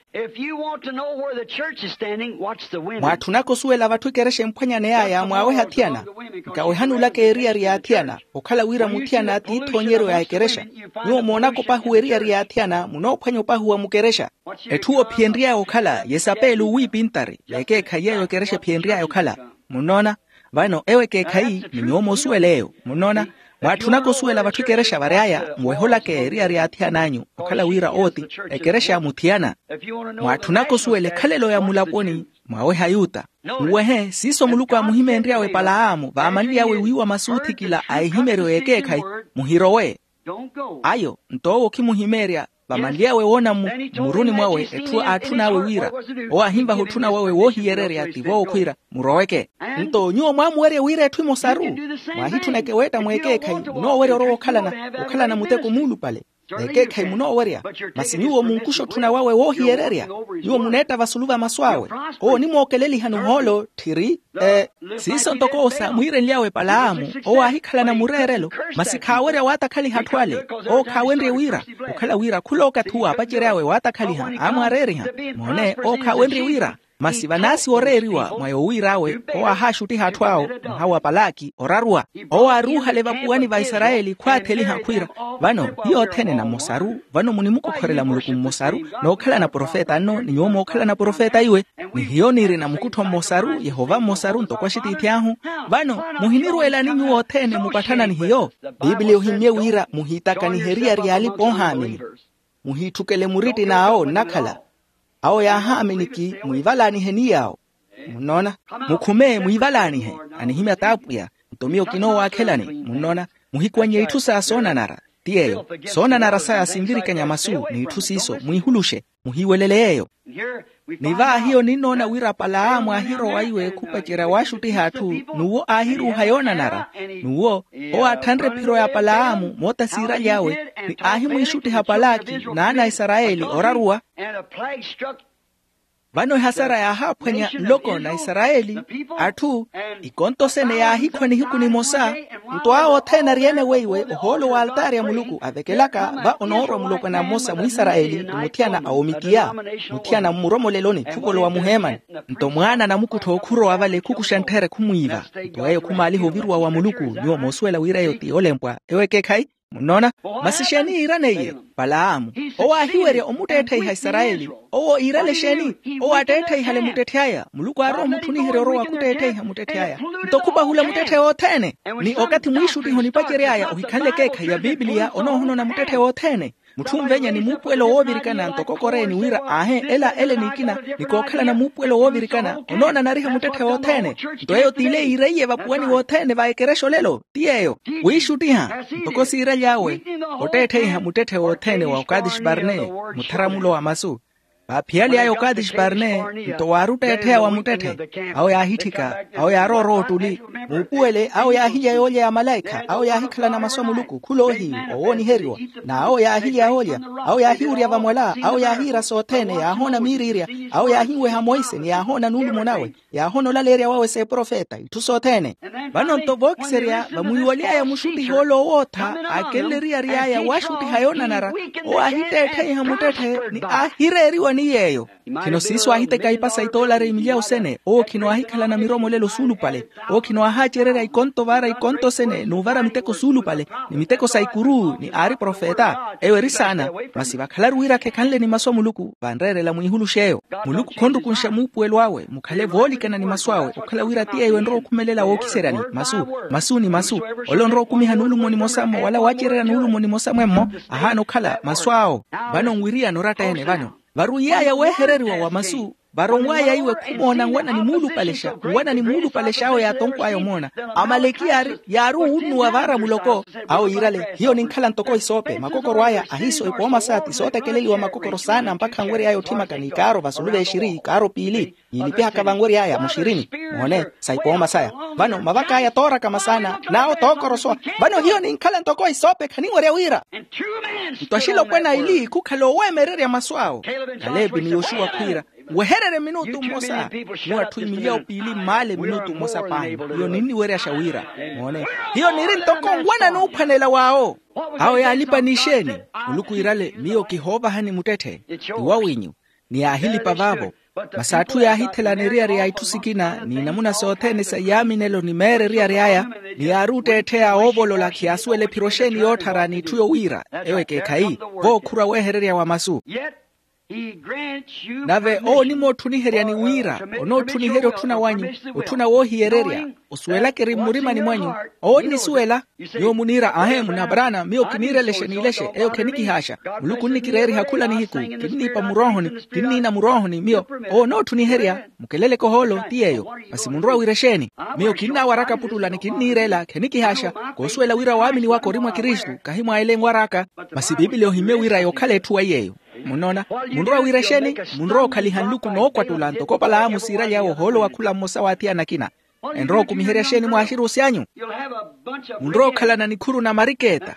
Mwaatthunaka osuwela vatthu ekerexa emphwanyaney'aya mwaaweha athiyana. Nkawehani olaka eriyari y'athiyana okhala wira muthiyana t'ithoonyeryo ya ekerexa. Nyuwo moonaka opahuwa eriyari y'athiyana munoophwanya opahuwa mukerexa. Etthu ophiyenry'aya okhala yesapeli owiipintari y'ekeekhayi yeeyo ekerexa ephiyenry'aya okhala. Munnoona? Vano ewo ekeekhayi ni nyuwo moosuwela eyo munnoona. Mwaatthunaka osuwela vatthu ekerexa vary'aya nweholaka eriyari y'athiyana anyu okhala wira ooti ekerexa ya muthiyana. Mwaatthunaka osuwela ekhalelo ya mulaponi mwaweha ayuta. Nwehe siiso muluku aamuhimeenry'awe palaamu vaamanly'awe wiiwa masu oothikila a ehimeryo y'ekeekhayi. Muhirowe. Ayo nto owo okhimuhimeerya vamanly'awe woona mmuruni mwawe etthu aatthun'awe wira owo aahinvaha otthuna wawe woohiyererya tivo okhwiira muroweke. Nto nyuwo mwaamuwerya wira etthu emosaru. Mwaahitthuneke weetta mweekeekhayi munoowerya orowa okhalana okhalana muteko muulupale. Ekeekhayi munoowerya. Masi nyuwo munkuxa otthuna wawe woohiyererya. Nyuwo muneetta vasulu va masu awe. Owo onimwookeleliha nuhoolo tthiri. Siiso ntoko owo saamwiirenly'awe palaamu owo aahikhalana mureerelo. Masi khaawerya waatakhaliha atthu ale. Owo khaawenrye wira okhala wira khula okathi uwo aapacery'awe waatakhaliha aamwaareeriha. Moone owo khaawenrye wira Masi vanaasi oreeriwa mwa yowiir'awe, owo aahaxuttiha atthu awo, mwaha wa palaki oraruwa. Owo aaruuhale vapuwani va isarayeli khwaatheliha khwiira, vano hiyo othene na mmosaru. Vano munimukokhorela muluku mmosaru, nookhalana profeta nno ni nyuwo mookhalana profeta iwe. Ni hiyo niirina mukuttho mmosaru, yehova mmosaru ntoko axitiithi ahu. Vano muhinirweelani nyuwo othene mupatthana ni hiyo? Piipiliya ohimmye wira muhiitakanihe eriyari y'alipa-oohaamini. Muhiitthukele murittina awo nnakhala. Awo yaahaamini ki mwiivalaanihe ni yaawo. Munnoona? Mukhume mwiivalaanihe. Anihimya t'apwiya. Nto miyo kinoowaakhelani. Munnoona? Muhikuwannye itthu saya soonanara. Ti yeeyo. Soonanara saya sinvirikanya masu n'itthu siiso mwiihuluxe. Muhiiwelele yeeyo. Ni vaahiyo ninnoona wira palaamu aahirowa iwe khupacerya waaxuttiha atthu, n'uwo aahiruuha yoonanara. N'uwo owo aatthanre ephiro ya palaamu moota siiraly'awe, ni aahimwiixuttiha palaki n'ana a isarayeli oraruwa. Vano ehasara yaahaaphwanya nloko na isarayeli, atthu, ikonto sene yaahikhwa nihiku nimosa. Nto awo othene ari-ene weiwe ohoolo wa altaari a muluku avekelaka va onoorwa mulopwana mmosa mwisarayeli ni muthiyana a omikiya, muthiyana mmuromoleloni khuvolowa muheemani. Nto mwaana a namukuttho khurowa vale khukuxa ntthera khumwiiva. Nto eyo khumaaliha oviruwa wa muluku. Nyuwo moosuwela wira eyo ti olempwa ewo ekeekhayi. Munnoona? Masi exeeni yiirana iye? Palaamu. Owo aahiwerya omutteettheiha isarayeli. Owo iirale exeeni? Owo aatteettheiha muttetthe aya. Muluku aarowa omutthuniherya orowa khutteettheiha muttetthe aya. Nto khupahula muttetthe othene. Ni okathi mwiixuttiha onipacery'aya ohikhanle ekeekhayi ya pipiliya onoohonona muttetthe othene. Mutthu onvenya ni muupuwelo woovirikana ntoko koreeni wira aahe ela ele n'ikina. Ni kookhalana muupuwelo woovirikana onoonanariha muttetthe othene. Nto eyo t'ile yiireiye vapuwani wothene va ekerexa olelo. Ti yeeyo, wiixuttiha ntoko siiraly'awe, otteettheiha muttetthe wothene wa okatixi parne, mutharamulo wa masu. Vaaphiyale aya okatixi parne, nto waari otteettheya wa muttetthe. Awo yaahitthika, awo yaarowa orowa ottuli. Muupuwele awo yaahilya yoolya ya malaikha awo yaahikhalana masu a muluku khuloohiyu, owooniheriwa. N'awo yaahilya yoolya, awo yaahiwurya vamwala awo yaahiira sothene yaahoona miiriirya. Awo yaahinweha monse ni yaahoona nuulumo nawe. Yaahoona olaleerya wawe s'eprofeta itthu sothene. Vano nto vookiserya vamwiiwaly'aya muxuttiha ole owootha aakenle eriyari aya waaxuttiha yoonanara. Owo aahitteettheiha muttetthe ni aahireeriwa ni yeeyo. Khino siiso aahiteka ipasa itoolari imilyawu sene owo khino aahikhalana miromolelo suulupale. Owo khino aahaacererya ikonto vaara ikonto sene n'uvara miteko suulupale, ni miteko sa ikuru ni aari profeta. Eyo eri saana. Masi vakhalaru wira khekhanle ni masu a muluku vanreerela mwiihulux'eyo. Muluku khonrukunxa muupuwelo awe mukhale voolikana ni masu awe okhala wira ti eyo enrowa okhumelela wookiseryani. Masu, masu ni masu. Ole onrowa okumiha nuulumo nimosa-mo wala waacererya nuulumo nimosa mwemmo, ahaana okhala masu awo. Vano nwiriyana oratta-ene vano. Varwiy'aya weehereriwa wa masu, varonw'aya iwe khumoona nwana ni muulupalexa nwana ni muulupalexa awo yaatonkw'aya omoona. Amalekiya yaari owunnuwa vaara muloko. Awo yiirale hiyo ninkhala ntoko isoope makokoro aya ahiiso ipooma saya ti sootekeleliwa makokoro saana mpakha nwery'aya otthimaka n'ikaaro vasulu v'exiri ikaaro piili. Niilipihaka vanwery'aya muxirini. Moone, sa ipooma saya. Vano mavak'aya tooraka masaana n'awo tookorosowa. Vano hiyo ninkhala ntoko isoope khaninwerya wira. Nto axilopwana aili khukhala oweemererya masu awo. Kalepi ni yoxuwa khwiira, wehererye minutu mmosa. Mu atthu imilyawu piili mmaale minutu mmosa paahi. Hiyo ninniweryaxa wira, moone, hiyo niri ntoko nwana n'uphwanela w'awo. Awo yaalipa n'ixeeni? Muluku iirale miyo kihoovahani muttetthe. Ti wawinyu. Ni yaahilipa vaavo. Masi atthu yaahithelana eriyari ya itthu sikina ni namuna sothene sa iyaaminelo ni meera eriyari aya. Ni yaari otteettheya oovolola khiyaasuwela ephiro exeeni yootthara n'itthu yowiira. Ewo ekeekhayi. Vookhurwa weehererya wa masu. Nave owo onimootthuniheryani wira onootthuniherya otthuna wanyu, otthuna woohiyererya. Osuwelaka eri mmurimani mwanyu. Owo onnisuwela. Nyuwo muniira ahe munaparaana miyo kiniirelexe niilexe eyo khenikihaaxa. Muluku onnikireeriha khula nihiku. Kinniipa muroohoni, kinniina muroohoni miyo. Owo onootthuniherya. Mukeleleke ohoolo ti yeeyo. Masi munrowa wira exeeni? Miyo kinnaawaraka puttula ni kinniireela khenikihaaxa. Koosuwela wira waamini waka ori mwa kristu kahi mwa ele enwar'aka. Masi piipili ohimmye wira yookhala etthu wa yeeyo. Munnoona? Munrowa wira exeeni? Munrowa okhaliha nluku nookwattula ntoko palaamu siiraly'awe ohoolo wa khula mmosa w'athiyana akina. Enrowa okumiherya exeeni mwaaxiruusi anyu? Munrowa okhalana nikhuru na mariketa.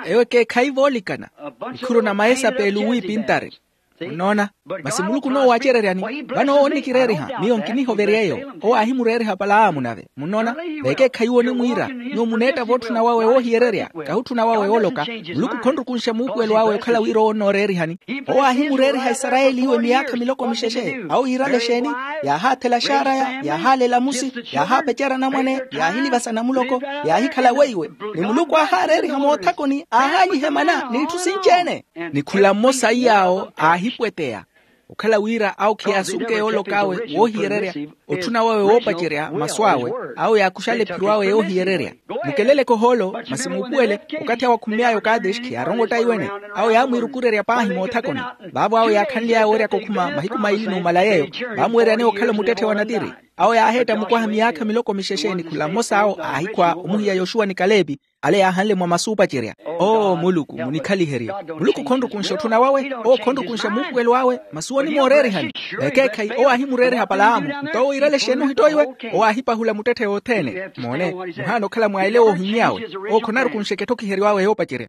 Eyo ekeekhayi voolikana. Nikhuru na maesapeli owiipintari. Munnoona? Masi muluku n'uwo aacereryani. Vano owo onnikireeriha, miyo nkinihovery'eyo. Owo aahimureeriha palaamu nave. Munnoona? Vekeekhayi owo onimwiira, nyuwo muneetta vootthuna wawe woohiyererya, kahutthuna wawe wooloka. Muluku khonrukunxa muupuwelo awe okhala wira owo onnooreerihani. Owo aahimureeriha isarayeli iwe miyaakha miloko mixexe. Awo yiirale exeeni? Yaahaathela axaaraya, yaahaala elamusi, yaahaapecerya anamwane, yaahilivasa namuloko, yaahikhala weiwe. Ni muluku aahaareeriha moothakoni, aahaalihe mana n'itthu sinci-ene. Ni khula mmosa iy'awo aahipweteya, okhala wira awo kheyaasunke yoolok'awe woohiyererya, otthuna wawe woopacerya masu awe, awo yaakuxale ephiro awe yoohiyererya. Mukeleleke ohoolo, masi muupuwele, okathi awo akhummy'aya okadeshi kheyaarongotta iwene. Awo yaamwiirukurerya paahi moothakoni. Vaavo awo yaakhanly'aya wooryaka okhuma mahiku maili n'umala yeeyo, vaamuweeryaneya okhala omuttetthe wa natiri. Awo yaaheetta mukwaha miyaakha miloko mixexe ni khula mmosa awo aahikhwa omuhiya yoxuwa ni kalepi, ale yaahanle mwa masu opacerya. Oo muluku munikhaliherye. Muluku khonrukunxa otthuna wawe. Oo khonrukunxa muupuwelo awe. Masi owo onimooreerihani. Vekeekhayi owo aahimureeriha palaamu. Nto owo yiirale exeeni ohitto iwe? Owo aahipahula muttetthe wothene. Moone, muhaana okhala mwaile woohimy'awe. Owo khonarukunxeke ethokiheryo awe yoopacerya.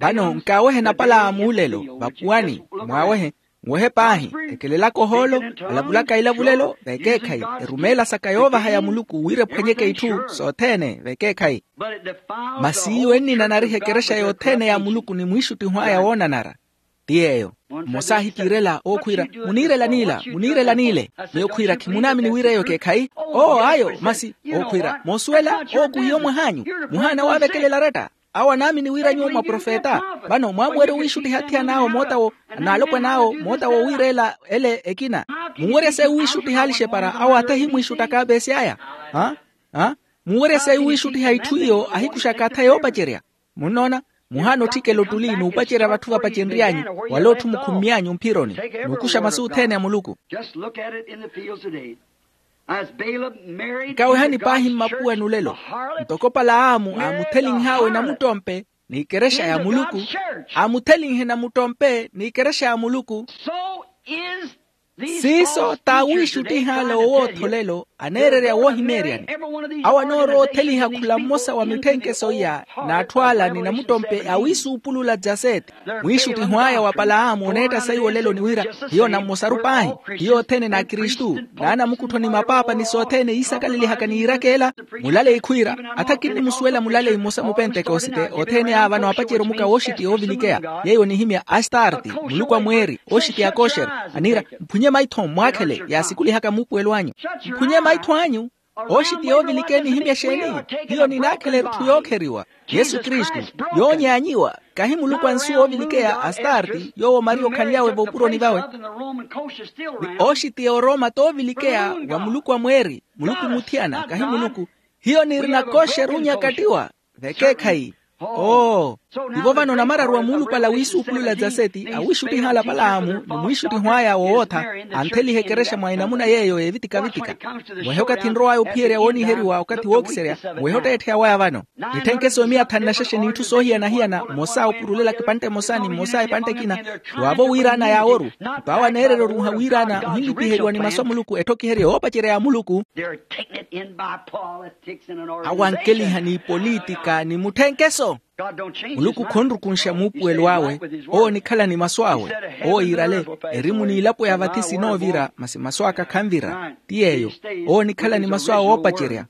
Vano nkaawehe napalaamu olelo vapuwani. Mwaawehe. Nwehe paahi. Ekelelaka ohoolo, alavulaka ilavulelo vekeekhayi, erumeela saka yoovaha ya muluku wira ephwanyeke itthu sothene vekeekhayi. Masi iwe nninanariha ekerexa yothene ya muluku ni mwiixuttiho aya woonanara. Ti yeeyo. Mmosa ahikiirela ookhwiira, muniirela n'ila, muniirela n'ile. Miyo khwiira khimunaamini wira eyo ekeekhayi. Oo ayo masi. Ookhwiira moosuwela. Oo khuhiya omwah'anyu. Muhaana waavekelela aretta. Awo anaamini wira nyuwo mwaprofeta. Vano mwaamuwerya owiixuttiha athiyana awo moota wo, n'alopwana awo moota wo wiireela ele ekina. Munwerya sayi owiixuttiha alixepara awo athe ahimwiixuttaka apeesi aya. Munwerya sayi owiixuttiha itthu iyo ahikuxaka atha yoopacerya. Munnoona? Muhaana otthikela ottuli n'upacerya vatthu vapacenry'anyu, wala otthu mukhummy'anyu mphironi, n'ukuxa masu othene a muluku. Nkawehani paahi mmapuwani olelo. Ntoko palaamu aamutthelinh'awe namuttompe n'ikerexa ya muluku, aamutthelinhe namuttompe n'ikerexa ya muluku. Siiso t'awiixuttih'ale owootholelo aneererya woohimeeryani. Awo anoorowa otheliha khula mmosa wa mitthenkeso iya n'atthu ala ni namuttompe awiisuupulula dyaseeti. Mwiixuttiho aya wa palaamu oneetta sayi olelo ni wira, hiyo nammosaru paahi. Hiyo othene n'akristu, n'anamukuttho ni mapaapa ni sothene iisakalelihaka ni iirakeela. Mulaleyi khwiira, atha kinnimusuwela mulaleyi mmosa mupentekosite othene a vano apacerya omuka wooxitiya oovilikeya. Yeeyo onihimya astarti, muluku a mweeri, ooxitiya kosher. Aniira, mphunye maitho mmwaakhele yaasikuluhaka muupuwelo anyu. Mphunye maitho anyu. Ooxitiya oovilikeya enihimya exeeni? Hiyo ninaakhela erutthu yookheriwa. Yesu kristu, yoonyaanyiwa, kahi muluku a nsuwa oovilikeya astarti yoowo maria okhanly'awe voopuroni vawe. Ni ooxitiya orooma t'ovilikeya wa muluku a mweeri, muluku muthiyana kahi muluku. Hiyo nirina kosher onyakattiwa. Vekeekhayi. Oo. Tivo vano namararu a muulupale awiisuupulula dyaseeti awiixuttiha ala palaamu ni mwiixuttiho aya wowootha, antheliha ekerexa mwa enamuna yeeyo yeevitika-vitika. Mwehe okathi nrow'aya ophiyerya wooniheriwa okathi wookiserya. Mwehe otteettheya waya vano. Nitthenke soomiya thanu na xexe n'itthu soohiyana-hiyana, mmosa opurulela epantte emosa ni mmosa epantte ekina. Waavo wiiraana yaaworu. Nto awo aneererya orunha wiiraana ohinlipiheriwa ni masu a muluku ethokiherye yoopacerya ya muluku. Awo ankeliha n'ipolitika ni mutthenkeso. Muluku khonrukunxa muupuwelo awe. Owo onikhala ni masu awe. Owo yiirale, erimu n'ilapo ya vathi sinoovira masi masu aka khanvira. Ti yeeyo. Owo onikhala ni masu awe oopacerya.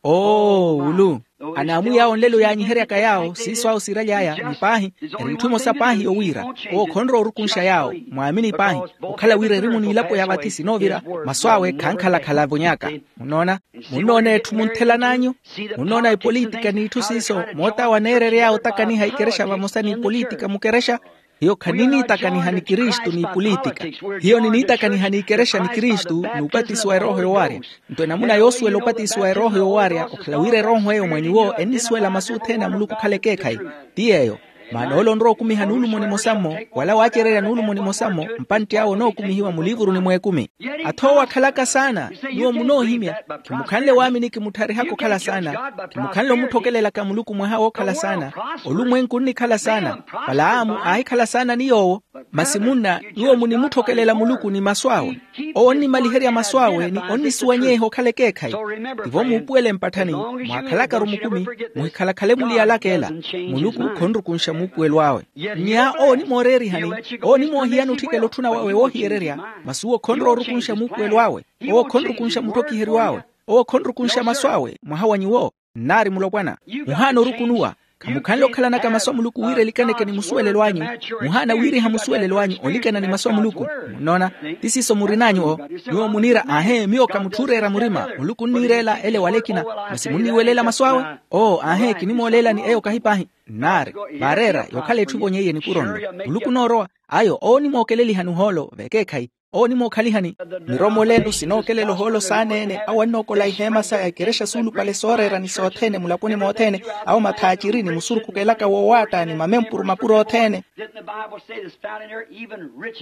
Oo ulu. Anaamwiya awo nlelo yaanyiheryaka yaawo siiso awo siiraly'aya ni paahi. Eri itthu emosa paahi yowiira. Owo khonrowa orukunxa yaawo mwaamini paahi. Okhala wira erimu n'ilapo ya vathi sinoovira, masu awe khankhala-khala avonyaka. Munnoona? Munnoona etthu muntthelan'anyu? Munnoona epolitika n'itthu siiso moot'awo aneerery'aya otakaniha ikerexa vamosa n'ipolitika mukerexa. Hiyo khaniniitakaniha ni kristu n'ipolitika. Hiyo niniitakaniha n'ikerexa ni kristu n'upatisiwa erooho yowaarya. Nto enamuna yoosuwela opatisiwa erooho yowaarya okhala wira erooho eyo mwa nyuwo ennisuwela masu othene a muluku okhala ekeekhayi. Ti yeeyo. Maana ole onrowa okumiha nuulumo nimosa-mmo, wala waacererya nuulumo nimosa-mmo, mpantti awe onookumihiwa mulivuruni mw'ekumi. Ath'owo akhalaka saana, nyuwo munoohimya. Khimukhanle waamini kimuttharihaka okhala saana. Khimukhanle omutthokelelaka muluku mwaha wookhala saana. Olumwenku onnikhala saana. Palaamu aahikhala saana ni yoowo. Masi munna, nyuwo munimutthokelela muluku ni masu awe. Owo onnimaliherya masu awe ni onnisuwanyeha okhala ekeekhayi. Tivo muupuwele mpatthani, mwaakhalakaru mukumi, muhikhalakhale muliyalaka ela. Muluku khonrukunxa. muupuwelo awe. Nnya owo onimooreerihani, owo onimoohiyani otthikela otthuna wawe woohiyererya, masi uwo khonrowa orukunxa muupuwelo awe. Owo khonrukunxa mutthokiheriw'awe. Owo khonrukunxa masu awe mwaha wa nyuwo. Nnaari mulopwana, muhaana orukunuwa. Khamukhanle okhalanaka masu a muluku wira elikaneke ni musuwelelo anyu. Muhaana wiiriha musuwelelo anyu olikana ni masu a muluku. Munnoona? Ti siiso murin'anyu o. Nyuwo muniira aahe miyo kamutthuureera murima, muluku onniireela ele wala ekina. Masi munniiwelela masu awe. Oo aahe kinimooleelani eyo kahi paahi. Nnaari, vaareera yookhala etthu evonyeiye nipuro nlo. Muluku onoorowa. Ayo owo onimookelelihani ohoolo vekeekhayi. Owo onimookhalihani. Miromole enu sinookelela ohoolo saaneene awo annookola iheema saya ekerexa suulupale sooreera ni sothene mulaponi mothene. Awo mathaaciri ni musurukukelaka woowaatta ni mamempuru mapuro othene.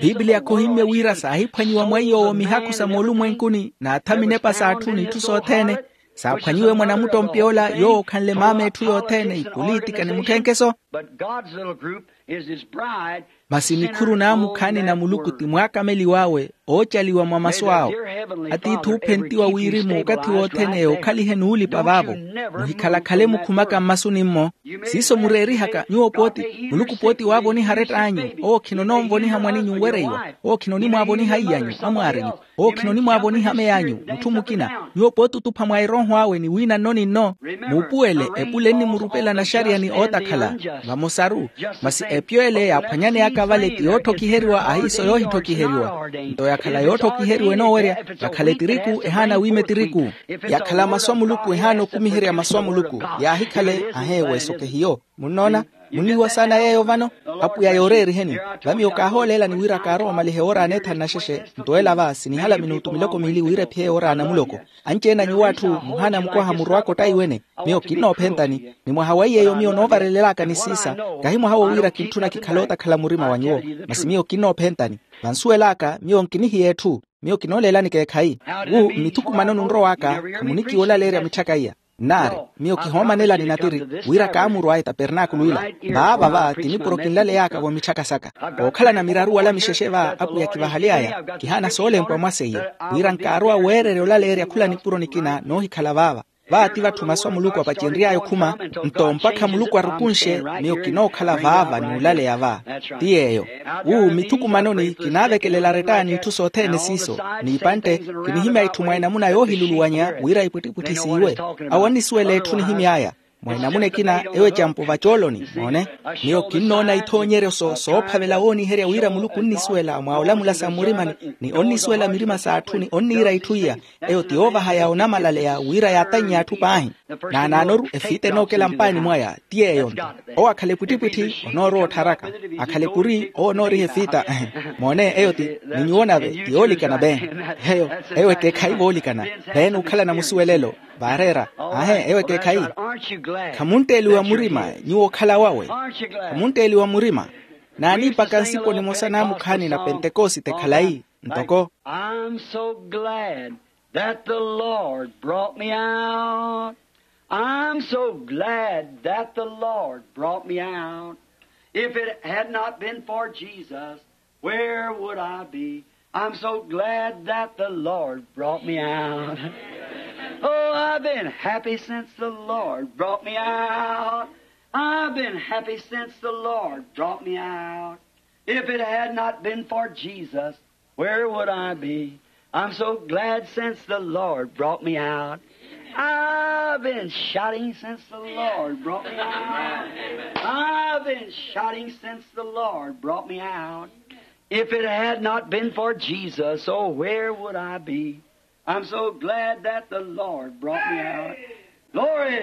Bibiliya khohimmye wira saahiphwanyiwa mwa iy'owo mihakhu sa moolumwenkuni n'atha minepa s'atthu n'itthu sothene. Saaphwanyiwe mwanamuttompi ola yoowo okhanle maama etthu yothene ipolitika ni mutthenkeso. Masi nikhuru naamukhaani na muluku ti mwaakameliw'awe oocaliwa mwa masu awo. Atiithi oophentiwa wirimu okathi wothene okhalihe nuulipa vaavo. Muhikhalakhale mukhumaka mmasuni-mmo. Siiso mureerihaka nyuwo pooti. Muluku pooti waavoniha aretta anyu. Owo khinonoonvoniha mwaninyu nwereiwa. Owo khinonimwaavoniha iy'anyu amwaarinyu. Owo khinonimwaavoniha amey'anyu mutthu mukina. Nyuwo pooti otupha mwa erooho awe ni wiina nno ni nno. Muupuwele epule ennimurupela naxariya ni ootakhala. Vamosaru. Masi epyo ele yaaphwanyaneyaka vale ti yootthokiheriwa ahiiso yoohitthokiheriwa. Nto yakhala yootthokiheriwa enoowerya. Yakhala etiriku ehaana wiima etiriku. Yakhala masu a muluku ehaana okumiherya masu a muluku. Yaahikhale aheewe sokehiyo. Munnoona? Munnihiwa saana yeeyo vano. Apwiya yooreeriheni. Va miyo kaahooleelani wira kaarowa omaliha ewoora aneethanu naxexe. Nto ela va sinihala minutu miloko miili wira ephiye ewoora anamuloko. Anci-ene a nyuwo atthu muhaana mukwaha murwaka ottayi wene. Miyo kinnoophentani. Ni mwaha wa iy'eyo miyo noovarelelaka ni siisa. Kahi mwaha wo wira kintthuna kikhale ootakhala murima wa nyuwo. Masi miyo kinnoophentani. Vansuwel'aka miyo nkinihiya etthu. Miyo kinooleelani keekhayi. Wu mmithukumanoni onrow'aka. Khamunikiwa olaleerya mitthaka iya. Nnaari, miyo kihoomanelani natiri wira kaamurw'aya etapernaakulu ila. Vaava va ti nipuro kinlaley'aka vomitthaka saka. Kookhalana miraru wala mixexe va apwiya kivahaly'aya. Kihaana soolempwa mwa seiye wira nkaarowa weererya olaleerya khula nipuro nikina noohikhala vaava. Va ti vatthu masu a muluku apacenry'aya okhuma. Nto mpakha muluku arukunxe, miyo kinookhala vaava n'ulaleya va. Ti yeeyo. Wu mmithukumanoni kinaavekelela aretta n'itthu sothene siiso. N'ipantte, kinihimya itthu mwa enamuna yoohiluluwanya wira ipwittipwitthi siiwe. Awo onnisuwela etthu nihimy'aya. Mwa enamuna ekina ewo ecampo vacooloni moone. Miyo kinnoona ithoonyeryo soophavela wooniherya wira muluku onnisuwela mwa olamula sa mmurimani, ni onnisuwela mirima s'atthu ni onniira itthu iya. Eyo ti yoovahaya onamalaleya wira yaatannya atthu paahi. Naanaanoru efita enookela mpaani mwaya. Ti yeeyo nto owo akhala epwittipwitthi onoorowa ottharaka. Akhala epuri owo onooriha efita. Moone eyo ti ni nyuwo nave ti yoolikana bee. Eyo ewo ekeekhayi voolikana. Bee n'ukhalana musuwelelo. Vaareera. Aahe ewo ekeekhayi. Khamuntteliwa murima nyuwo okhala wawe. Khamuntteliwa murima. Naaniipaka nsipo nimosa naamukhaani na pentekosite khalayi ntoko. I'm so glad that the Lord brought me out. I'm so glad that the Lord brought me out. If it had not been for Jesus, where would I be? I'm so glad that the Lord brought me out. Oh, I've been happy since the Lord brought me out. I've been happy since the Lord brought me out. If it had not been for Jesus, where would I be? I'm so glad since the Lord brought me out. I've been shouting since the Lord brought me out. I've been shouting since the Lord brought me out. If it had not been for Jesus, oh, where would I be? I'm so glad that the Lord brought me out. Glory.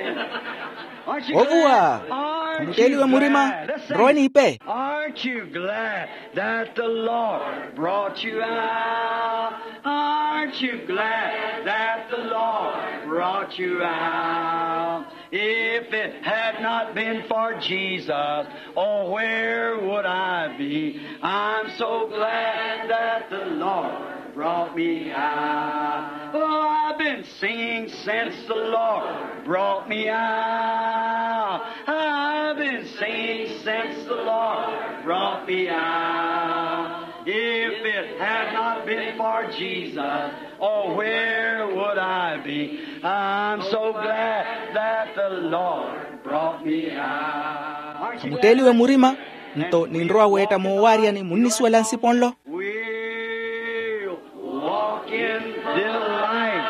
Aren't you glad? Ovuwa. Aren't you glad? Khumutteliwe murima. Listen. Nrowe niipe. Aren't you glad that the Lord brought you out? Aren't you glad that the Lord brought you out? If it had not been for Jesus, oh, where would I be? I'm so glad that the Lord brought me out. Oh, I've been singing since the Lord brought me out. I've been singing since the Lord brought me out. If it had not been for Jesus, oh, where would I be? I'm so glad that the Lord brought me out. Khamutteeliwe murima. Nto ninrowa weetta moowaryani munnisuwela nsipo nlo. We'll walk in delight.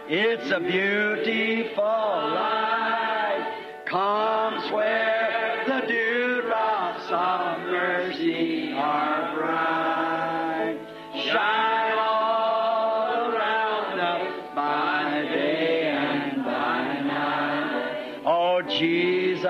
It's a beautiful life. Comes where the dewdrops of mercy are bright. Shine all around us by day and by night. Oh, Jesus,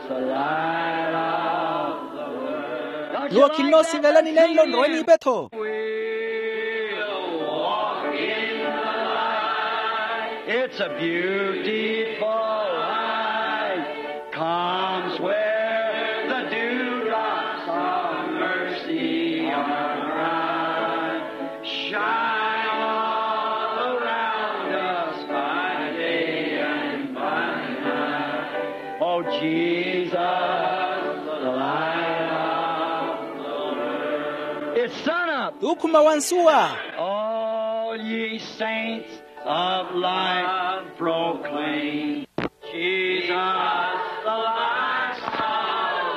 the light of the world. Nyuwo khinnoosivelani nenlo nrowe n'ipetho. We'll walk in the light. It's a beautiful light. Comes where the dewdrops of mercy are bright. Shine all around us by day and by night. Oh, Jesus, the light of the world. It's sun up. Tuukhuma wa nsuwa. All ye saints of light proclaim Jesus, the light of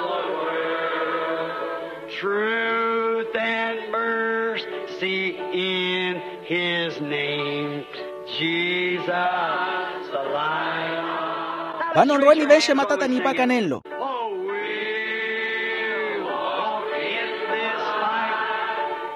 the world. Truth and mercy in his name. Jesus, the light of the world. Vano nrowe nivenxe matata niipaka nenlo. Oh, we'll walk in this light.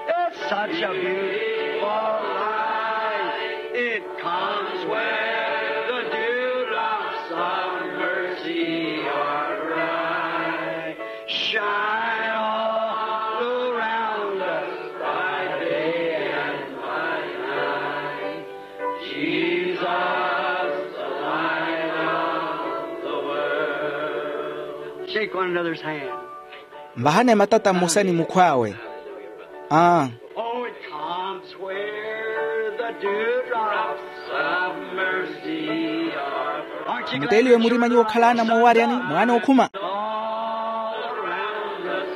It's such a beautiful light. It comes where the dewdrops of mercy are bright. Shine all around us by day and by night. Jesus, the light of the world. Shake one another's hand. Nvahane matata mmosa ni mukhw'awe. Aa. Oh, it comes where the dewdrops of mercy are. Mutteeliwe murima nyuwo okhalaana moowaryani mwaana okhuma. All around us.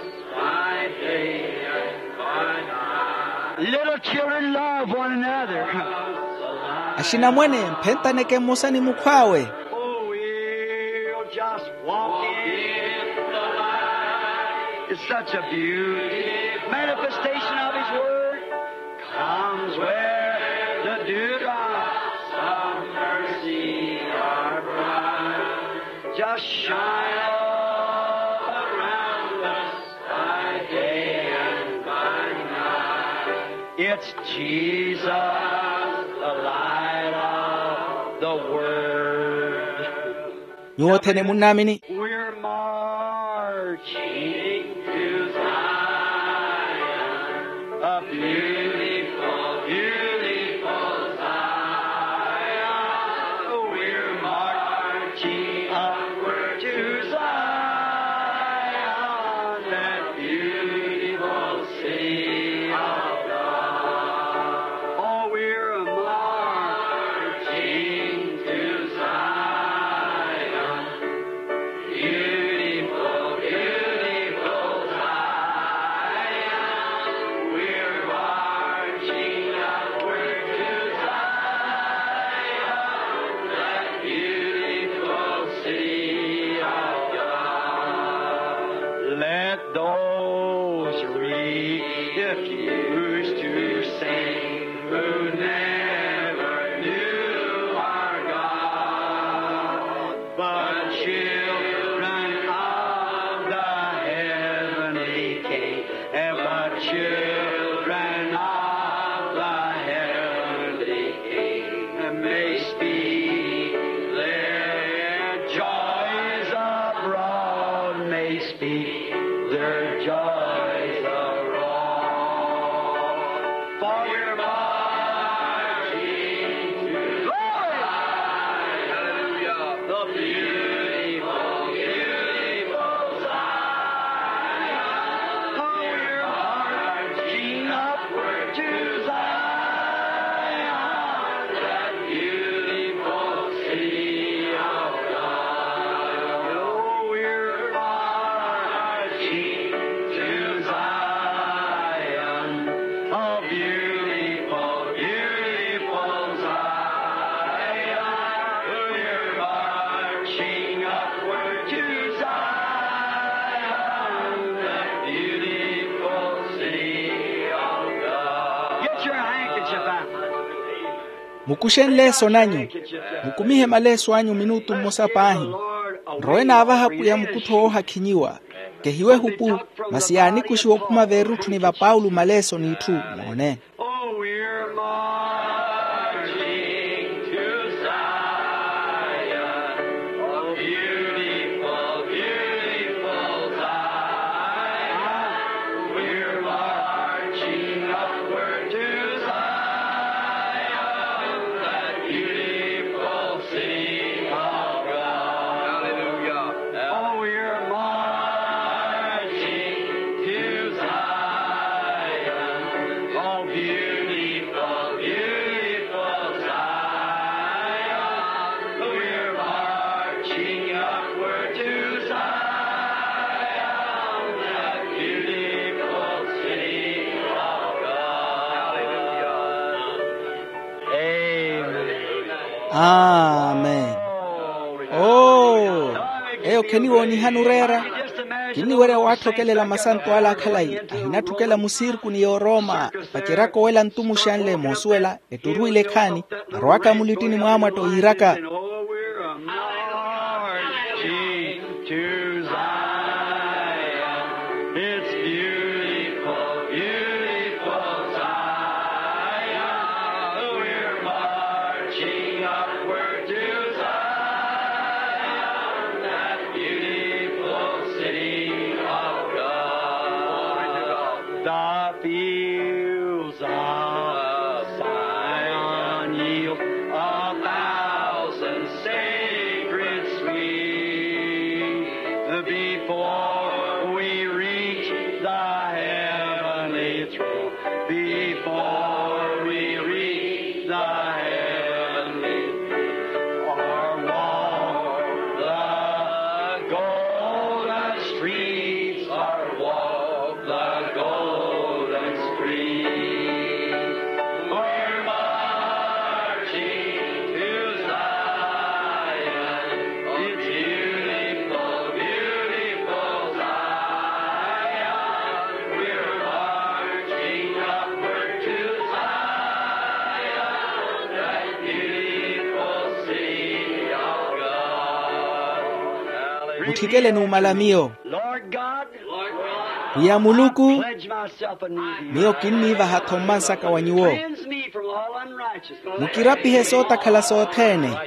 Little children, love one another. Axinamwane, mphentaneke mmosa ni mukhw'awe. Oh, we'll just walk in the light. It's such a beauty. Manifestation of his word comes where the dewdrops of mercy are bright. Just shine all around us. By day and by night, it's Jesus, the light of the world. Nyuwo othene munnaamini. We're marching to Zion, a beautiful, beautiful Zion. We're marching upward to Zion, that beautiful city of God. Oh, we're marching to Zion, beautiful, beautiful Zion. We're marching upward to Zion, that beautiful city of God. Let those refuse to sing who never knew our God, but children of the heavenly King, but children of the heavenly King may speak their joys abroad, may speak their joys abroad. For we're marching to glory. Hallelujah. The beautiful, beautiful Zion. For we're marching Mukuxe nleeso nanyu. Mukumihe maleeso anyu minutu mmosa paahi. Nrowe naavaha pwiya mukuttho woohakhinyiwa. Kehiwe ehupu, masi yaanikuxiwa okhuma veerutthuni va paulo maleeso n'itthu. Moone. Oh, we're marching to Zion, oh, beautiful, beautiful Zion. We're marching upward to Zion, that beautiful city of God. Hallelujah. Oh, we're marching to Zion. Oh, beautiful, beautiful Zion. We're marching upward to Zion, that beautiful city of God. Hallelujah. Amen. Oo, eyo kheniwoonihani oreera. Kinniwerya waatthokelela masanto ala akhalayi ahinatthukela musirku ni yoorooma. Vaceryaka owela ntumuxanle moosuwela etturwile ekhaani, arowaka mulittini mwaamwatta oyiiraka. To Zion, it's beautiful, beautiful Zion. We're marching upward to Zion, that beautiful city of God. The fields of Zion yield a thousand sacred sweets. Before we reach the heavenly throne, before we reach the heavenly throne, our walk the golden streets, our walk the golden streets. We're marching to Zion. It's beautiful, beautiful Zion. We're marching upward to Zion, that beautiful city of God. Mutthikeleni omala miyo. Lord God, pwiya muluku, miyo kinniivaha-tho mmansaka wa nyuwo. Mukirapihe sootakhala sothene.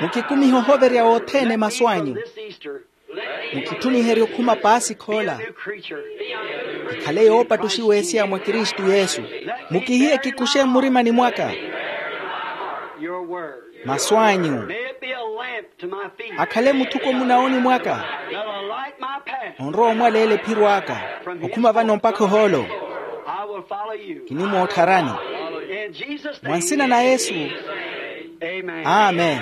Mukikumihe ohoverya wothene masu anyu. Mukitthuniherye okhuma paasikha ola. Kikhale yoopattuxiwa esiya mwa kristu yesu. Mukihiye kikuxe mmurimani mwaka. Masu anyu akhale muthuko munaoni mwaka. Onrowa omwaleela ephiro aka okhuma vano mpakha ohoolo. Kinimoottharani mwa nsina na yesu. Amen.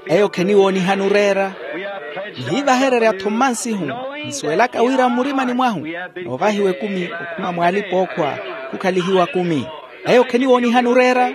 Eyo kheniwoonihani oreera. Nihiivahererya-tho mmansihu nsuwelaka wira mmurimani mwahu noovahiwa ekumi okhuma mw'alipa-ookhwa. Khukhalihiwa kumi. Eyo kheniwoonihani oreera.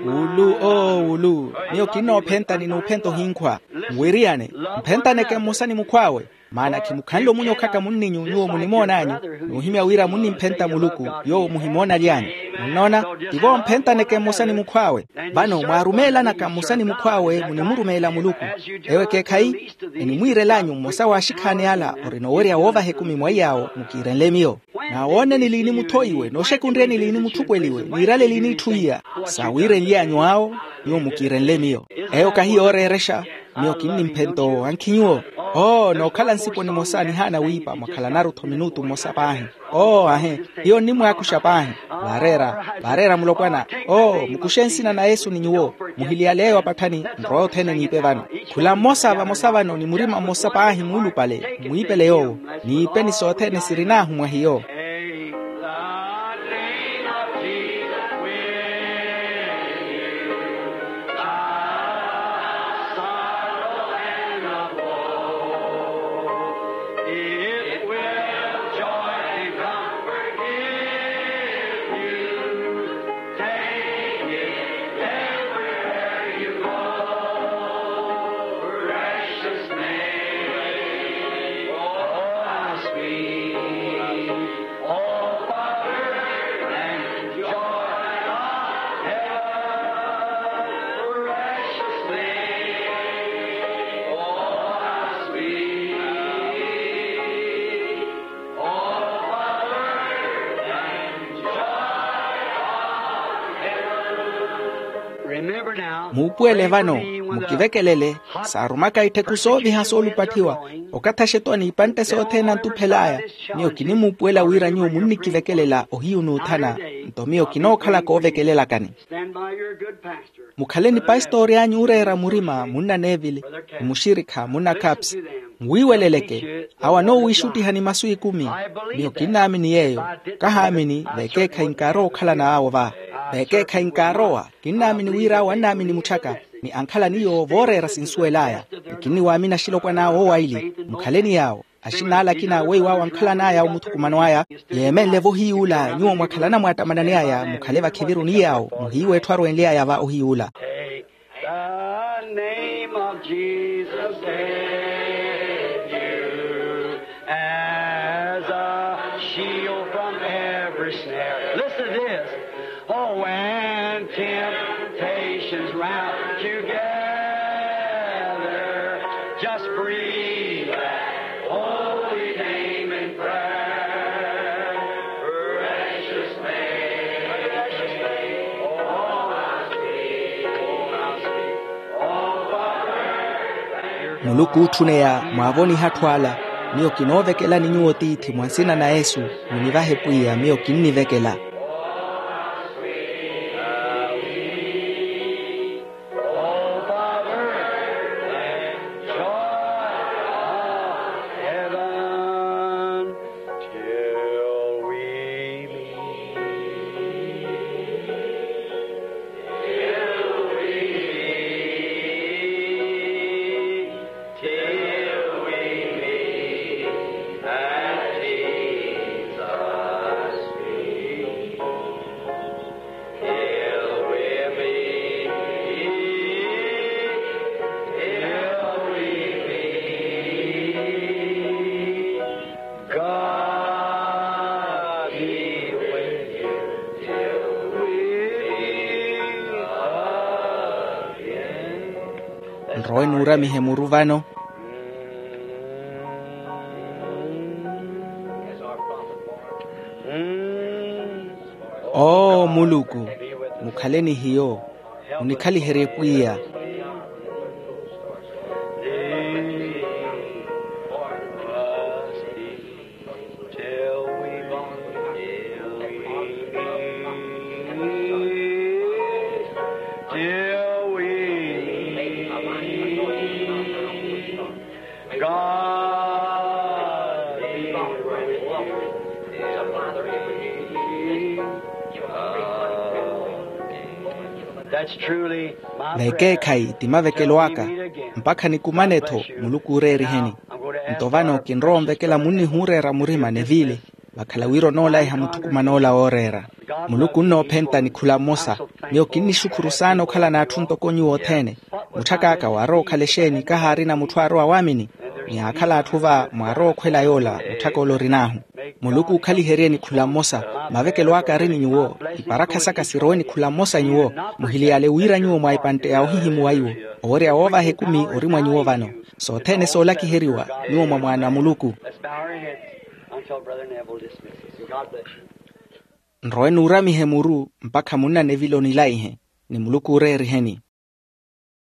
Wulu oo wulu. Miyo kinnoophentani n'uphenta ohinkhwa. Nwiriyane. Mphentaneke mmosa ni mukhw'awe. Maana khimukhanle omunyokhaka munninyu nyuwo munimoon'anyu. N'uhimya wira munnimphenta muluku yoowo muhimoonaly'anyu. Munnoona? Tivo mphentaneke mmosa ni mukhw'awe. Vano mwaarumeelanaka mmosa ni mukhw'awe munimurumeela muluku. Ewo ekeekhayi enimwiirel'anyu mmosa w'axikhaani ala orina owerya woovaha ekumi mwa iy'awo mukiirenle miyo. Naawooneni liini muthoiwe nooxekunryeni liini muthukweliwe niirale liini itthu iya. Saawiirenly'anyu awo nyuwo mukiirenle miyo. Eyo kahi yooreerexa. Miyo kinnimphenta owo ankhi nyuwo. Oo nookhala nsipo nimosa nihaana wiipa mwakhalanaru-tho minutu mmosa paahi. Oo ahe. Hiyo nnimwaakuxa paahi. Vaareera vaareera mulopwana. Oo mukuxe nsina na yesu ni nyuwo. Muhiliyale eyo apatthani nrowe othene niipe vano. Khula mmosa vamosa vano ni murima mmosa paahi muulupale mwiipele yoowo. Niipeni sothene sirin'ahu mwa hiyo. Muupuwele vano, mukivekelele. Saarumaka itthekhu sooviha soolupathiwa, okathaxa etwa n'ipantte sothene antuphel'aya. Miyo kinimuupuwela wira nyuwo munnikivekelela ohiyunuuthana. Nto miyo kinookhala koovekelelakani. Mukhale ni pastori anyu ooreera murima munna neville, ni muxirikha munna caps. Muwiiweleleke. Awo anoowiixuttihani masu ikumi. Miyo kinnaamini yeeyo. Kahaamini vekeekhayi nkaarowa okhalana awo va. Vekeekhayi nkaarowa. Kinnaamini wira awo annaamini mutthaka, ni ankhalani yoowo vooreera sinsuwel'aya. Ni kinniwaamini axilopwan'awe owaili. Mukhaleni yaawo. Axin'ala akina weiw'awe ankhalan'aya omuthukumano aya. Yeemenle-vo ohiyuula nyuwo mwakhalana mwaattamanani aya mukhale vakhiviruni yaawo muhiiwa etthu arwenly'aya va ohiyuula. The name of Jesus save you as a shield from every snare. Listen to this. Oh, when temptations round you gather, just breathe that holy name in prayer. Precious name, precious name, oh, how sweet, oh, how sweet, oh, Father. Muluku ootthuneya mwaavoniha atthu ala. Miyo kinoovekelani nyuwo tiithi mwa nsina na yesu. Munivahe pwiya miyo kinnivekela. Nrowe nuuramihe muru vano. Oo muluku, mukhale ni hiyo. Munikhaliherye pwiya. Vekeekhayi ti mavekelo aka. Mpakha nikumane-tho. Muluku ooreeriheni. Nto vano kinrowa onvekela munnihuureera murima neville. Vakhala wira onoolaiha muthukuman'ola wooreera. Muluku onnoophenta ni khula mmosa. Miyo kinnixukhuru saana okhala n'atthu ntoko nyuwo othene. Mutthak'aka waarowa okhala exeeni kahaarina mutthu aarowa waamini? Ni aakhala atthu va mwaarowa okhwela yoola mutthak'ola orin'ahu. Muluku ookhaliherye ni khula mmosa. Mavekelo aka ari ni nyuwo. Iparakha saka sirowe ni khula mmosa nyuwo. Muhiliyale wira nyuwo mwa ipantte ya ohihimuwa iwo. Owerya woovaha ekumi ori mwa nyuwo vano. Sothene soolakiheriwa nyuwo mwa mwaana a muluku. Nrowe nuuramihe muru mpakha munna neville onilaihe. Ni muluku ooreeriheni.